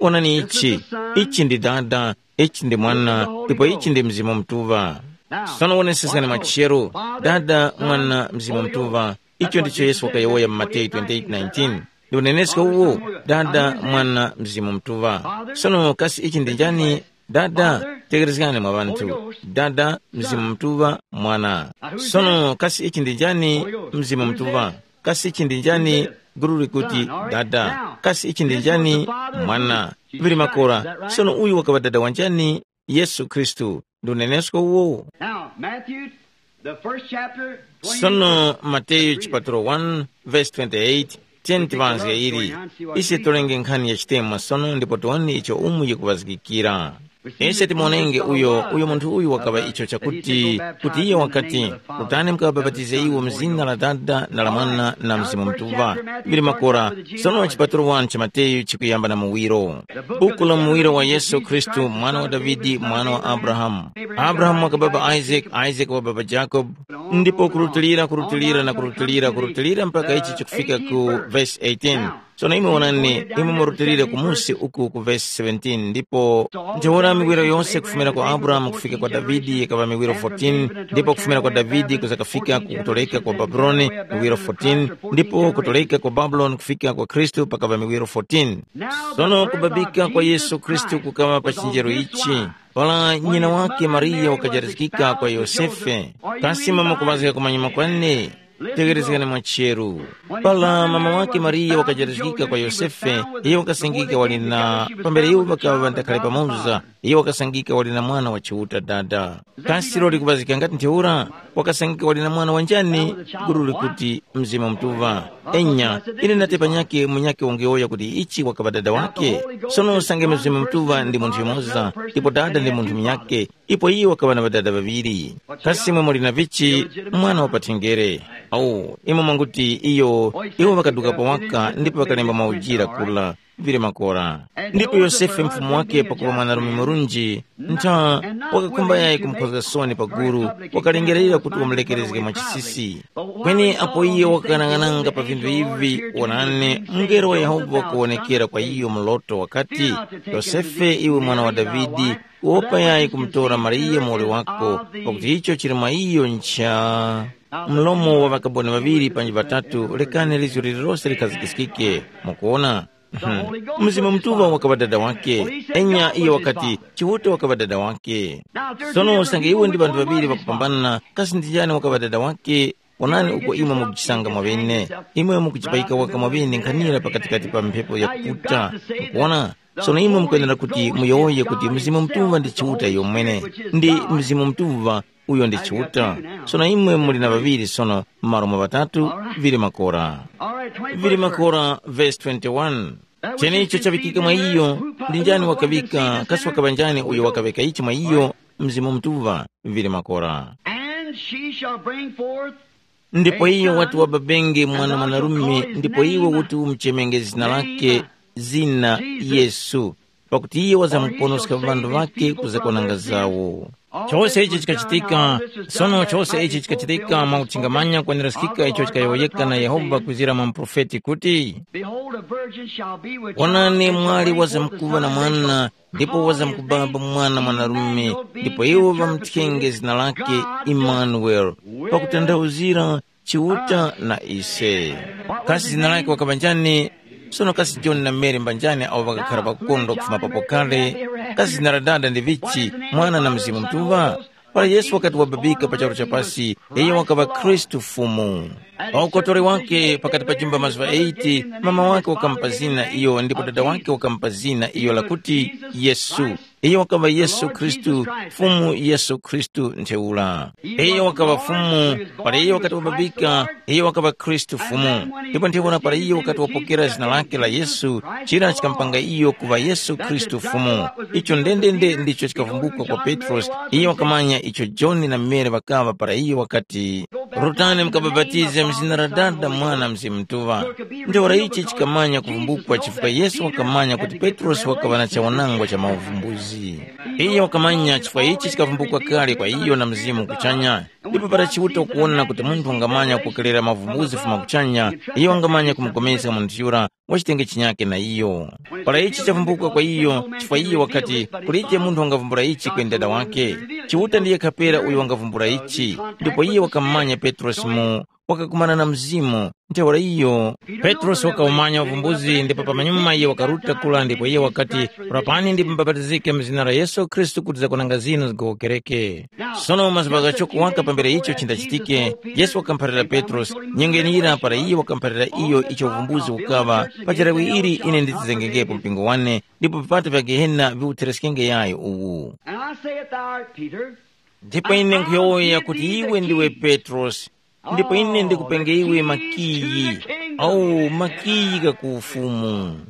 Wonani ichi, ichi ndi Dada, ichi ndi Mwana, ndipo ichi ndi Mzimu Mutuŵa. Sono woneseskani machero, Dada, Mwana, Mzimu Mutuŵa. Icho ndicho Yesu wakayowoya mu Mateyu twenty-eight nineteen. Ndikuneneska uwo, Dada, Mwana, Mzimu Mutuŵa. Sono kasi ichi ndi njani? Dada, tekerezgani mwa ŵanthu. Dada, Mzimu Mutuŵa, Mwana. Sono kasi ichi ndi njani? Mzimu Mutuŵa. Kasi ichi ndi njani? Guru likuti, Dada. Kasi ichi ndi njani? Mwana. Ŵiri makora. Sono uyu wakaŵa Dada wa njani? Yesu Khristu. Ndi unenesko uwowo. Now, Matthew, the first chapter, Sono Mateyu chipatulo one verse twenty-eight, tiyeni tiŵazge ili. Ise tolenge nkhani ya chitemwa sono ndipo tiwone icho umu yikuŵazgikira. Ise timonenge uyo, uyo munthu uyu wakaŵa icho chakuti, kuti iye wakati, kutani mukabapatize iwo mu zina la Dada na la Mwana na Mzimu Mutuŵa. Vili makora, sono chipatulo one cha Mateyu chikuyamba na muwiro. Buku la muwiro wa Yesu Khristu, mwana wa Davidi, mwana wa Abrahamu. Abrahamu wakababa Isaac, Isaac wababa Jacob, ndipo kurutilira, kurutilira na kurutilira, kurutilira mpaka ichi chikufika ku verse eighteen. Sono imwe wonani, imwe murutilire kumusi uku ku verse seventeen, ndipo ntheura miwiro yose kufumira kwa Abrahamu kufika kwa Davidi yikaŵa miwiro fourteen, ndipo kufumira kwa Davidi kuza kafika ku kutoleka kwa Babuloni miwiro fourteen, ndipo kutoleka kwa Babuloni kufika kwa Khristu pakaŵa miwiro fourteen. Sono kubabika kwa Yesu Khristu kukaŵa pa chinjero ichi, para nyina wake Mariya wakajarizgika kwa Yosefe. Kasi mama kuŵazga kumanyuma kwane? Tegherezgani mwa cheru. Para mama wake Mariya wakajarizgika kwa Yosefe, iyo wakasangika wali na, pambere iwo ŵakaŵa ŵandakhale pamoza, iyo wakasangika wali na mwana wa Chiuta dada. Kasi loli kuŵazika ngati ntheura? Wakasangika wali na mwana wanjani? Guru likuti Mzimu Mutuŵa. Enya, ine ndati panyakhe munyakhe wangeyowoya kuti ichi wakaŵa dada wake. Sono usange Mzimu Mutuŵa ndi munthu yumoza, ndipo dada ndi munthu munyakhe, ipo iyo wakaŵa na ŵadada ŵaŵiri. Kasi imwe muli na vichi? Mwana wa pathenjere. Awu, imwe mwanguti iyo, iwo ŵakaduka pawaka ndipo ŵakalemba maujira kula, vile makora. Ndipo Yosefe mfumu wake pakuŵa mwanarume murunji, ntha, wakakhumba yayi kumukhozga soni pa guru, wakalengerera kuti wamulekerezge mwa chisisi. Kweni apo iyo wakaghanaghananga pa vinthu ivi, wonani, mungelo wa Yehova wakuwonekera kwa iyo mu loto wakati, Yosefe, iwe mwana wa Davidi, wopa yayi kumutora Mariya muwoli wako, pakuti icho chili mwa iyo ncha. Mlomo wa ŵakaboni ŵaŵiri panji ŵatatu, lekani lizgu lililose likhazikiskike. Mukuona? Mhm. Mzimu Mutuŵa wakaŵa dada wake. Enya iyo wakati, Chiuta wakaŵa dada wake. Sono usange iwo ndi ŵanthu ŵaŵiri ŵakupambana, kasi ndi njani wakaŵa dada wake? Onani uko imwe mukuchisanga mwaŵene. Imwe mukuchipayika waka mwaŵene nkhanira pakatikati pa mphepo yakuputa. Mukuona? Sono imwe mukwenera kuti muyowoye kuti Mzimu Mutuŵa ndi Chiuta yomwene, ndi Mzimu Mutuŵa uyo ndi Chiuta. Sono imwe muli na ŵaŵiri sono m'malo mwa ŵatatu, vili makora. Vili makora, verse twenty-one. Cheneicho chaŵikika mwa iyo, ndi njani wakaŵika, kasi wakaŵa njani uyo wakaŵeka ichi mwa iyo? Mzimu Mutuŵa, vili makora. And she shall bring forth Ndipo iyo wati wababenge mwana mwanarume, ndipo iwe uti umuchemenge zina lake, zina Yesu, pakuti iye wazamkuponoska ŵanthu ŵake kuzakonanga zawo. Chose ichi chikachitika, sono chose ichi chikachitika mwa utchingamanya kweneraskika icho chikayowoyeka na Yehova kuzira mwa muprofeti kuti, Behold, a virgin shall be with child. Wonani, and mwali bring forth a wazamkuŵa na son, and they mwana, shall ndipo call his wazamkubaba name mwana mwanarume, Emmanuel, ndipo being iwo interpreted, ŵamuthenge God zina lake with us. Imanueli, Pakutanthauzira Chiuta na ise. Kasi zina lake wakaŵa njani? Sono kasi John na Mary mbanjani awo ŵakakhala ŵakukondwa kufuma papo kale? Kasi zina la dada ndi vichi? Mwana na Mzimu Mutuŵa? Para Yesu wakati wababika pa charu cha pasi, iyo wakaŵa Khristu Fumu. Pa ukotore wake pakati pa jumba mazuŵa eight, mama wake wakamupa zina iyo ndipo dada wake wakamupa zina iyo lakuti Yesu. Iyo wakaŵa Yesu Khristu, Fumu Yesu Khristu ntheura. Iyo wakaŵa Fumu, para iyo wakati wababika, iyo wakaŵa Khristu Fumu. Ndipo ntheura para iyo wakati wapokera zina lake la Yesu, chira chikamupanga iyo kuŵa Yesu Khristu Fumu. Icho ndendende ndicho chikavumbukwa kwa Petrosi. Iyo wakamanya icho Joni na Mary ŵakaŵa para iyo wakati, Rutani mukabapatize mu zina la Dada, Mwana, Mzimu Mutuŵa. Ntheura ichi chikamanya kuvumbukwa chifukwa Yesu wakamanya kuti Petrosi wakaŵa na chawanangwa cha mauvumbuzi. Iyo wakamanya chifukwa ichi chikavumbukwa kale kwa iyo na Mzimu kuchanya. Ndipo para Chiuta ukuwona kuti munthu wangamanya kupokerera mavumbuzi kufuma kuchanya, iyo wangamanya kumupulikana munthu yura wachitenge chinyake na iyo. Para ichi chavumbuka kwa iyo, chifukwa iyo wakati, kulije munthu wangavumbula ichi kweni Dada wakhe. Chiuta ndiye kapera uyo wangavumbula ichi, ndipo iyo wakamumanya Petrosi mu wakakumana na Mzimu. Ntheura iyo, Petrosi wakaumanya uvumbuzi ndipo pamanyuma iye wakaruta kula ndipo iye wakati, rapani ndipo mubapatizike mu zina la Yesu Khristu kuti zakwananga zinu zigowokereke. Sono mazuŵa ghachoko waka pambere icho chindachitike, Yesu wakamuphalira Petrosi, nyengo yeneyira para iye wakamuphalira iyo icho uvumbuzi ukaŵa, pa chirawi ili ine nditizengekepo mpingo wane, ndipo vipata vya Gehena viwuthereskenge yayo uwu. And I say it thou art Peter. Ndipo ine nkhuyowoya kuti iwe ndiwe Petrosi, ndipo ine ndikupenge iwe makiyi, au makiyi gha ku ufumu.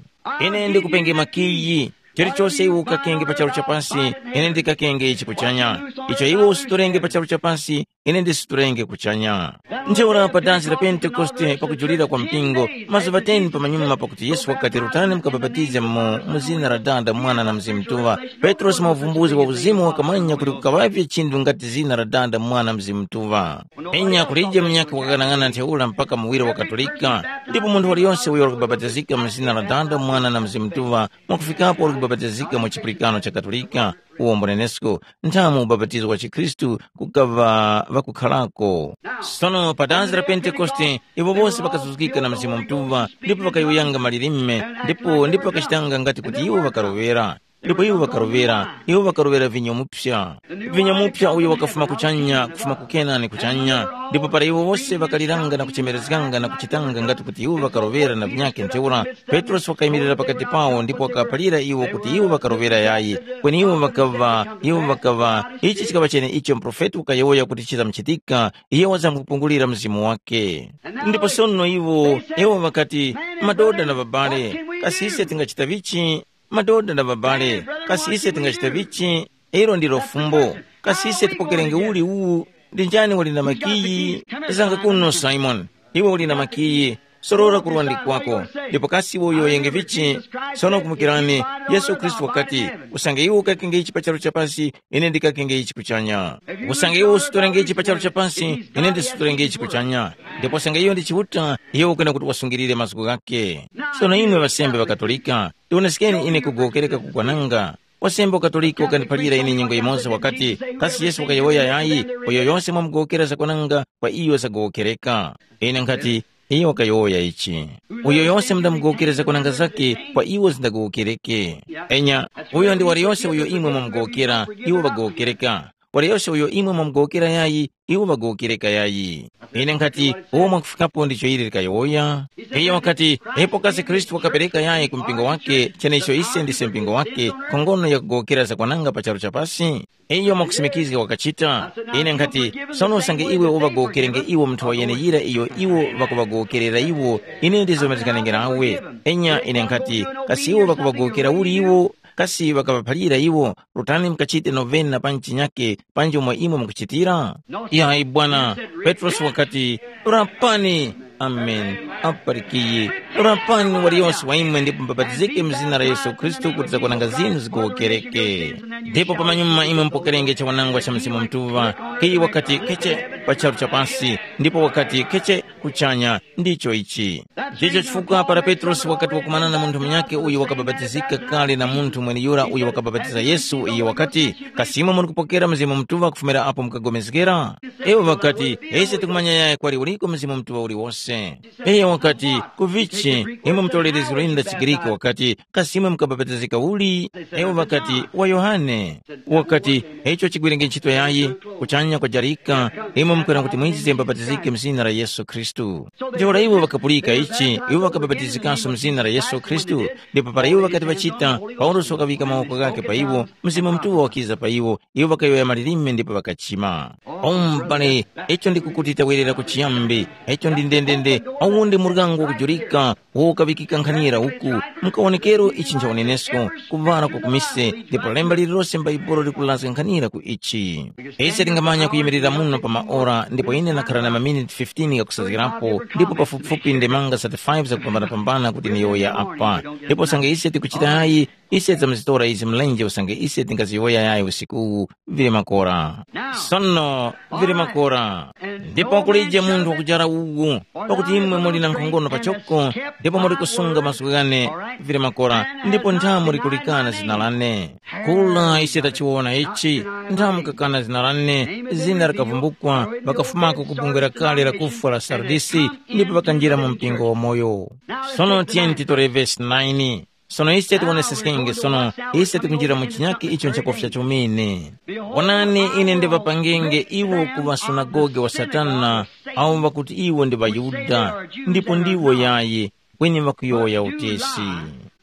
Ine ndikupenge makiyi, chilichose iwe ukakenge pa charu cha pasi, ine ndikakenge ichi kuchanya. Icho iwe usitorenge pa charu cha pasi, ine ndisitorenge kuchanya. Ntheura pa dansi la Pentekoste pakujulira kwa mpingo, mazuŵa ten pamanyuma pakuti Yesu wakati, rutani mukabapatize mu, mu zina la Dada, Mwana na Mzimu Mutuŵa, Petrosi mwa uvumbuzi wa uzimu wakamanya kuti kukaŵavye chinthu ngati zina la Dada, Mwana, Mzimu Mutuŵa. Enya kulije munyakhe wakang'anang'ana ntheura mpaka muwiri wa Katolika, ndipo munthu waliyonse uyo wali kubapatizika mu zina la Dada, Mwana na Mzimu Mutuŵa, mwakufikapo wali kubapatizika mu chipulikano cha Katolika, uwo mbunenesko, nthamu ubapatizo wa chikhristu kukaŵa ŵakukharako. Sono pa danzi la Pentekoste, iwo wose ŵakazuzgika na Mzimu Mutuŵa, ndipo ŵakayowoyanga malilime, ndipo ndipo ŵakachitanga ngati kuti iwo ŵakaroŵera. Ndipo iwo ŵakaroŵera, iwo ŵakaroŵera vinyo mupsa. Vinyo mupsa uyo wakafuma kuchanya, kufuma ku Kenani kuchanya. Ndipo para iwo wose ŵakaliranga na kuchemerezganga na kuchitanga ngati kuti iwo ŵakaroŵera na vinyakhe ntheura, Petrosi wakayimirira pakati pawo ndipo wakaphalira iwo kuti iwo ŵakaroŵera yayi, kweni iwo ŵakaŵa, iwo ŵakaŵa, ichi chikaŵa chene icho muprofeti wakayowoya kuti chizamkuchitika, iye wazamkupungulira mzimu wake. Ndipo sono iwo, iwo ŵakati, madoda na ŵabale, kasi ise tingachita vichi? Madoda na ŵabale, kasi ise tingachita vichi? Ilo ndilo fumbo. Kasi ise tipokerenge uli uwu? Ndi njani wali na makiyi? Zanga kuno, Simoni, iwe uli na makiyi. Sorora kurwandi kwako, ndipo kasi iwe uyowoyenge vichi? Sono kumbukirani, Yesu Khristu wakati, usange iwe ukakenge ichi pa charu cha pasi, ine ndikakenge ichi kuchanya. Usange iwe usitorenge ichi pa charu cha pasi, ine ndisitorenge ichi kuchanya. Ndipo usange iyo ndi Chiuta, iwe ukwena kuti wasungilire mazgu ghake. Sono imwe ŵasembe ŵa Katolika, tioneskeni ine kugowokereka kukwananga. Wasembe wa Katolika wakandiphalira ine nyengo yimoza wakati, kasi Yesu wakayowoya yayi, uyo yose mwamugowokera zakwananga kwa iyo zagowokereka. Ine nkhati, iyo wakayowoya ichi. Uyo yose mundamugowokera zakwananga zake, kwa iwo zindagowokereke. Enya, uyo ndi waliyose uyo imwe mwamugowokera, iwo ŵagowokereka. Waliyose uyo imwe mwamugowokera yayi, iwo ŵagowokereka yayi. Ine nkhati, uwo mwakufikapo ndicho ili likayowoya. Iyo wakati, ipo kasi Khristu wakapereka yayi ku mpingo wake, chenecho ise ndise mpingo wake, khongono yakugowokera zakwananga pa charu cha pasi? Iyo mwakusimikizga wakachita. Ine nkhati, sono usange iwe uŵagowokerenge iwo mu nthowa yeneyira iyo iwo ŵakuŵagowokerera iwo, ine ndizomezganenge nawe. Enya ine nkhati, kasi iwo ŵakuŵagowokera uli iwo? Kasi ŵakaŵaphalira iwo, rutani mukachite novena na panji chinyake panji umo imwe mukuchitira? Yayi bwana, Petrosi wakati, rapani. Amen. Aparikiye. Rapani waliyonse wa imwe ndipo mubapatizike mu zina la Yesu Khristu kuti zakwananga zinu zigowokereke. Ndipo pamanyuma imwe mupokerenge chawanangwa cha Mzimu Mutuŵa, kiyi wakati keche pa charu cha pasi, ndipo wakati keche kuchanya, ndicho ichi. Ndicho chifukwa para Petrosi wakati wakumana na munthu munyakhe uyo wakabapatizika kale na munthu mweneyura uyo wakabapatiza Yesu, iyo wakati, kasi imwe muli kupokera Mzimu Mutuŵa kufumira apo mukapulikana? Iwo ŵakati, ise tikumanya yaya kwali uliko Mzimu Mutuŵa uliwose. Iyo wakati, ku vichi, imwe mutolerezgero linu la chiGriki wakati, kasi imwe mukabapatizika uli? Iwo ŵakati, wa Yohane. Wakati, icho chigwirenge ntchito yayi, kuchanya kwajarika, imwe mukwera kuti mwize mubapatizike mu zina la Yesu Khristu. Ntheura iwo ŵakapulika ichi, iwo ŵakabapatizikanso mu zina la Yesu Khristu, ndipo para iwo ŵakati ŵachita, Paulosi wakaŵika mawoko ghakhe pa iwo, Mzimu Mutuŵa wakiza pa iwo, iwo ŵakayowoya malilime ndipo ŵakachima. O m'bale, icho ndikukuti tawerera ku chiyambi, icho ndi ndendende, uwu ndi muryango wakujurika, uwo ukaŵikika nkhanira uku, mukawonekero ichi ncha unenesko, kuŵala kwa kumise, ndipo lemba lililose m'Baibulo likulazga nkhanira ku ichi. Ise tingamanya kuyimirira muno pa maora, ndipo ine ndakhala na maminiti fifteen ghakusazga Napo ndipo pafupifupi ndemanga za thirty-five zakupambanapambana kuti niyowoya apa. Ndipo usange ise tikuchitayi, ise tamzitora izi mlenje usange ise tingaziyowoya yayi usiku uwu, vili makora. Sono, vili makora. Ndipo kulije munthu wakujara uwu, pakuti imwe muli na nkhongono pachoko, ndipo muli kusunga mazgu ghane, vili makora, ndipo nthamu likulikana zina lane. Kula ise tachiwona ichi, nthamu kakana zina lane, zina likavumbukwa, ŵakafumako ku bungwe la kale la kufwa la Sardisi, ndipo ŵakanjira mu mpingo wamoyo. Sono tiyeni titore vesi nine. Sono ise tiwoneseskenge sono, ise tikunjira mu chinyakhe icho nchakufya chomene. Wonani, ine ndiŵapangenge iwo kuŵa sunagoge wa Satana, awo ŵakuti iwo ndi ŵaYuda, ndipo ndiwo yayi, kweni ŵakuyowoya utesi.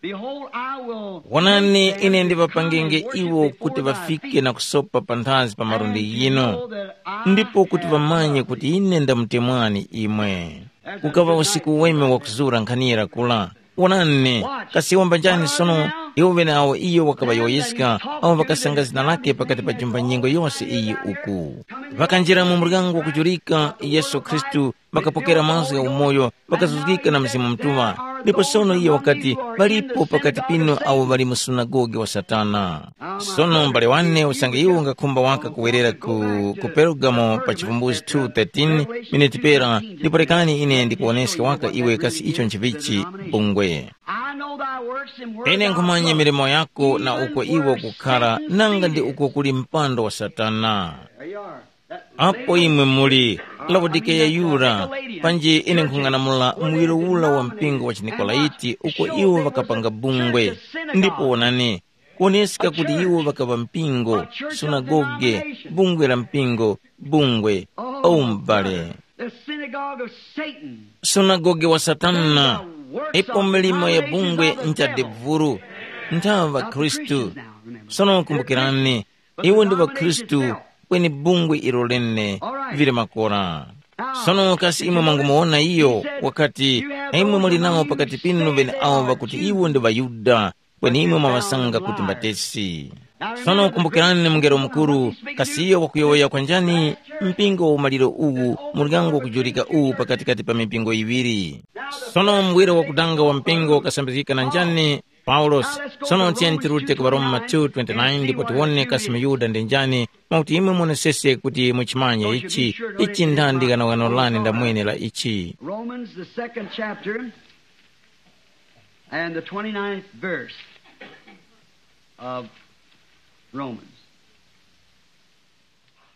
Behold, I will Wonani, ine ndiŵapangenge iwo kuti ŵafike na kusopa panthazi pa malundi ghinu, ndipo kuti ŵamanye kuti ine ndamutemwani imwe. Kukaŵa usiku weme wakuzura nkhani yira kula. Wonani, kasi wamba njani sono? Iwo ŵeneawo iyo wakaŵayowoyeska, awo ŵakasanga zina lake pakati pa jumba nyengo yose iyi uku. Ŵakanjira mu muryango wakujurika, Yesu Khristu ŵakapokera mazgu gha umoyo, ŵakazuzgika na Mzimu Mutuŵa. Ndipo sono iye wakati, ŵalipo pakati pinu awo ŵali mu sunagoge wa Satana. Sono m'bale wane usange iwo ungakhumba waka kuwerera ku, ku Perugamo pa Chivumbuzi two thirteen, miniti pera, ndipo rekani ine ndikuwoneske waka iwe kasi icho nchivichi, bungwe. I know thy works and where Ine thou nkhumanya dwellest. Milimo yako na uko iwe ukukhara, nanga ndi uko kuli mpando wa Satana. There you are. Apo imwe muli, Laodikeya yura, panji ine nkhung'anamula muwiro ula wa mpingo wa chiNikolaiti uko iwo ŵakapanga bungwe. Ndipo wonani, kuoneska kuti iwo ŵakaŵa mpingo, sunagoge, bungwe la mpingo, bungwe, o m'bale. The synagogue of Satan. Sunagoge wa Satana, ipo milimo ya bungwe nchadevuru, nthawa ŵakhristu. Sono kumbukirani, iwo ndi ŵakhristu, kweni bungwe ilo lene vili makora. Sono kasi imwe mwangumuwona iyo, wakati, imwe muli nawo pakati pinu ŵeneawo ŵakuti iwo ndi ŵaYuda, kweni imwe mwaŵasanga kuti mbatesi. Sono kumbukirani mungelo mukuru, kasi iyo wakuyowoya kwa njani? Mpingo wa umaliro uwu, muryango wakujulika uwu pakatikati pa mipingo yiŵiri. Sono muwiro wakudanga wa mpingo ukasambizgika na njani? Paulosi. Sono tiyeni tirute ku Baroma two twenty-nine ndipo tiwone kasi muYuda ndi njani, mwakuti imwe muonesese kuti muchimanye ichi, ichi ndandi ghanoghano lane ndamwene la ichi. Romans, the second chapter, and the twenty-ninth verse of Romans.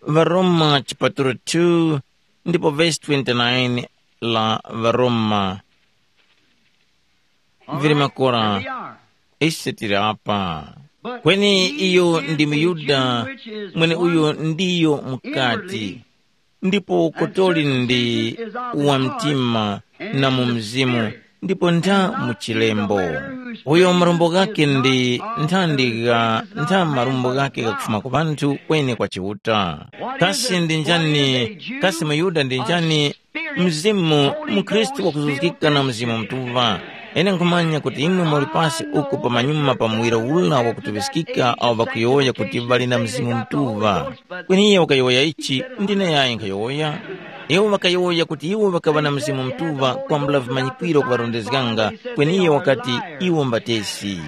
Varoma chipatulo two ndipo vesi twenty-nine la Varoma. Vili makora, ise tili apa. Kweni iyo ndi muYuda, mweneuyo ndiyo mukati, ndipo kotoli ndi wa mtima na mu mzimu, ndipo ntha mu chilembo. Uyo marumbo ghake ndi nthandi gha ntha marumbo ghake ghakufuma ku ŵanthu kweni kwa Chiuta. Kasi ndi njani? Kasi muYuda ndi njani? Mzimu, mukhristu wakuzuzgika na Mzimu Mutuŵa. Ine nkhumanya kuti imwe muli pasi uku pamanyuma pa muwiro ula wakutuŵiskika awo ŵakuyowoya kuti ŵali na Mzimu Mutuŵa. Kweni iyo wakayowoya ichi, ndine yayi nkhayowoya. Iwo ŵakayowoya kuti iwo ŵakaŵa na Mzimu Mutuŵa kwambula vimanyikwiro kuŵarondezganga, kweni iyo wakati, iwo mbatesi.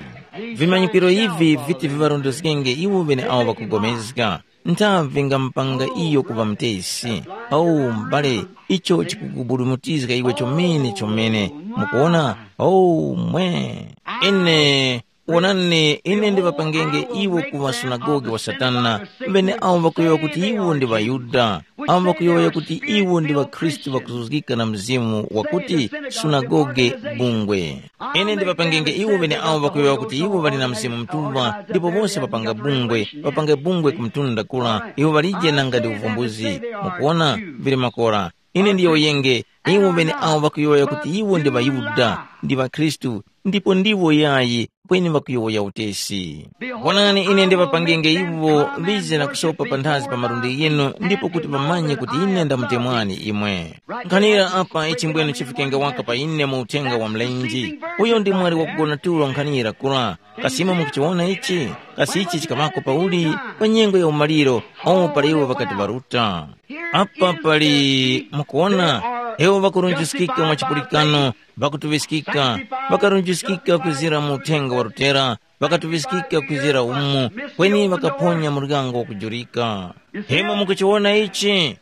Vimanyikwiro ivi viti viŵarondezgenge iwo ŵeneawo ŵakugomezga. Nthavi ngamupanga iyo kuŵa mutesi. Awu m'bale, icho chikukubudumutizga iwe chomene chomene. Mukuwona? Awu mwe. Ine, wonani, ine ndiŵapangenge iwo kuŵa sunagoge wa Satana, ŵeneawo ŵakuyowoya kuti iwo ndi ŵaYuda, awo ŵakuyowoya kuti iwo ndi ŵakhristu ŵakuzuzgika na Mzimu wakuti, sunagoge, bungwe. Ine ndiŵapangenge iwo ŵeneawo ŵakuyowoya kuti iwo ŵali na Mzimu Mutuŵa, ndipo wose ŵapanga bungwe, ŵapange bungwe ku mtunda kura, iwo ŵalije nanga ndi uvumbuzi. Mukuwona, vili makora. Ine ndiyowoyenge, iwo ŵeneawo ŵakuyowoya kuti iwo ndi ŵaYuda, ndi ŵakhristu, ndipo ndiwo yayi, kweni ŵakuyowoya utesi. Wonani, ine ndiŵapangenge iwo ŵize na kusopa panthazi pa malundi ghinu, ndipo kuti ŵamanye kuti ine ndamutemwani imwe. Nkhanira apa ichimbwene chifikenge waka pa ine mu uthenga wa mlenje. Uyo ndi mwali wakugona tulo nkhanira kura. Kasi imwe mukuchiwona ichi? Kasi ichi chikaŵako pauli? Pa nyengo ya umaliro, awo pali iwo ŵakati ŵaruta. Apa pali, mukuwona, Iwo ŵakurunjiskika mwa chipulikano, ŵakutuŵiskika, ŵakarunjiskika kwizira mu uthenga wa Lutera, ŵakatuŵiskika kwizira umo, kweni ŵakaphonya muryango wakujurika. Imwe mukuchiwona ichi?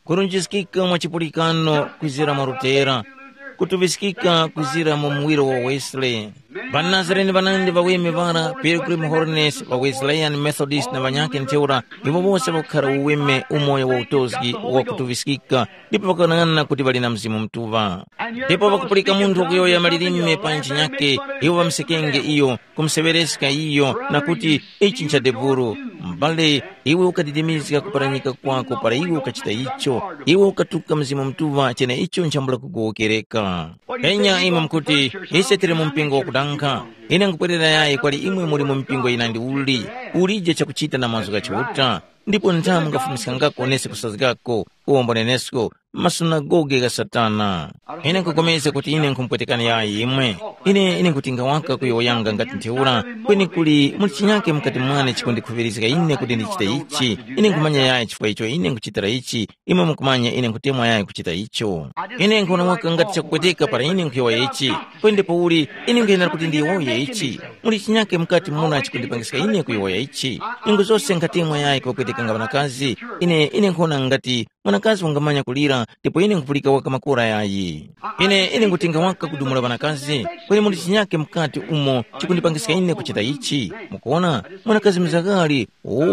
Kurunjiskika mwa chipulikano kwizira mwa Lutera, kutuŵiskika kwizira mu muwiro wa Wesley. Ŵanazarene ŵanandi ŵaweme ŵara, Pilgrim Holiness, wa Wesleyan Methodist na ŵanyakhe ntheura, iwo wose ŵakukhara uweme umoyo wa utozgi wa kutuŵiskika, ndipo ŵakanang'ana kuti ŵali na Mzimu Mutuŵa. Ndipo ŵakupulika munthu wakuyowoya malilime pa ntchi nyakhe, iwo ŵamsekenge iyo, kumuseŵereska iyo, na kuti, “Ichi ncha debulu.” M'bale, iwe ukadidimizga kuparanyika kwako para iwe ukachita icho, iwe ukatuka Mzimu Mutuŵa cheneicho nchambula kugowokereka. Enya imwe mukuti, “Ise tili mu mpingo wakudankha.” Ine nkupwerera yayi kwali imwe muli mu mipingo yinandi uli, ulije chakuchita na mazgu gha Chiuta, ndipo ntha mungafumiskangako nesi kusazgako, uwombo nenesko, masunagoge gha Satana. Ine nkupulikana kuti ine nkhumupwetekani yayi imwe. Ine ine nkutinga waka kuyowoyanga ngati ntheura, kweni kuli muli chinyake mukati mwane chikundikhuŵirizga ine kuti ndichite ichi. Ine nkhumanya yayi chifukwa icho ine nkuchitira ichi, imwe mukumanya ine nkhutemwa yayi kuchita icho. Ine nkhona waka ngati chakupweteka para ine nkhuyowoya ichi, kweni ndipouli ine nkhuyenera kuti ndiyowoye ichi. Muli chinyake mukati muna chikundipangiska ine kuyowoya ichi. Nyengo zose nkhatemwa yayi kuŵapwetekanga ŵanakazi, ine ine nkhona ngati mwanakazi wangamanya kulira, ndipo ine nkupulika waka makora yayi. Ine ine ngutenga waka kudumula ŵanakazi, kweni muli chinyake mukati umo chikundipangiska ine kuchita ichi. Mukuona, mwanakazi mzakali, oh,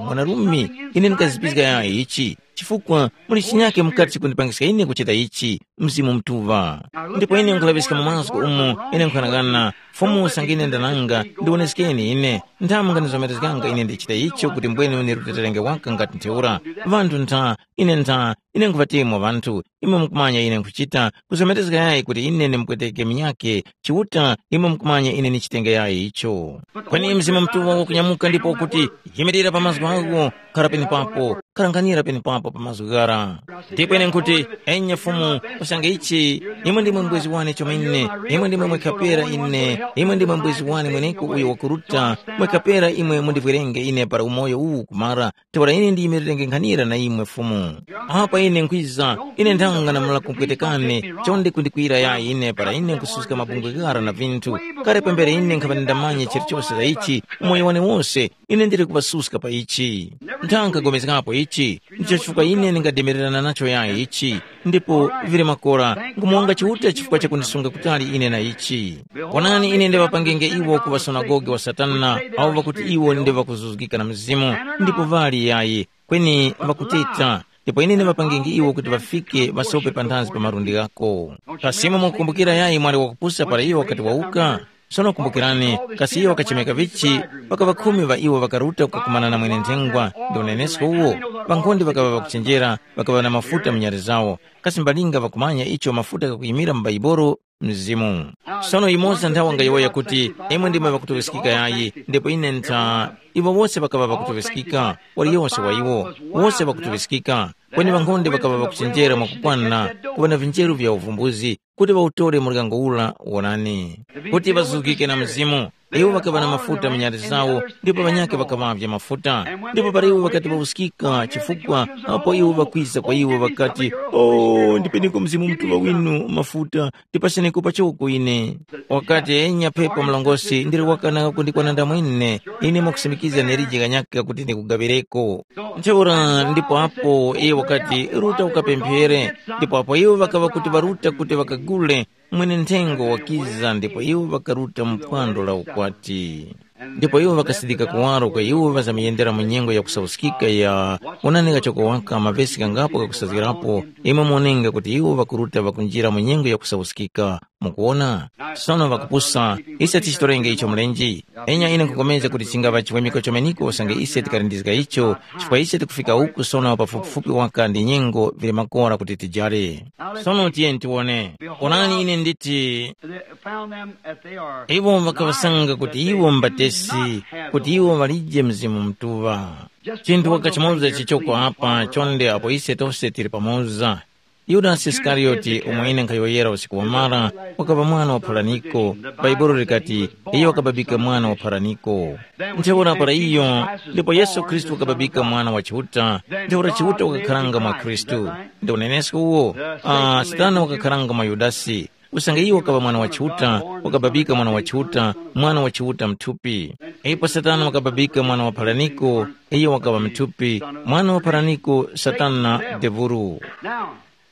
mwanarume, ine ndikazipizga yayi ichi, chifukwa muli chinyake mukati chikundipangiska ine kuchita ichi, Mzimu Mutuŵa. Ndipo ine nkulaŵiska mu mazgu umo, ine nkhanang'ana, Fumu usange ine ndananga, ndiwoneskeni ine, ntha mungandizomerezganga ine ndichita icho kuti mbwene unirutiterenge waka ngati ntheura. Ŵanthu ntha, ine ntha, ine nkhuŵatemwa ŵanthu, imwe mukumanya ine nkhuchita, kuzomerezga yayi kuti ine ndimupweteke munyakhe, Chiuta, imwe mukumanya ine ndichitenge yayi icho. Kweni Mzimu Mutuŵa wakunyamuka ndipo wakuti, “Yimirira pa mazgu agho, khara penepapo, kharanghanira penepapo pa mazgu ghara.” Ndipo ine nkuti, “Enya Fumu, usange ichi, imwe ndimwe mbwezi wane chomene, imwe ndimwe mwekhapera ine, imwe ndimwe mbwezi wane mweneko uyo wakuruta, mwekhapera imwe mundivwerenge ine para umoyo uwu kumara, ntheura ine ndiyimirirenge nkhanira na imwe Fumu. Apa ine nkhwiza, ine nthanga namala kumpwetekani, chonde kundikwira yayi ine para ine nkususka mabungwe ghara na vinthu. Kale pambere ine nkhaŵa ndindamanya chilichose za ichi, umoyo wane wose, ine ndili kuŵasuska pa ichi. Ntha nkhapulikanapo ichi, ndicho chifukwa ine ndingademererana nacho yayi ichi, ndipo vili makora, nkumuwonga Chiuta chifukwa chakundisunga kutali ine na ichi. Wonani ine ndiŵapangenge iwo kuŵa sunagoge wa Satana, awo ŵakuti iwo ndi ŵakuzuzgika na Mzimu, ndipo ŵali yayi, kweni ŵakuteta, ndipo ine ndiŵapangenge iwo kuti ŵafike ŵasope panthazi pa malundi ghako. Kasi imwe mukukumbukira yayi mwali wakupusa para iyo wakati wawuka? Sono kumbukirani, kasi iyo wakachemeka vichi, pakava khumi ŵa iwo ŵakaruta kukakumana na mwene-nthengwa ndi unenesko uwo, ŵankhonde ŵakaŵa ŵakuchenjera, ŵakaŵa na mafuta mu nyali zawo, kasi mbalinga ŵakumanya icho mafuta ghakuyimira mu Bhaibuli? Mzimu. Sono yumoza nthawe ngayowoya kuti, “Imwe ndimwe ŵakutuŵiskika yayi, ndipo ine ntha.” Iwo wose ŵakaŵa ŵakutuŵiskika, waliyose wa iwo, wose ŵakutuŵiskika, kweni ŵankhonde ŵakaŵa ŵakuchenjera mwakukwana kuŵa na vinjeru vya uvumbuzi, kuti ŵawutore muryango ura wonani, kuti ŵazuzgike na Mzimu. Iwo ŵakaŵa na mafuta mu nyali zawo, ndipo ŵanyakhe ŵakaŵavya mafuta. Ndipo para iwo ŵakati ŵawuskika, chifukwa apo iwo ŵakwiza kwa iwo ŵakati, “O, ndipeneko Mzimu Mutuŵa winu mafuta, ndipaseneko pachoko ine.” Wakati, “Enya pepa mlongosi, ndili wakana kundikwana ndamwene, ine mwakusimikiza nelije kanyaka kuti ndikugaŵireko.” Ntheura ndipo apo iye wakati, “Ruta ukapemphere.” Ndipo apo iwo ŵakaŵa kuti ŵaruta kuti ŵakagule, mwene-nthengwa wakiza ndipo iwo ŵakaruta mu phwando la ukwati. Ndipo iwo ŵakasidika kuwaro kwa iwo ŵazamuyendera mu nyengo ya kusauskika ya, wonani kachoko waka mavesi ghangapo ghakusazgirapo, imwe muwonenge kuti iwo ŵakuruta ŵakunjira mu nyengo ya kusauskika. Mukuwona? Sono ŵakupusa, ise tichitorenge icho mlenje? Enya ine nkhupulikana kuti chingaŵa chiwemeko chomeneko usange ise tikalindizga icho, chifukwa ise tikufika uku sono pafupifupi waka ndi nyengo vili makora kuti tijare. Sono tiyeni tiwone. Onani ine nditi, iwo ŵakaŵasanga kuti iwo mbatesi, kuti iwo ŵalije Mzimu Mutuŵa. Chinthu waka chimoza chichoko apa chonde apo ise tose tili pamoza. Yudasi Isikariyoti, umo ine nkhayowoyera usiku wamara, wakaŵa mwana wa pharaniko. Bhaibuli likati, iyo wakababika mwana wa pharaniko. Ntheura para iyo, ndipo Yesu Khristu wakababika mwana wa Chiuta, ntheura Chiuta wakakharanga mwa Khristu. Ndi unenesko uwo, ah, Satana wakakharanga mwa Yudasi. Usange iyo wakaŵa mwana wa Chiuta, wakababika mwana wa Chiuta, mwana wa Chiuta mthupi. Ipo Satana wakababika mwana wa pharaniko, iyo wakaŵa mthupi, mwana wa pharaniko Satana devuru. Now,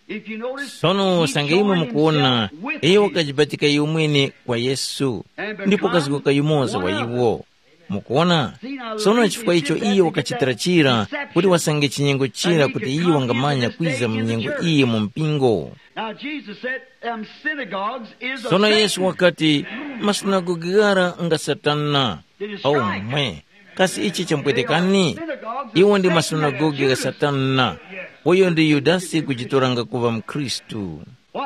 if you notice, Sono he usange imwe joined mukuwona, himself with iyo you. Wakajibatika iyo mwene kwa Yesu, ndipo kazgoka yumoza wa iwo. Mukuwona? Sono chifukwa icho iyo wakachitira chira, kuti wasange chinyengo chira kuti iyo wangamanya kwiza mu nyengo iyi mu mpingo. Now Jesus said, um, synagogues is a Sono Yesu Satan. Wakati, masunagoge ghara nga Satana. Au mwe, kasi ichi champwetekani? Iwo ndi masunagoge gha Satana. Uyo ndi Yudasi kujitoranga kuŵa mkhristu.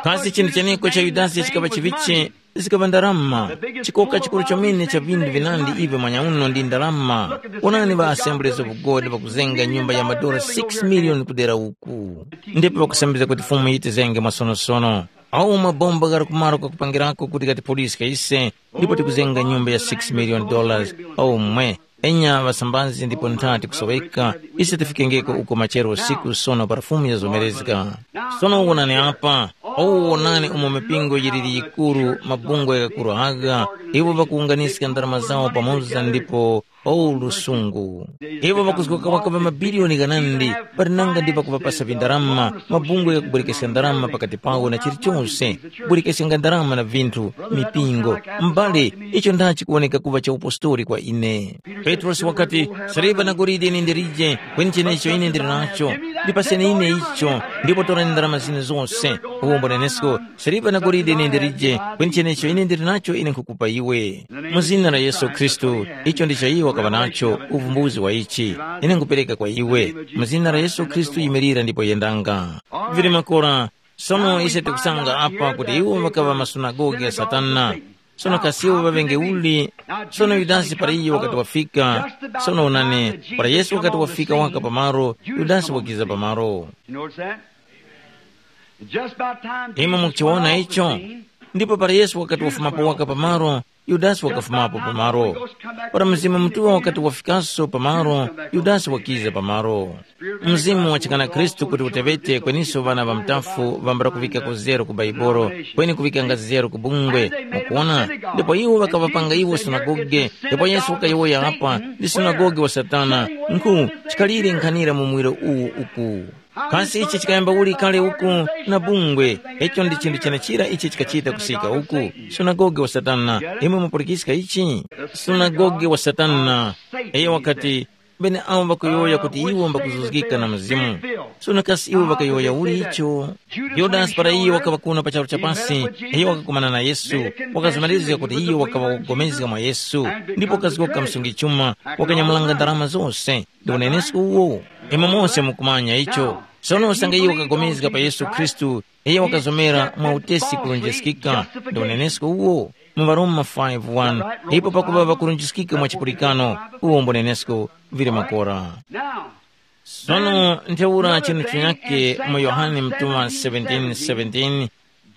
Kasi chinthu cheneko cha Yudasi chikaŵa chivichi? Zikaŵa ndarama. Chikoka chikuru chomene cha vindu vinandi ivi mwanyauno ndi ndarama. Onani ŵa Assemblies of God ŵakuzenga nyumba ya madora six million kudera uku. Ndipo ŵakusembeza kuti Fumu yitizenge mwasonosono. Awo mabomba ghali kumaro kakupangirako kuti gatiphuliska ise, ndipo tikuzenga nyumba ya six million dollars. Awo mwe, enya ŵasambazi ndipo ntha tikusoweka, ise tifikengeko uko machero usiku sono para Fumu yazomerezga. Sono wonani apa, owo wonani umo mipingo yiliri yikuru, mabungwe ghakuru agha, iwo ŵakuwunganiska ndarama zawo pamoza ndipo, o lusungu. Iwo ŵakuzgoka waka ŵa mabiliyoni ghanandi, pali nanga ndi pakuŵapasa vindarama, mabungwe ghakubwerekeska ndarama pakati pawo na chilichose, kubwerekeska ndarama na vinthu, mipingo. M'bale, icho ndachi kuwoneka kuŵa cha upostori kwa ine. Petrosi wakati, siliva na golide ine ndilije, kweni chenecho ine ndili nacho. Ndipaseni ine icho, ndipo torani ndarama zine zose. Uwombo nenesko, siliva na golide ine ndilije, kweni chenecho ine ndili nacho ine nkhukupa iwe. Mu zina la Yesu Khristu, icho ndicho iwo wakaŵa nacho, uvumbuzi wa ichi. Ine nkhupereka kwa iwe. Mu zina la Yesu Khristu yimirira ndipo yendanga. Vili makora, sono ise tikusanga apa kuti iwo ŵakaŵa masunagoge ya Satana. Sono kasi iwo ŵaŵenge uli? Sono Yudasi para iyo wakati wafika, sono onani, para Yesu wakati wafika waka pamaro, Yudasi wakiza pamaro. You notice that? Just about time Imwe Jesus mukuchiwona went off the icho? Scene, ndipo para Yesu wakati wafumapo waka pamaro, Yudasi wakafumapo pamaro. Para Mzimu Mutuŵa wakati wafikaso pamaro, Yudasi wakiza pamaro. Mzimu wachikana Khristu kuti uteŵete kweniso ŵana ŵa mtafu ŵambala kuŵika ku zero ku Baibolo, kweni kuŵikanga zero ku bungwe. Mukuwona? Ndipo iwo ŵakaŵapanga iwo sunagoge, ndipo Yesu wakayowoya apa, ndi sunagoge wa Satana. Nkhu, chikhalire nkhanira mu muwiro uwu uku. Kasi ichi chikayamba uli kale uku na bungwe? Icho ndi chinthu chenechira ichi chikachita kusika uku. Sunagoge wa Satana, imwe mupulikiska ichi? Sunagoge wa Satana. Iyo wakati, bene awo ŵakuyowoya kuti iwo mbakuzuzgika na Mzimu. Sono kasi iwo ŵakayowoya uli icho? Yudasi para iyo wakaŵa kuno pa charu cha pasi, iyo wakakumana na Yesu, wakazumanizga kuti iyo wakaŵa wakugomezga mwa Yesu, ndipo wakazgoka msungi chuma, wakanyamulanga ndarama zose. Ndi unenesko uwo. Imwe mose mukumanya icho. Sono usange iwo wakagomezga pa Yesu Khristu, iyo wakazomera mwa utesi kulunjiskika. Ndi unenesko uwo. Mu Varoma five one, ipo pakuŵa ŵakulunjiskika mwa chipulikano, uwo mbunenesko vili makora. Sono ntheura chinu chinyake mu Yohane mtuma seventeen seventeen,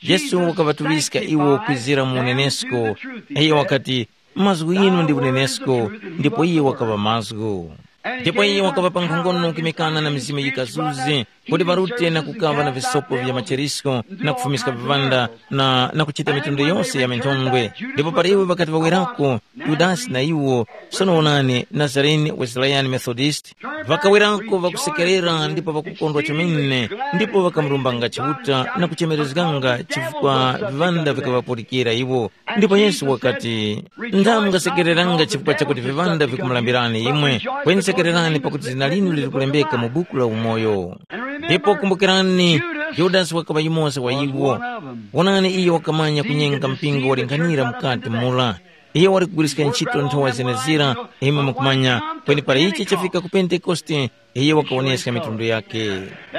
Yesu wakaŵatuŵiska iwo kwizira mu unenesko, iyo wakati, mazgu inu ndi unenesko, ndipo iye wakaŵa mazgu. Ndipo iye wakaŵa pa nkhongono kuyimikana na mizimu yikazuzi, kuti ŵarute na kukaŵa na visopo vya macherisko na kufumiska viŵanda na, na kuchita mitundu yose ya minthondwe. Ndipo para iwo ŵakati ŵawerako, Yudasi na iwo, sono wonani, Nazarene, Wesleyani, Methodist, ŵakawerako ŵakusekerera ndipo ŵakukondwa chomene, ndipo ŵakamurumbanga Chiuta na kuchemerezganga chifukwa viŵanda vikaŵapulikira iwo. Ndipo Yesu wakati, ndamwe mungasekereranga chifukwa chakuti viŵanda vikumulambirani imwe, kweni sekererani pakuti zina linu lili kulembeka mu buku la umoyo. Ndipo kumbukirani, Yudasi wakaŵa yumoza wa iwo. Wonani, iyo wakamanya kunyenga mpingo waling'anira mukati mura. Iyo wali kugwiriska ntchito nthowa zenezira, imwe mukumanya, Kweni para ichi chafika ku Pentekoste, iye wakawoneska mitundu yake.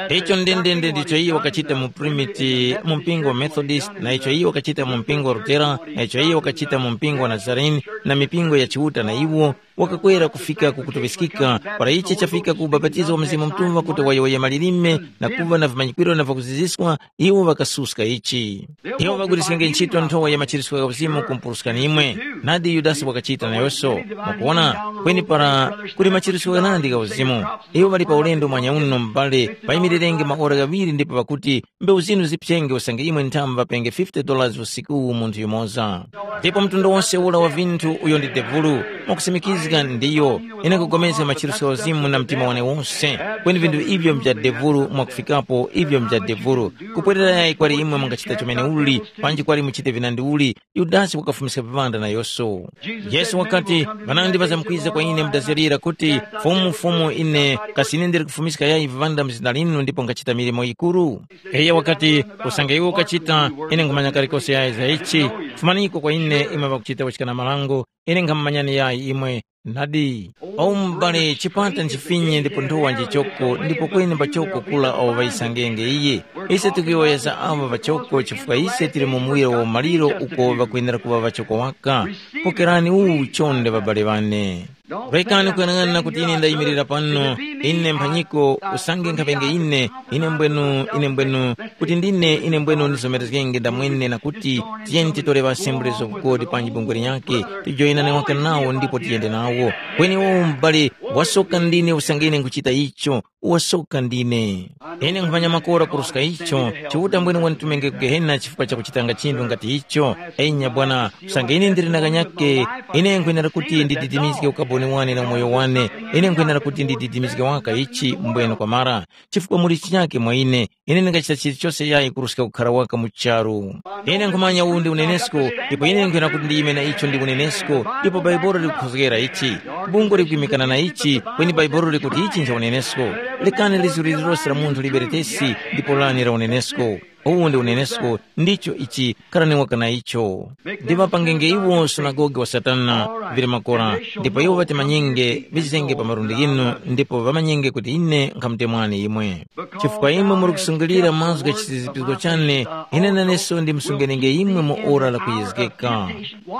Icho ndendende ndicho iye wakachita mu Primiti mu mpingo wa Methodist, na icho iye wakachita mu mpingo wa Lutera, na icho iye wakachita mu mpingo wa Nazarene, na mipingo ya Chiuta na iwo, wakakwera kufika ku kutuŵiskika, para ichi chafika ku ubapatizo wa Mzimu Mutuŵa kuti wayowoye malilime na kuŵa na vimanyikwiro na vakuziziswa, iwo ŵakasuska ichi. Iwo ŵagwiriskenge ntchito nthowa ya machiritso gha uzimu kumpuruskani imwe, nadi Yudasi wakachita nayoso. Mukuwona, kweni para kuli machiritso ghanandi gha uzimu, iwo ŵali pa ulendo mwanyauno m'bale, payimirirenge maora ghaŵiri ndipo ŵakuti, mbewu zinu ziphyenge usange imwe nthamu ŵapenge fifty dollars usikuwu munthu yumoza. Ndipo mtundu wose ura wa vinthu uyo ndi devulu, mwakusimikizga ndiyo, ine nkupulikana machiritso gha uzimu na mtima wane wose, kweni vinthu ivyo vya devulu mwakufikapo ivyo vya devulu. Kupwerera yayi kwali imwe mungachita chomene uli, panji kwali muchite vinandi uli, Yudasi wakafumiska vivanda na Yesu. Yesu wakati, ŵanandi ŵazamkwiza kwa ine mudazirira kuti, Fumu, Fumu, ine kasi ine ndili kufumiska yayi vivanda mu zina linu ndipo ngachita milimo yikuru? Iyo wakati, usange iwe ukachita, ine nkhumanya kalikose yayi za ichi, fumaniko kwa ine imwe ŵakuchita wachikana marango, ine nkhamumanyani yayi imwe. Nadi, o m'bale chipata nchifinye ndipo nthowa njichoko ndipo kweni pachoko kula awo ŵayisangenge iye. Ise tikuyowoyeza aŵa ŵachoko chifukwa ise tili mu muwiro wa umaliro uko ŵakwenera kuŵa ŵachoko waka. Pokerani uwu chonde ŵabale ŵane. Rekani kuyang'ana kuti ine ndayimirira pano, ine mphanyiko usange nkhaŵenge ine, ine mbwenu, ine mbwenu, kuti ndine ine mbwenu ndizomerezgenge ndamwene na kuti tiyeni titore ŵa Assemblies of God panji bungwe linyakhe, tijoyinane waka nawo ndipo tiyende nawo. Kweni uwu m'bale wasoka ndine usange ine nkhuchita icho, wasoka ndine. Ine nkhumanya makora kuruska icho, Chiuta mbwene wanditumenge ku Gehena chifukwa cha kuchitanga chinthu ngati icho. Enya bwana, usange ine ndili na kanyake, ine nkhwenera kuti ndididimizge ukaboni wane na umoyo wane, ine nkhwenera kuti ndididimizge waka ichi mbwene kwamara, chifukwa muli chinyake mwa ine, ine ndingachita chilichose yayi kuruska kukhara waka mu charu. Ine nkhumanya uwu ndi unenesko, ndipo ine nkhwena kuti ndiyime na icho ndi unenesko, ndipo Bhaibuli likukhozgera ichi. Bungwe likuimikana na ichi, kweni Bhaibuli likuti ichi ncha unenesko. Lekani lizgu lililose la munthu liberetesi, ndipo lani la unenesko. Uwu ndi unenesko, ndicho ichi, kharani waka na icho. Ndiŵapangenge iwo sunagoge wa Satana, vili makora, ndipo iwo ŵatimanyenge, ŵizenge pa malundi ghinu, ndipo ŵamanyenge kuti ine nkhamutemwani imwe. Chifukwa imwe muri kusungilira mazgu gha chizizipisko chane, ine naneso ndimusungenenge imwe mu ora la kuyezgeka.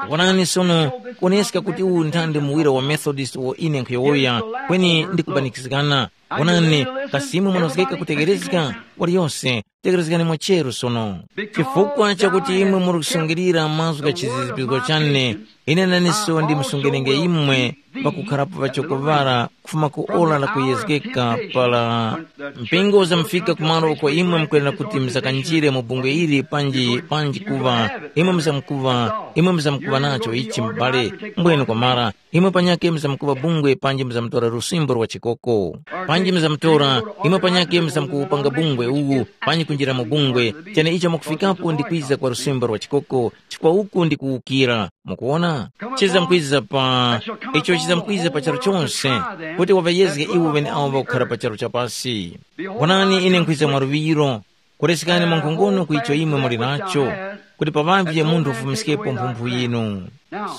Wonani sono, kuoneska kuti uwu nthandi muwira wa Methodist uwo ine nkhuyowoya, kweni ndikubanikizgana. Wonani, kasi imwe munozgeka kutegherezga? Waliyose, tegherezgani mwacheru sono. Chifukwa chakuti imwe muri kusungilira mazgu gha chizizipisko chane, ine naneso ndimusungenenge imwe pakukharapo ŵachoko ŵara kufuma ku ora la kuyezgeka para mpingo uzamufika kumalo uko imwe mukwenera kuti muzakanjire mu bungwe ili panji panji kuŵa imwe muzamkuŵa imwe muzamkuŵa nacho ichi m'bale mbwenu kwamara imwe panyake muzamkuŵa bungwe panji muzamutora lusimbo lwa chikoko panji muzamutora imwe panyake muzamkuwupanga bungwe uwu panji kunjira mu bungwe chene icho mwakufikapo ndi kwiza kwa lusimbo lwa chikoko chifukwa uku ndi kuwukira Mukuwona? Chizamkwiza pa icho chizamkwiza pa charu chonse, kuti waŵayezge iwo ŵeneawo ŵakukhara pa charu cha pasi. Wonani ine nkhwiza mwa luŵiro, kuresekani mwa nkhongono ku icho imwe muli nacho, kuti paŵavye munthu ufumiskepo mphumphu yinu.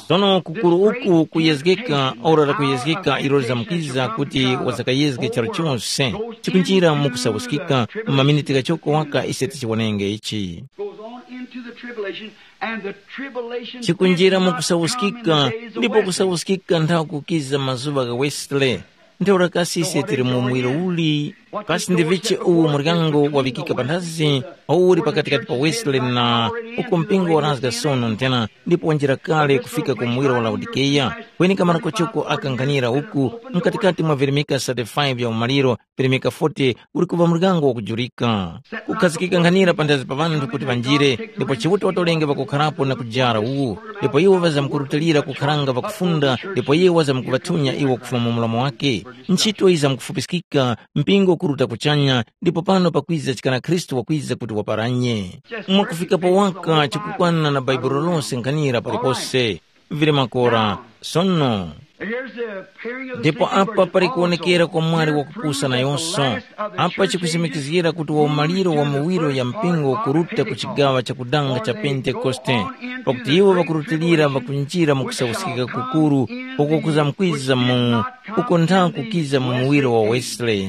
Sono kukuru uku kuyezgeka ora la kuyezgeka ilo lizamkwiza kuti wazakayezge charu chonse, chikunjira mu kusawuskika mu maminiti ghachoko waka ise tichiwonenge ichi. Goes on into the tribulation, and the tribulation chikunjira mu kusawuskika ndipo kusawuskika nthawi kukiza mazuŵa gha Wesley. Ntheura kasi ise tili mu muwiro uli? Kasi ndi vichi uwu muryango waŵikika panthazi uwu uli pakatikati pa Wesley na uko mpingo warazga sono nthena ndipo wanjira kale kufika ku muwiro wa Laodikeya? Kweni kamara kochoko aka nkhanira uku mkatikati mwa virimika thirty-five vya umaliro Peremeka forty uli kuŵa muryango wakujurika. Kukhazikika nkhanira panthazi pa ŵanthu kuti ŵanjire, ndipo Chiuta watolenge ŵakukharapo na kujara uwu, ndipo iwo ŵazamkurutilira kukharanga ŵakufunda, ndipo iye wazamkuŵathunya iwo kufuma mu mlomo wake. Ntchito yizamkufupiskika, mpingo ukuruta kuchanya, ndipo pano pakwiza chikana Khristu wakwiza kuti waparanye. Mwakufikapo waka chikukwana na Bhaibuli lose nkhanira palipose. Vili makora. Sono, Here's the appearing of the ndipo sleeping apa birds pali also. Kuwonekera kwa mwali wakupusa nayonso. Apa chikusimikizgira kuti waumaliro wa miwiro ya mpingo ukuruta ku chigawa chakudanga cha Pentekoste, pakuti iwo ŵakurutilira ŵakunjira mu kusauskika kukuru, uko kuzamkwiza mu uko nthaku kiza mu muwiro wa Wesley.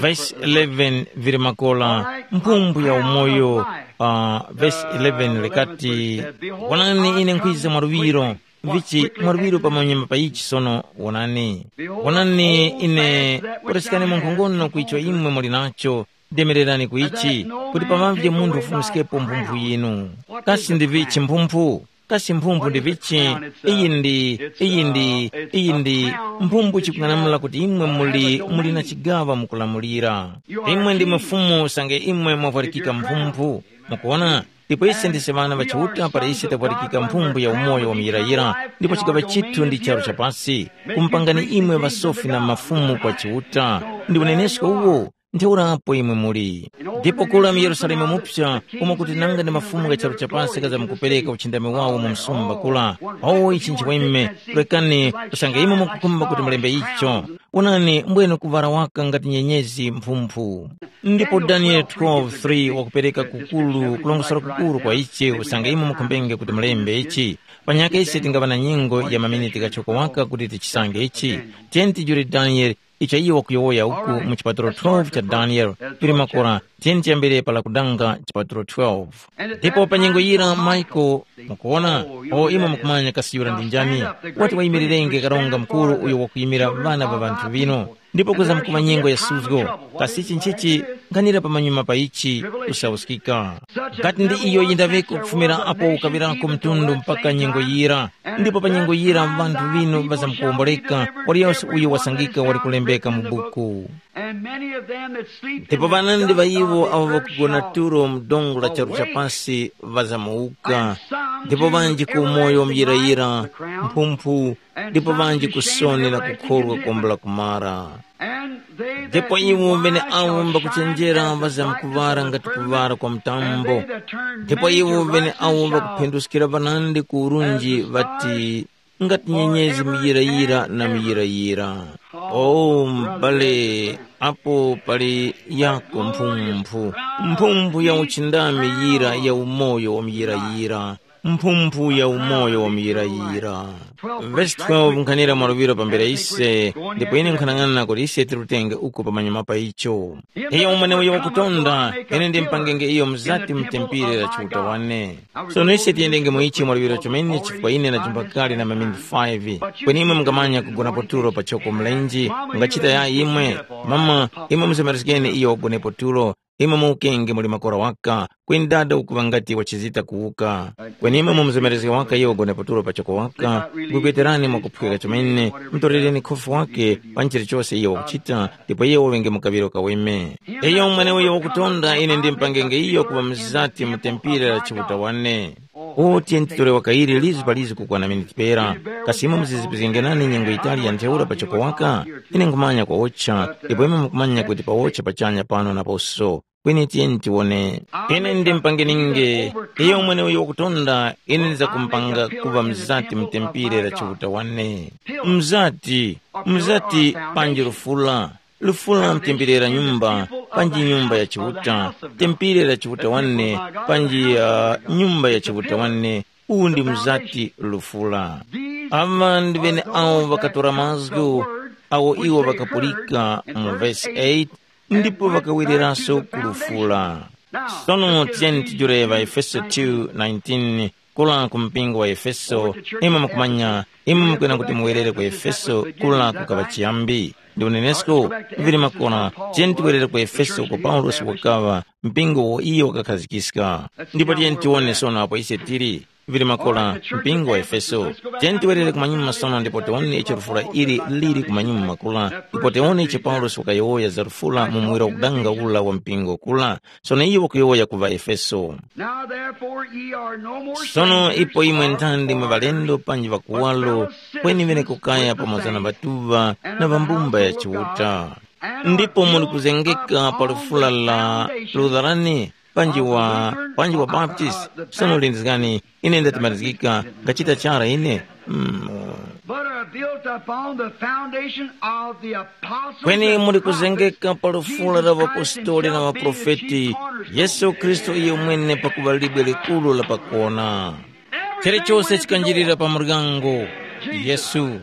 Vesi eleven vili makola, mphumbu ya umoyo. Uh, vesi eleven likati, wonani, ine nkhwiza mwa luŵiro, vichi mwa luŵiro pamanyuma pa ichi sono. Wonani, wonani, ine kuresekani mu nkhongono ku icho imwe muli nacho. Demererani ku ichi, kuti pamavye munthu ufumiskepo mphumphu yinu. Kasi ndi vichi mphumphu? Kasi mphumphu ndi vichi? Iyi ndi iyi ndi iyi ndi mphumbu chikung'anamula kuti imwe muli muli na chigawa mukulamulira. Imwe ndi mufumu usange imwe mwavwarikika mphumphu. Mukuona? Ndipo ise ndise ŵana ŵa Chiuta para ise tavwarikika mphumbu ya umoyo wa muyirayira, ndipo chigaŵa chithu ndi charu cha pasi, kumupangani imwe ŵasofi na mafumu kwa Chiuta. Ndi unenesko uwo. Ntheurapo imwe muli. Ndipo kula mu Yerusalemu mupsa, umo kuti nanga ndi mafumu gha charu cha pasi ghazamkupereka uchindami wawo mu msumba kula. O ichi nchiweme, rekani, usange imwe mukukhumba kuti mulembe icho. Onani, mbwenu kuvara waka ngati nyenyezi mphumphu. Ndipo Danieli twelve three wakupereka kukulu kulongosora kukuru kwa ichi usange imwe mukhumbenge kuti mulembe ichi. Panyaka ise tingaŵa na nyengo ya maminiti ghachoko waka kuti tichisange ichi. Tiyeni tijule Danieli icho iyo wakuyowoya uku mu chipatulo twelve cha Danieli, pili makora, tiyeni tiyambire para kudanga chipatulo twelve. Ndipo pa nyengo yira Michael, mukuona, o imwe mukumanya kasi yura ndi njani, wati wayimirirenge karonga mukuru uyo wakuyimira ŵana ŵa ŵanthu ŵino. Ndipo kuzamkuŵa nyengo ya suzgo, kasi ichi nchichi nkhanira pamanyuma pa ichi kusauskika. Ngati ndi iyo yindaŵeko kufumira apo ukaŵirako mtundu mpaka nyengo yira, ndipo pa nyengo yira ŵanthu ŵinu ŵazamkuwomboleka, waliyose uyo wasangika wali kulembeka mu buku. And many of them that sleep ndipo in the vanandi va dust iwo of avo the earth vakugona shall tulo mu dongo la charu cha wake. Pasi vazamuwuka. And some ndipo to vanji ku moyo everlasting life, muyirayira the crown, mphumphu, and ndipo some vanji to ku shame and soni la everlasting kukhorwa kombo la contempt. Kumara. And they that ndipo do iwo vene wise awo shall shine mbakuchenjera as the brightness vazamkuŵara of the ngati firmament, kuŵara kwa and mtambo. They that turn ndipo many iwo to vene righteousness awo shall vakuphenduskira vanandi ku urunji vati ngati nyenyezi miyirayira na miyirayira. O m'bale, apo pali yako mphumphu, mphumphu ya uchindami yira ya umoyo wa muyirayira, mphumphu ya umoyo wa muyirayira. Vesi twelve nkhanira mwaluŵiro pambere ise, ndipo ine nkhanang'ana kuti ise tirutenge uko pamanyuma pa icho. Iyo umweneyo wakutonda, ine ndimpangenge iyo mzati mtempire la Chiuta wane. Sono ise tiyendenge mu ichi mwaluŵiro chomene chifukwa ine ndajumba kale na maminiti five. Kweni imwe mungamanya kugonapo tulo pa choko mlenji, mungachita yayi imwe? Mama, imwe muzemerezgeni iyo wagonepo tulo. Imwe muwukenge muli makora waka, kweni dada ukuŵa ngati wachizita kuwuka. Kweni imwe mumuzemerezge waka iyo wagonepo tulo pa choko waka, gwegweterani mwakuphweka chomene, mutorereni khofi wake pa chilichose iyo wakuchita, ndipo iyo waŵenge mu kaŵiro kaweme. Iyo mweneuyo wakutonda ine ndimpangenge iyo kuŵa mzati mu tempile la Chiuta wane. O tiyeni titore wakayiri lizu pa lizu kukwana miniti pera. Kasi imwe muzizipizgenge nane nyengo yitali ya ntheura pa choko waka? Ine nkhumanya kwawocha, ndipo imwe mukumanya kuti pawocha pachanya pano naposo. Kweni tiyeni tiwone. Ine ndimpangeninge, iyo mweneuyo wakutonda, ine ndizakumpanga kuŵa mzati mu tempile la Chiuta wane. Mzati, mzati panji lufula. Lufula mtempere la nyumba, panji nyumba ya Chiuta, tempere la Chiuta wane, panji uh, nyumba ya Chiuta wane, uwu ndi mzati lufula. Aŵa ndi ŵene awo ŵakatora mazgu awo iwo ŵakapulika mu vesi eight, ndipo ŵakawereraso ku lufula. Sono tiyeni tijule ŵaEfeso two nineteen, kula ku mpingo wa Efeso, imwe mukumanya, imwe mukwena kuti muwerere ku Efeso, kula kukaŵa chiyambi. Ndi unenesko, vili makora, tiyeni tiwerere ku Efeso uko Paulosi wakaŵa, mpingo uwo iyo wakakhazikiska. Ndipo tiyeni tiwone sono apo ise tili, vili makora, mpingo wa Efeso. Tiyeni tiwerere kumanyuma sono ndipo tiwone icho lufula ili lili kumanyuma makora, ndipo tiwone icho Paulosi wakayowoya za lufula mu muwiro wakudanga ula wa mpingo kula. Sono iyo wakuyowoya ku ŵaEfeso. Now therefore ye are no more sono strangers ipo imwe or nthandi mwe foreigners, ŵalendo panji ŵakuwalo, but fellow kweni ŵene citizens kukaya with the pamoza na saints ŵatuŵa and na of the ŵambumba ya household of God, chiuta. And are ndipo muli built kuzengeka up pa on lufula the la foundation lutharani panji of wa the Lutheran, panji wa uh, uh, Baptist. Uh, the sono Baptist lindizgani, ine ndatimarizgika, ngachita chara ine. Mm. But a built upon the foundation of the apostles Kweni and muli prophets, kuzengeka pa lufula la Jesus Christ ŵapostoli na himself being the ŵaprofeti, chief cornerstone. Yesu Khristu iye mwene pakuŵa libwe likuru la pakona. Chilichose chikanjirira pa muryango, Yesu.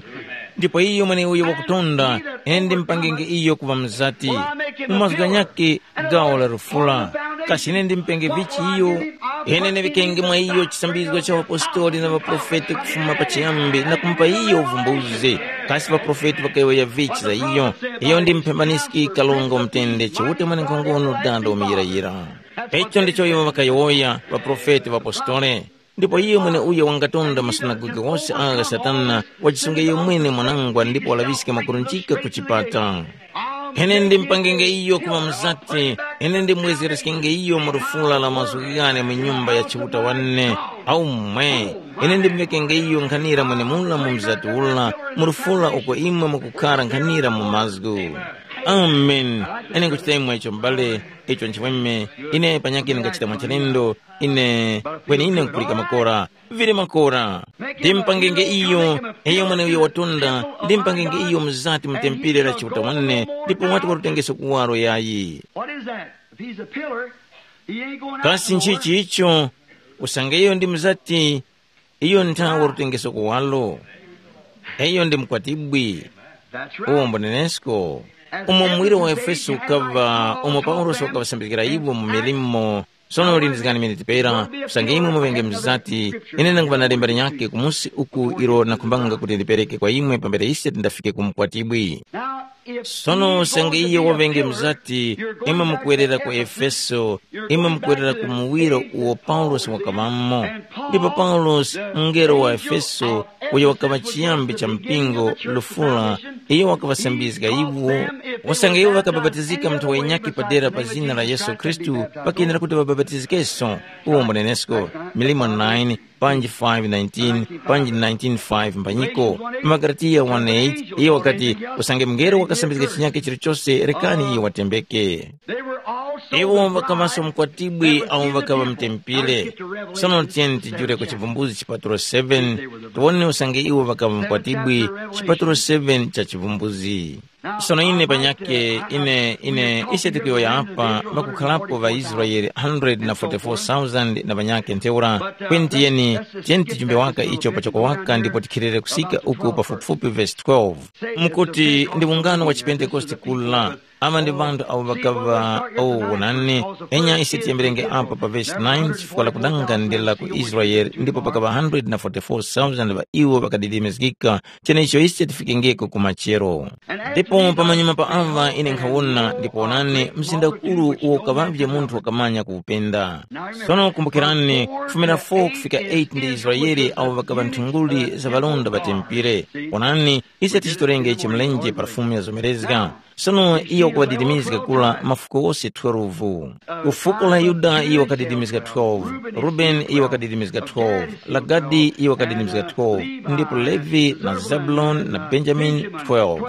Ndipo iyo mweneuyo wakutonda, ine ndimupangenge iyo kuŵa mzati. Mu mazgu ghanyakhe, gawo la lufula. Kasi ine ndimupenge vichi iyo? Ine ndiŵikenge mwa iyo chisambizgo cha ŵapostoli na ŵaprofeti kufuma pachiyambi na kumupa iyo uvumbuzi. Kasi ŵaprofeti ŵakayowoya vichi za iyo? Iyo ndi mphembaniski kalonga umutende Chiuta mwenenkhongono dada umuyirayira. Icho ndicho iwo ŵakayowoya ŵaprofeti ŵapostole. Ndipo iyo mweneuyo wangatonda masunagoge ghose agha gha Satana, wajisunge iyo mwene mwanangwa ndipo walaŵiske makurunjika ku chipata. Ine ndimpangenge iyo kuŵa mzati, ine ndimwezereskenge iyo mu lufula la mazgu ghane mu nyumba ya Chiuta wane. Aumwe, ine ndimvekenge iyo nkhanira mwenemura mu mzati ula, mu lufula uko imwe mukukhara nkhanira mu mazgu. Amen. Ine nkuchita imwe icho m'bale, icho nchimweme, ine panyakhe ndingachita mwachilendo, ine kweni ine nkupulika makora. Vili makora. Ndimpangenge iyo, iyo mweneuyo watunda, ndimpangenge iyo mzati mu tempere la Chiuta wane, ndipo wati walutengeso kuwaro yayi. What is that? If he's a pillar, he ain't going out Kasi nowhere. Nchichi icho? Usange iyo ndi mzati, iyo nthawe walutengeso kuwaro. Iyo ndi mkwatibwi. That's right. Uwo mbonenesko. Umo muwiro wa Efeso ukava, umo Paulosi wakawasambikira iwo mu milimo. Sono lindizgani miniti pera, usange imwe muŵenge mzati, ine nanguŵa na lemba linyakhe kumusi uku ilo nakhumbanga kuti ndipereke kwa imwe pambere ise tindafike ku mkwatibwi. Sono usange iye waŵenge mzati, imwe mukuwerera ku Efeso, imwe mukuwerera ku muwiro uwo Paulosi wakaŵamo. Ndipo Paulosi, mngelo wa Efeso, uyo wakaŵa chiyambi cha mpingo, lufula, iyo wakaŵasambizga iwo. Usange iwo ŵakabapatizika munthu wenyakhe padera pa zina la Yesu Khristu, pakenera kuti ŵabapatizikenso. Uwo mbonenesko, Milimo nine, panji five nineteen, panji nineteen five mbanyiko. Magalatiya one eight, iye wakati, usange mngelo wakasambizga chinyakhe chilichose, rekani iye watembeke. Iwo ŵakaŵaso mkwatibwi awo ŵakaŵa mutempile. Sono tiyeni tijule ku Chivumbulutso chipatulo seven, tiwone usange iwo ŵakaŵa mkwatibwi, chipatulo seven cha Chivumbulutso. Sono ine panyakhe, ine, ine, ise tikuyowoya apa, ŵakukharapo ŵaIsraele hundred na forty-four thousand na ŵanyakhe ntheura, kweni tiyeni, tiyeni tijumbe waka icho pachoko waka ndipo tikhilire kusika uku pafupifupi vesi twelve. Mukuti ndi ungano wa chipentekoste kula, aŵa ndi ŵanthu awo ŵakaŵa awo wonani, enya ise tiyambirenge apo pa vesi nine chifukwa lakudanga ndi la ku Israele ndipo pakaŵa hundred na forty-four thousand ŵa iwo ŵakadidimizgika, cheneicho ise tifikengeko ku machero. Ndipo pamanyuma pa aŵa ine nkhawona ndipo wonani mzinda ukuru uwo ukaŵavye munthu wakamanya kuwupenda. Sono kumbukirani, kufumira four kufika eight ndi Israele awo ŵakaŵa nthunguli za ŵalonda ŵa tempire. Wonani, ise tichitorenge ichi mlenje pa fumu ya zomerezga. Sono iyo wakadidimizga kula mafuko ghose twelve. Ku fuko la Yuda iyo wakadidimizga twelve, Rubeni iyo wakadidimizga twelve, la Gadi iyo wakadidimizga twelve, ndipo Levi na Zebuloni na Benjamini twelve.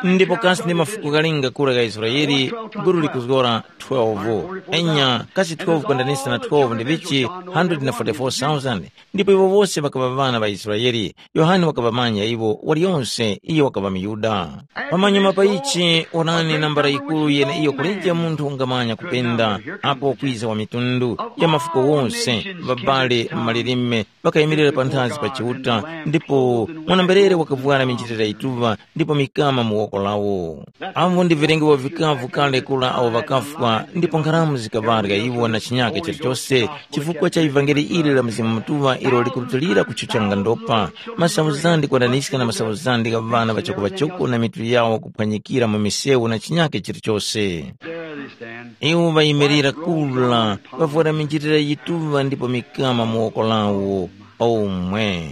Ndipo kasi ndi mafuko ghalinga kura gha Israele, gulu likuzgora twelve. Enya, kasi twelve kwendanisa na twelve ndi vichi? Hundred na forty-four thousand. Ndipo iwo wose ŵakaŵa ŵana ŵa Israele. Yohane wakaŵamanya iwo, waliyonse iyo wakaŵa muYuda. Pamanyuma pa ichi, onani nambala yikuru yeneiyo kuleja munthu ungamanya kupenda, apo kwiza wa mitundu, ya mafuko wonse, ŵabale, malilime, ŵakayimirira panthazi pa Chiuta, ndipo mwana-mberere wakavwara minjilira yituŵa, ndipo mikama mu woko lawo. Avo ndi vilengewo vikavu kale kura awo ŵakafwa, ndipo nkharamu zikaŵarya iwo na chinyake chilichose, chifukwa cha ivangeli ili la Mzimu Mutuŵa ilo likurutilira kuchuchanga ndopa, masauzandi kwananiska na masauzandi gha ŵana ŵachoko-ŵachoko na mitu yawo kuphwanyikira mu misewu na chinyake chilichose. There they stand. Iwo ŵayimirira kula, ŵavwara minjilira yituŵa ndipo mikama mu woko lawo. Omwe.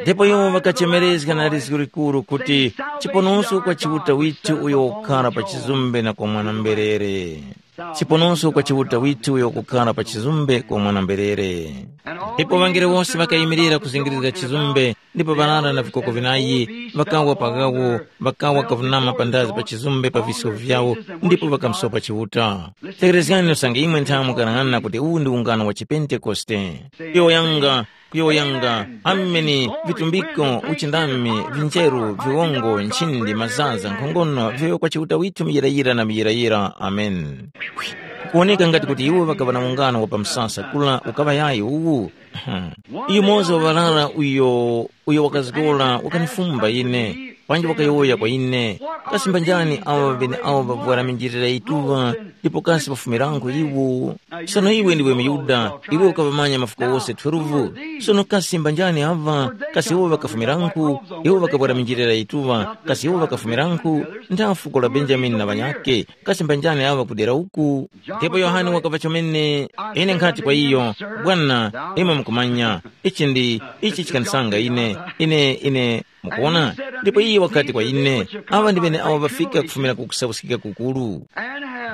Ndipo iwo ŵakachemerezga na lizgu likuru kuti, chiponoso kwa Chiuta withu uyo wakukhara pa chizumbe na kwa mwana-mberere. Chiponoso kwa Chiuta withu uyo wakukhara pa chizumbe kwa mwana-mberere. Ndipo ŵangelo wose ŵakayimirira kuzingirizga chizumbe, ndipo ŵarara na vikoko vinayi ŵakawa paghawo, ŵakawa kavunama pandazi pa chizumbe pa visko vyawo, ndipo ŵakamusopa Chiuta. Tekerezgani usange imwe nthawe mukarang'ana kuti uwu ndi ungano wa chipentekoste. Kuyowoyanga, kuyowoyanga, ameni, vitumbiko, uchindami, vinjeru, viwongo, nchindi, mazaza, nkhongono, vyoyo kwa Chiuta withu muyirayira na muyirayira. Ameni. Kukuwoneka ngati kuti iwo ŵakaŵa na ungano wa pa msasa kula ukaŵa yayi uwu. Yumoza wa ŵarara uyo uyo wakazgora wakanifumba ine, panji wakayowoya kwa ine, kasi mbanjani awo ŵeneawo ŵavwara minjilira yituŵa, ndipo kasi ŵafumirangu iwo? Sono iwe ndiwe muYuda, iwe ukaŵamanya mafuko wose twelve. Sono kasi mbanjani aŵa? Kasi iwo ŵakafumirangu? Iwo ŵakavwara minjilira yituŵa, kasi iwo ŵakafumirangu? Ntha fuko la Benjamini na ŵanyakhe, kasi mbanjani aŵa kudera uku? Ndipo Yohane wakaŵa chomene, ine nkhati kwa iyo, bwana, imwe mukumanya, ichi ndi ichi chikanisanga ine, ine ine mukuona. Ndipo iye wakati kwa ine, aŵa ndi ŵeneawo ŵafika kufumira ku kusapuskika kukuru.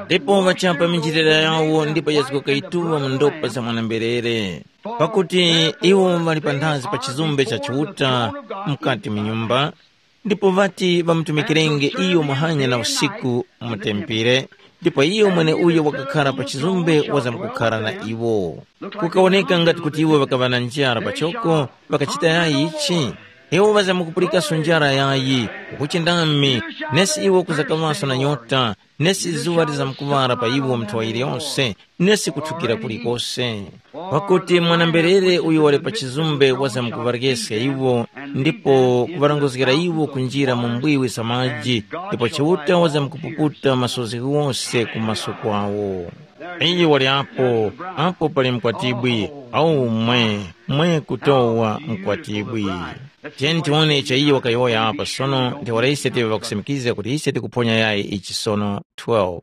Ndipo ŵachapa minjilira yawo ndipo yazgoka yituŵa mu ndopa za mwana-mberere. Pakuti iwo ŵali panthazi pa chizumbe cha Chiuta mukati mu nyumba, ndipo ŵati ŵamutumikirenge iyo muhanya na usiku mu tempere, ndipo iyo mweneuyo wakakhara pa chizumbe wazamkukhara na iwo. Kukawoneka ngati kuti iwo ŵakaŵa na njara pachoko, ŵakachita yayi ichi? Iwo ŵazamkupulikaso njara yayi, ukuchindami, nesi iwo kuzakaŵaso na nyota, nesi zuŵa lizamkuŵala pa iwo nthowa yiliyose, nesi kuthukira kulikose. Pakuti mwana-mberere uyo wali pa chizumbe wazamkuŵaryeskha iwo, ndipo kuŵarongozgera iwo kunjira mu mbwiwi za maji, ndipo Chiuta wazamkupuputa masozi ghose ku maso kwawo. Iyo wali apo, apo pali mkwatibwi, au mwe, mwe kutowa mkwatibwi. Tiyeni tiwone icho iye wakayowoya apa sono, ntheura ise tive ŵakusimikizga kuti ise tikuphonya yayi ichi sono. twelve.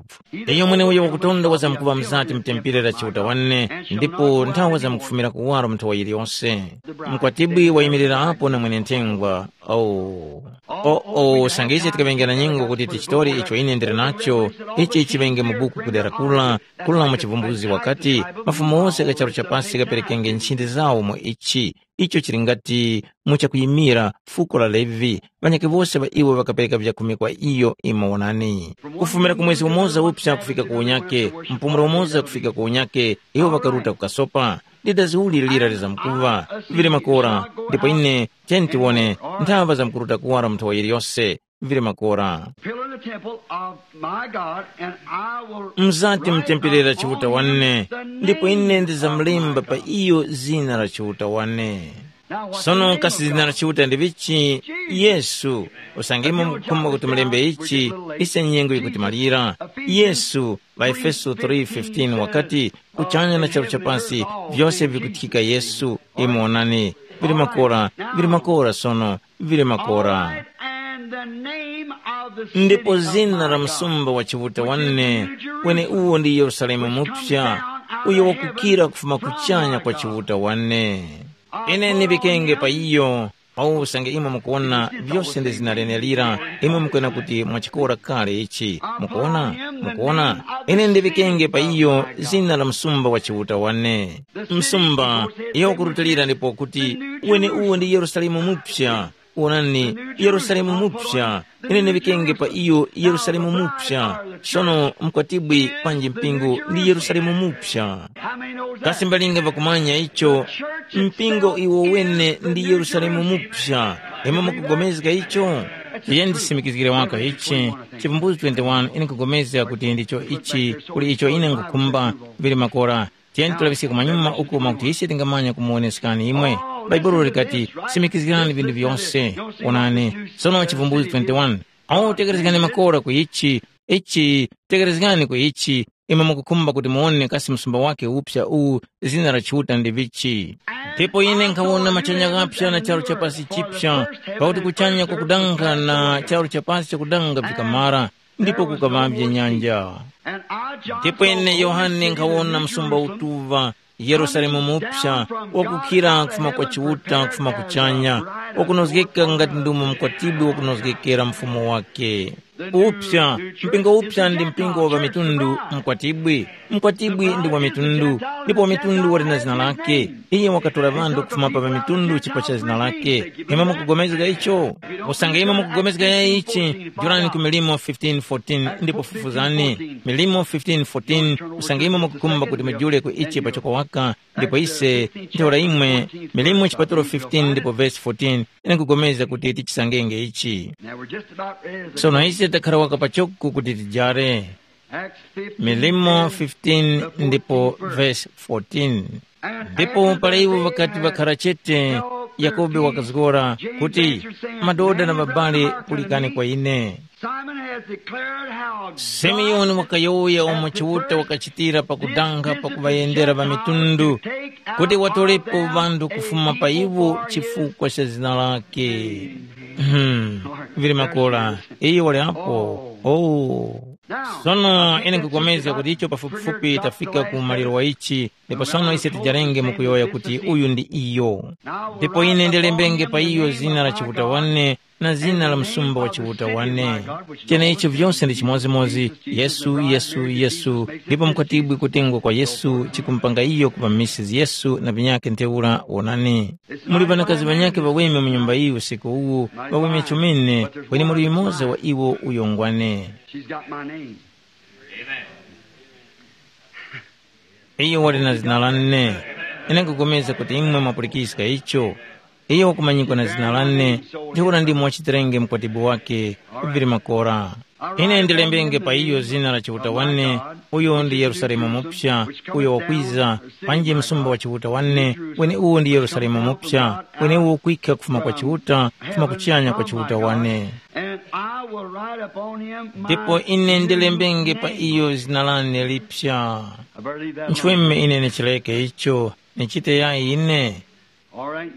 Iyo mweneuyo wakutonda wazamkuŵa mzati mutempere la Chiuta wane, ndipo nthawe wazamkufumira kuwaro mu nthowa yiliyose. Mkwatibwi wayimirira apo na mwene-nthengwa. Oh. Oh, oh, sanga ise tikaŵenge na nyengo kuti tichitore icho ine ndili nacho, ichi chiŵenge mu buku kudera kula, kula mu chivumbuzi wakati, mafumu ose gha charu cha pasi ghaperekenge nchindi zawo mu ichi. Icho chili ngati mu chakuyimira fuko la Levi, ŵanyakhe wose ŵa iwo ŵakapereka vyakhumi kwa iyo. Imwe wonani, kufumira ku mwezi umoza uphya kufika ku unyakhe, mpumulo umoza kufika ku unyakhe, iwo ŵakaruta kukasopa. Ndi dazi uli lira lizamkuŵa, vili makora, ndipo ine, tiyeni tiwone, nthava zamkuruta kuwara mu nthowa yiliyose, vili makora. Pillar the temple of my God, and I will mzati write mtempelera upon Chiuta you wane, the ndipo ine name of ndizamulemba my pa God. Iyo zina la Chiuta wane. Now, what's the sono name kasi of zina la God? Chiuta ndi vichi? Yesu. Usangimo mukukhumba kuti mulembe ichi, ise nyengo yikuti malira. Yesu, ŵaefeso three fifteen wakati, kuchanya na charu cha pasi, vyose vikuthika Yesu. Imwe wonani, vili makora, vili makora sono, vili makora. Ndipo zina la msumba wa Chiuta wane, kweni uwo ndi Yerusalemu mupya, uyo wakukira kufuma kuchanya kwa Chiuta wane. Ine ndiŵikenge pa iyo, pausange imwe mukuwona vyose ndi zina lenelira, imwe mukwena kuti mwachikora kale ichi. Mukuwona? Mukuwona? Ine ndiŵikenge pa iyo zina la msumba wa Chiuta wane. Msumba, iyo wakurutilira ndipo kuti, weni uwo ndi Yerusalemu mupya. Wonani, Yerusalemu mupya. Ine ndiŵikenge pa iyo Yerusalemu mupya. Sono mkwatibwi panji mpingo ndi Yerusalemu mupya. Kasi mbalinga ŵakumanya icho? Mpingo iwo wene ndi Yerusalemu mupya. Imwe mukugomezga icho? Iye ndisimikizgire waka ichi. Chivumbuzi twenty-one, ine nkupulikana kuti ndicho ichi, kuli icho ine nkukhumba, vili makora. Tiyeni tulaŵiske kumanyuma uko mwakuti ise tingamanya kumuwoneskani imwe. Bhaibuli likati, simikizgirani vinthu vyose. Onani, sono Chivumbulutso twenty-one. Awo tekerezgani makora ku ichi, ichi, tekerezgani ku ichi, imwe mukukhumba kuti muwone kasi msumba wake upsa uwu zina la Chiuta ndi vichi. Ndipo ine nkhawona machanya ghapsa na charu cha pasi chipsa, pakuti kuchanya kwakudanga na charu cha pasi chakudanga vikamara, ndipo kukaŵavye nyanja. Ndipo ine Yohane nkhawona msumba utuŵa, Yerusalemu mupsa, wakukira kufuma kwa Chiuta kufuma kuchanya, wakunozgeka ngati ndumo mkwatibwi wakunozgekera mfumu wake. Upsa, mpingo upsa ndi mpingo wa ŵamitundu, mkwatibwi. Mkwatibwi ndi wa mitundu, ndipo wa mitundu wali na zina lake. Iye wakatora ŵanthu kufuma pa ŵamitundu chifukwa cha zina lake. Imwe mukugomezga icho? Usange imwe mukugomezga ya ichi, jorani ku Milimo fifteen fourteen ndipo fufuzani. Milimo fifteen fourteen, usange imwe mukukhumba kuti mujule ku ichi pachoko waka, ndipo ise, ntheura imwe, Milimo chipatulo fifteen ndipo vesi fourteen, ine nkugomezga kuti tichisangenge ichi. Now we're just about ready to Sono ise takhala waka pachoko kuti tijare. Acts fifteen, Milimo fifteen ndipo verse fourteen. Ndipo pala iwo ŵakati ŵakhara chete, Yakobe wakazgora kuti, "Madoda na babale, pulikani kwa ine." Simon has declared how Simeoni wakayowoya umo Chiuta wakachitira pakudanga pakuŵayendera ŵamitundu, kuti watolepo ŵanthu kufuma pa iwo chifukwa cha zina lake. Hmm, vili makora, iyo wali apo. Oh. Sono ine nkupulikana kuti icho pafupifupi tafika ku maliro wa ichi, ndipo sono ise tijarenge mukuyowoya kuti uyu ndi iyo. Ndipo ine ndilembenge pa iyo zina la Chiuta wane na zina la msumba wa Chiuta wane. Cheneicho vyose ndi chimodzimodzi, Yesu, Yesu, Yesu, ndipo mukwatibwi kutengwa kwa Yesu chikumupanga iyo kupa Mrs. Yesu na vinyakhe ntheura wonani. Muli ŵanakazi ŵanyakhe ŵaweme mu nyumba iyi usiku uwu, ŵaweme chomene, kweni muli yumoza wa iwo uyo ngwane. She's got my name. Iyo wali na zina lane. Ine nkupulikana kuti imwe mwapulikiska icho. Iyo wakumanyikwa na zina lane, ntheura ndimo wachitirenge mkwatibwi wake, vili makora. Ine ndilembenge pa iyo zina la Chiuta wane, uyo ndi Yerusalemu Muphya, uyo wakwiza, panji msumba wa Chiuta wane, kweni uwo ndi Yerusalemu Muphya, kweni uwo kwikha kufuma kwa Chiuta, kufuma kuchanya kwa Chiuta wane. And I will write upon him my Ndipo ine ndilembenge pa iyo zina lane lipya. I believe that. Nchweme ine ndichileke icho, nichite ya ine. All right.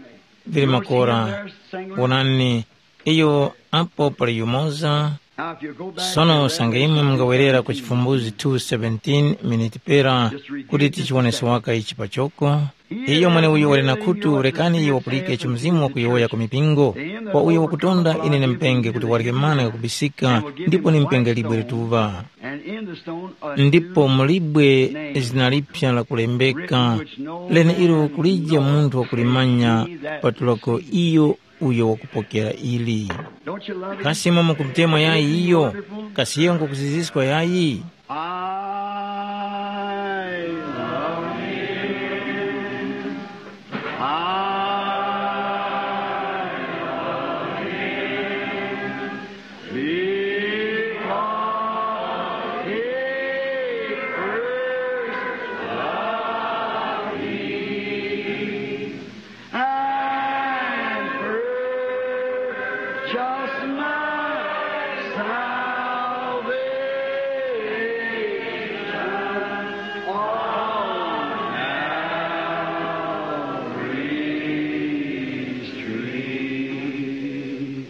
Vili makora, wonani, iyo apo pali yumoza. Now, if you go back Sono to usange imwe mungawerera ku Chifumbuzi two seventeen miniti pera kuti tichiwonese waka ichi pachoko. Iyo mweneuyo wali na khutu, rekani iyo wapulike icho Mzimu wakuyowoya ku mipingo. Kwa uyo wakutonda ine ndimupenge kuti warye mana ghakubisika, ndipo ndimupenge libwe lituŵa. And in the stone a Ndipo new mu libwe name, zina lipya lakulembeka, written which no leneilo man kulije knows munthu wakulimanya, except he that patulako receives. Iyo uyo wakupokera ili. Don't you love him? Kasi imwe mukumutemwa yayi iyo? Kasi iyo ngukuziziswa yayi? I love him. I love him. Because he first loved me and purchased my salvation on Calvary's tree.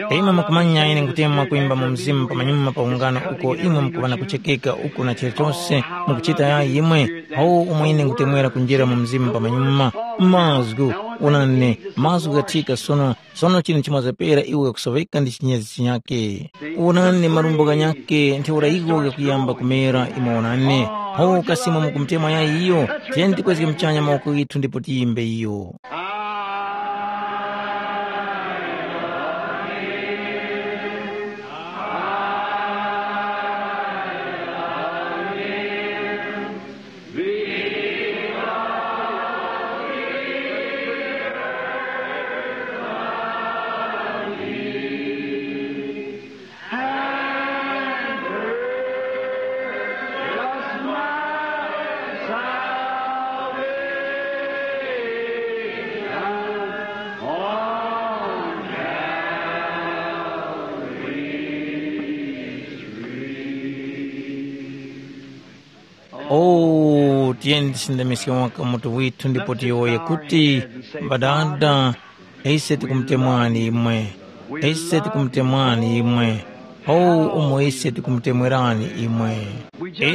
Imwe mukumanya ine nkutemwa kwimba mu mzimu pamanyuma pa ungano uko imwe mukuŵa na kuchekeka uku na chilichose mukuchita yayi imwe, awo umo ine nkutemwera kunjira mu mzimu pamanyuma. Mazgu, wonani, mazgu ghathika sono, sono chinu chimazapera iwo ghakusoweka ndi chinyezi chinyakhe. Wonani, marumbo ghanyakhe ntheura iwo ghakuyamba kumera imwe wonani. Awo kasi imwe mukumutemwa yayi iyo, tiyeni tikwezge muchanya mawoko ghithu ndipo tiyimbe iyo. O, tiyeni tisindamiske waka mutu withu ndipo tiyowoye kuti, Ŵadada, ise tikumutemwani imwe. Ise tikumutemwani imwe. O, umo ise tikumutemwerani imwe.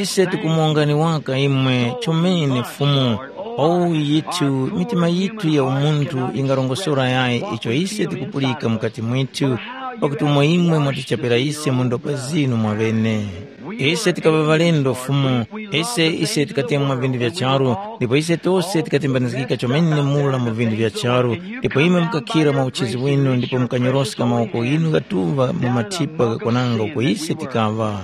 Ise tikumuwongani waka imwe chomene Fumu. O, yithu, mitima yithu ya umunthu yingarongosora yayi icho ise tikupulika mukati mwithu. pakuti umo imwe mwatichapira ise mu ndopa zinu mwaŵene. Ise tikaŵa ŵalendo Fumu, ise ise tikatemwa vindu vya charu, ndipo ise tose tikatembanizgika chomene mura mu vindu vya charu, ndipo imwe mukakhira mwa uchizi winu ndipo mukanyoroska mawoko ghinu ghatuŵa mu mathipa ghakwananga uko ise tikaŵa.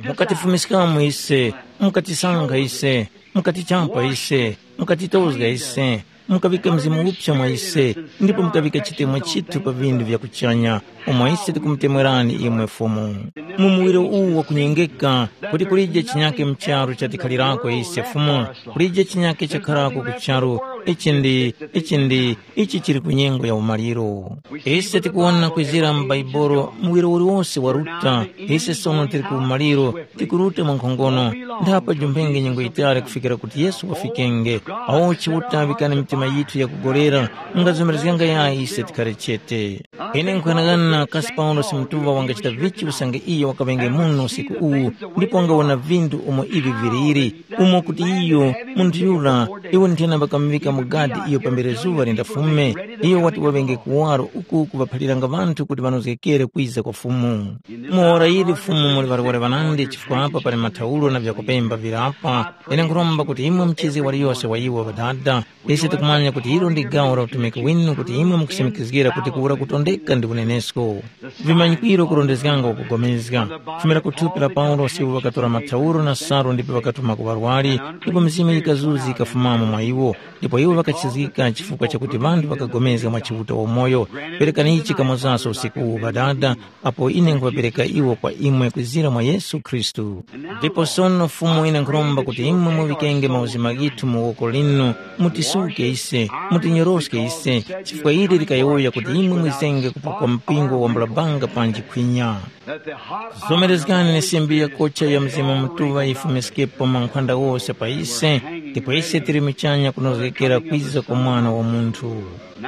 Mukatifumiskamo ise, mukatisankha ise, mukatichapa ise, mukatitozga ise, mukaŵika Mzimu Muphya mwa ise, ndipo mukaŵika chitemwa chithu pa vindu vya kuchanya, umo ise tikumutemwerani imwe Fumu. Mu muwiro uwu wakunyengeka, kuti kulije chinyake mu charu chatikhalirako ise Fumu, kulije chinyake chakharako ku charu, ichi ndi, ichi ndi, ichi chili ku nyengo ya umaliro. Ise tikuwona kwizira mu Baibolo muwiro uliwose waruta, ise sono tili ku umaliro, tikuruta mwa nkhongono, ndapa jumphenge nyengo yitali kufikira kuti Yesu wafikenge. Awo Chiuta ŵikani mitima yithu yakugolera, mungazomerezganga yayi ise tikhare chete. Ine nkhanang'ana kasi Paulosi mutuŵa wangachita vichi usange iyo wakaŵenge muno usiku uwu, ndipo wangawona vindu umo ivi viliri, umo kuti iyo, munthu yura, iwo nthena ŵakamuŵika mu gadi iyo pambere zuŵa lindafume, iyo wati waŵenge kuwaro uku kuŵaphaliranga ŵanthu kuti ŵanozgekere kwiza kwa Fumu. Mu ora ili Fumu muli ŵarwere ŵanandi chifukwa apa pali mathauro na vyakupemba vili apa, ine nkhuromba kuti imwe muchize waliyose wa iwo Ŵadada, ise tikumanya kuti ilo ndi gawo la utumiki winu kuti imwe mukusimikizgira kuti kuwura kutondeka ndi unenesko. Vimanyikwiro kurondezganga ukugomezga. Kufumira ku thupi la Paulosi iwo ŵakatora mathauro na salu ndipo ŵakatuma ku ŵarwari, ndipo mizimu yikazuzi yikafumamo mwa iwo, ndipo iwo ŵakachizgika chifukwa chakuti ŵanthu ŵakagomezga mwa Chiuta wamoyo. Perekani ichi kamozaso usiku uwu Ŵadada, apo ine nkhuŵapereka iwo kwa imwe kwizira mwa Yesu Khristu. Ndipo sono Fumu ine nkhuromba kuti imwe muŵikenge mauzima ghithu mu woko linu, mutisuke ise, mutinyoroske ise, chifukwa ili likayowoya kuti imwe mwizenge kupo kwa mpingo wambula banga panji khwinya. Zomerezgani ni simbi yakocha ya Mzimu Mutuŵa yifumiskepo mankhwanda wose pa ise, ndipo ise tili muchanya kunozgekera kwiza kwa Mwana wa Munthu.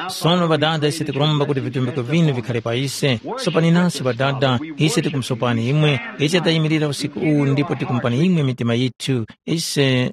Sono Ŵadada, ise tikuromba kuti vitumbiko vinu vikhale pa ise. Sopani nasi Ŵadada, ise tikumusopani imwe, ise tayimirira usiku uwu ndipo tikumupani imwe mitima yithu, ise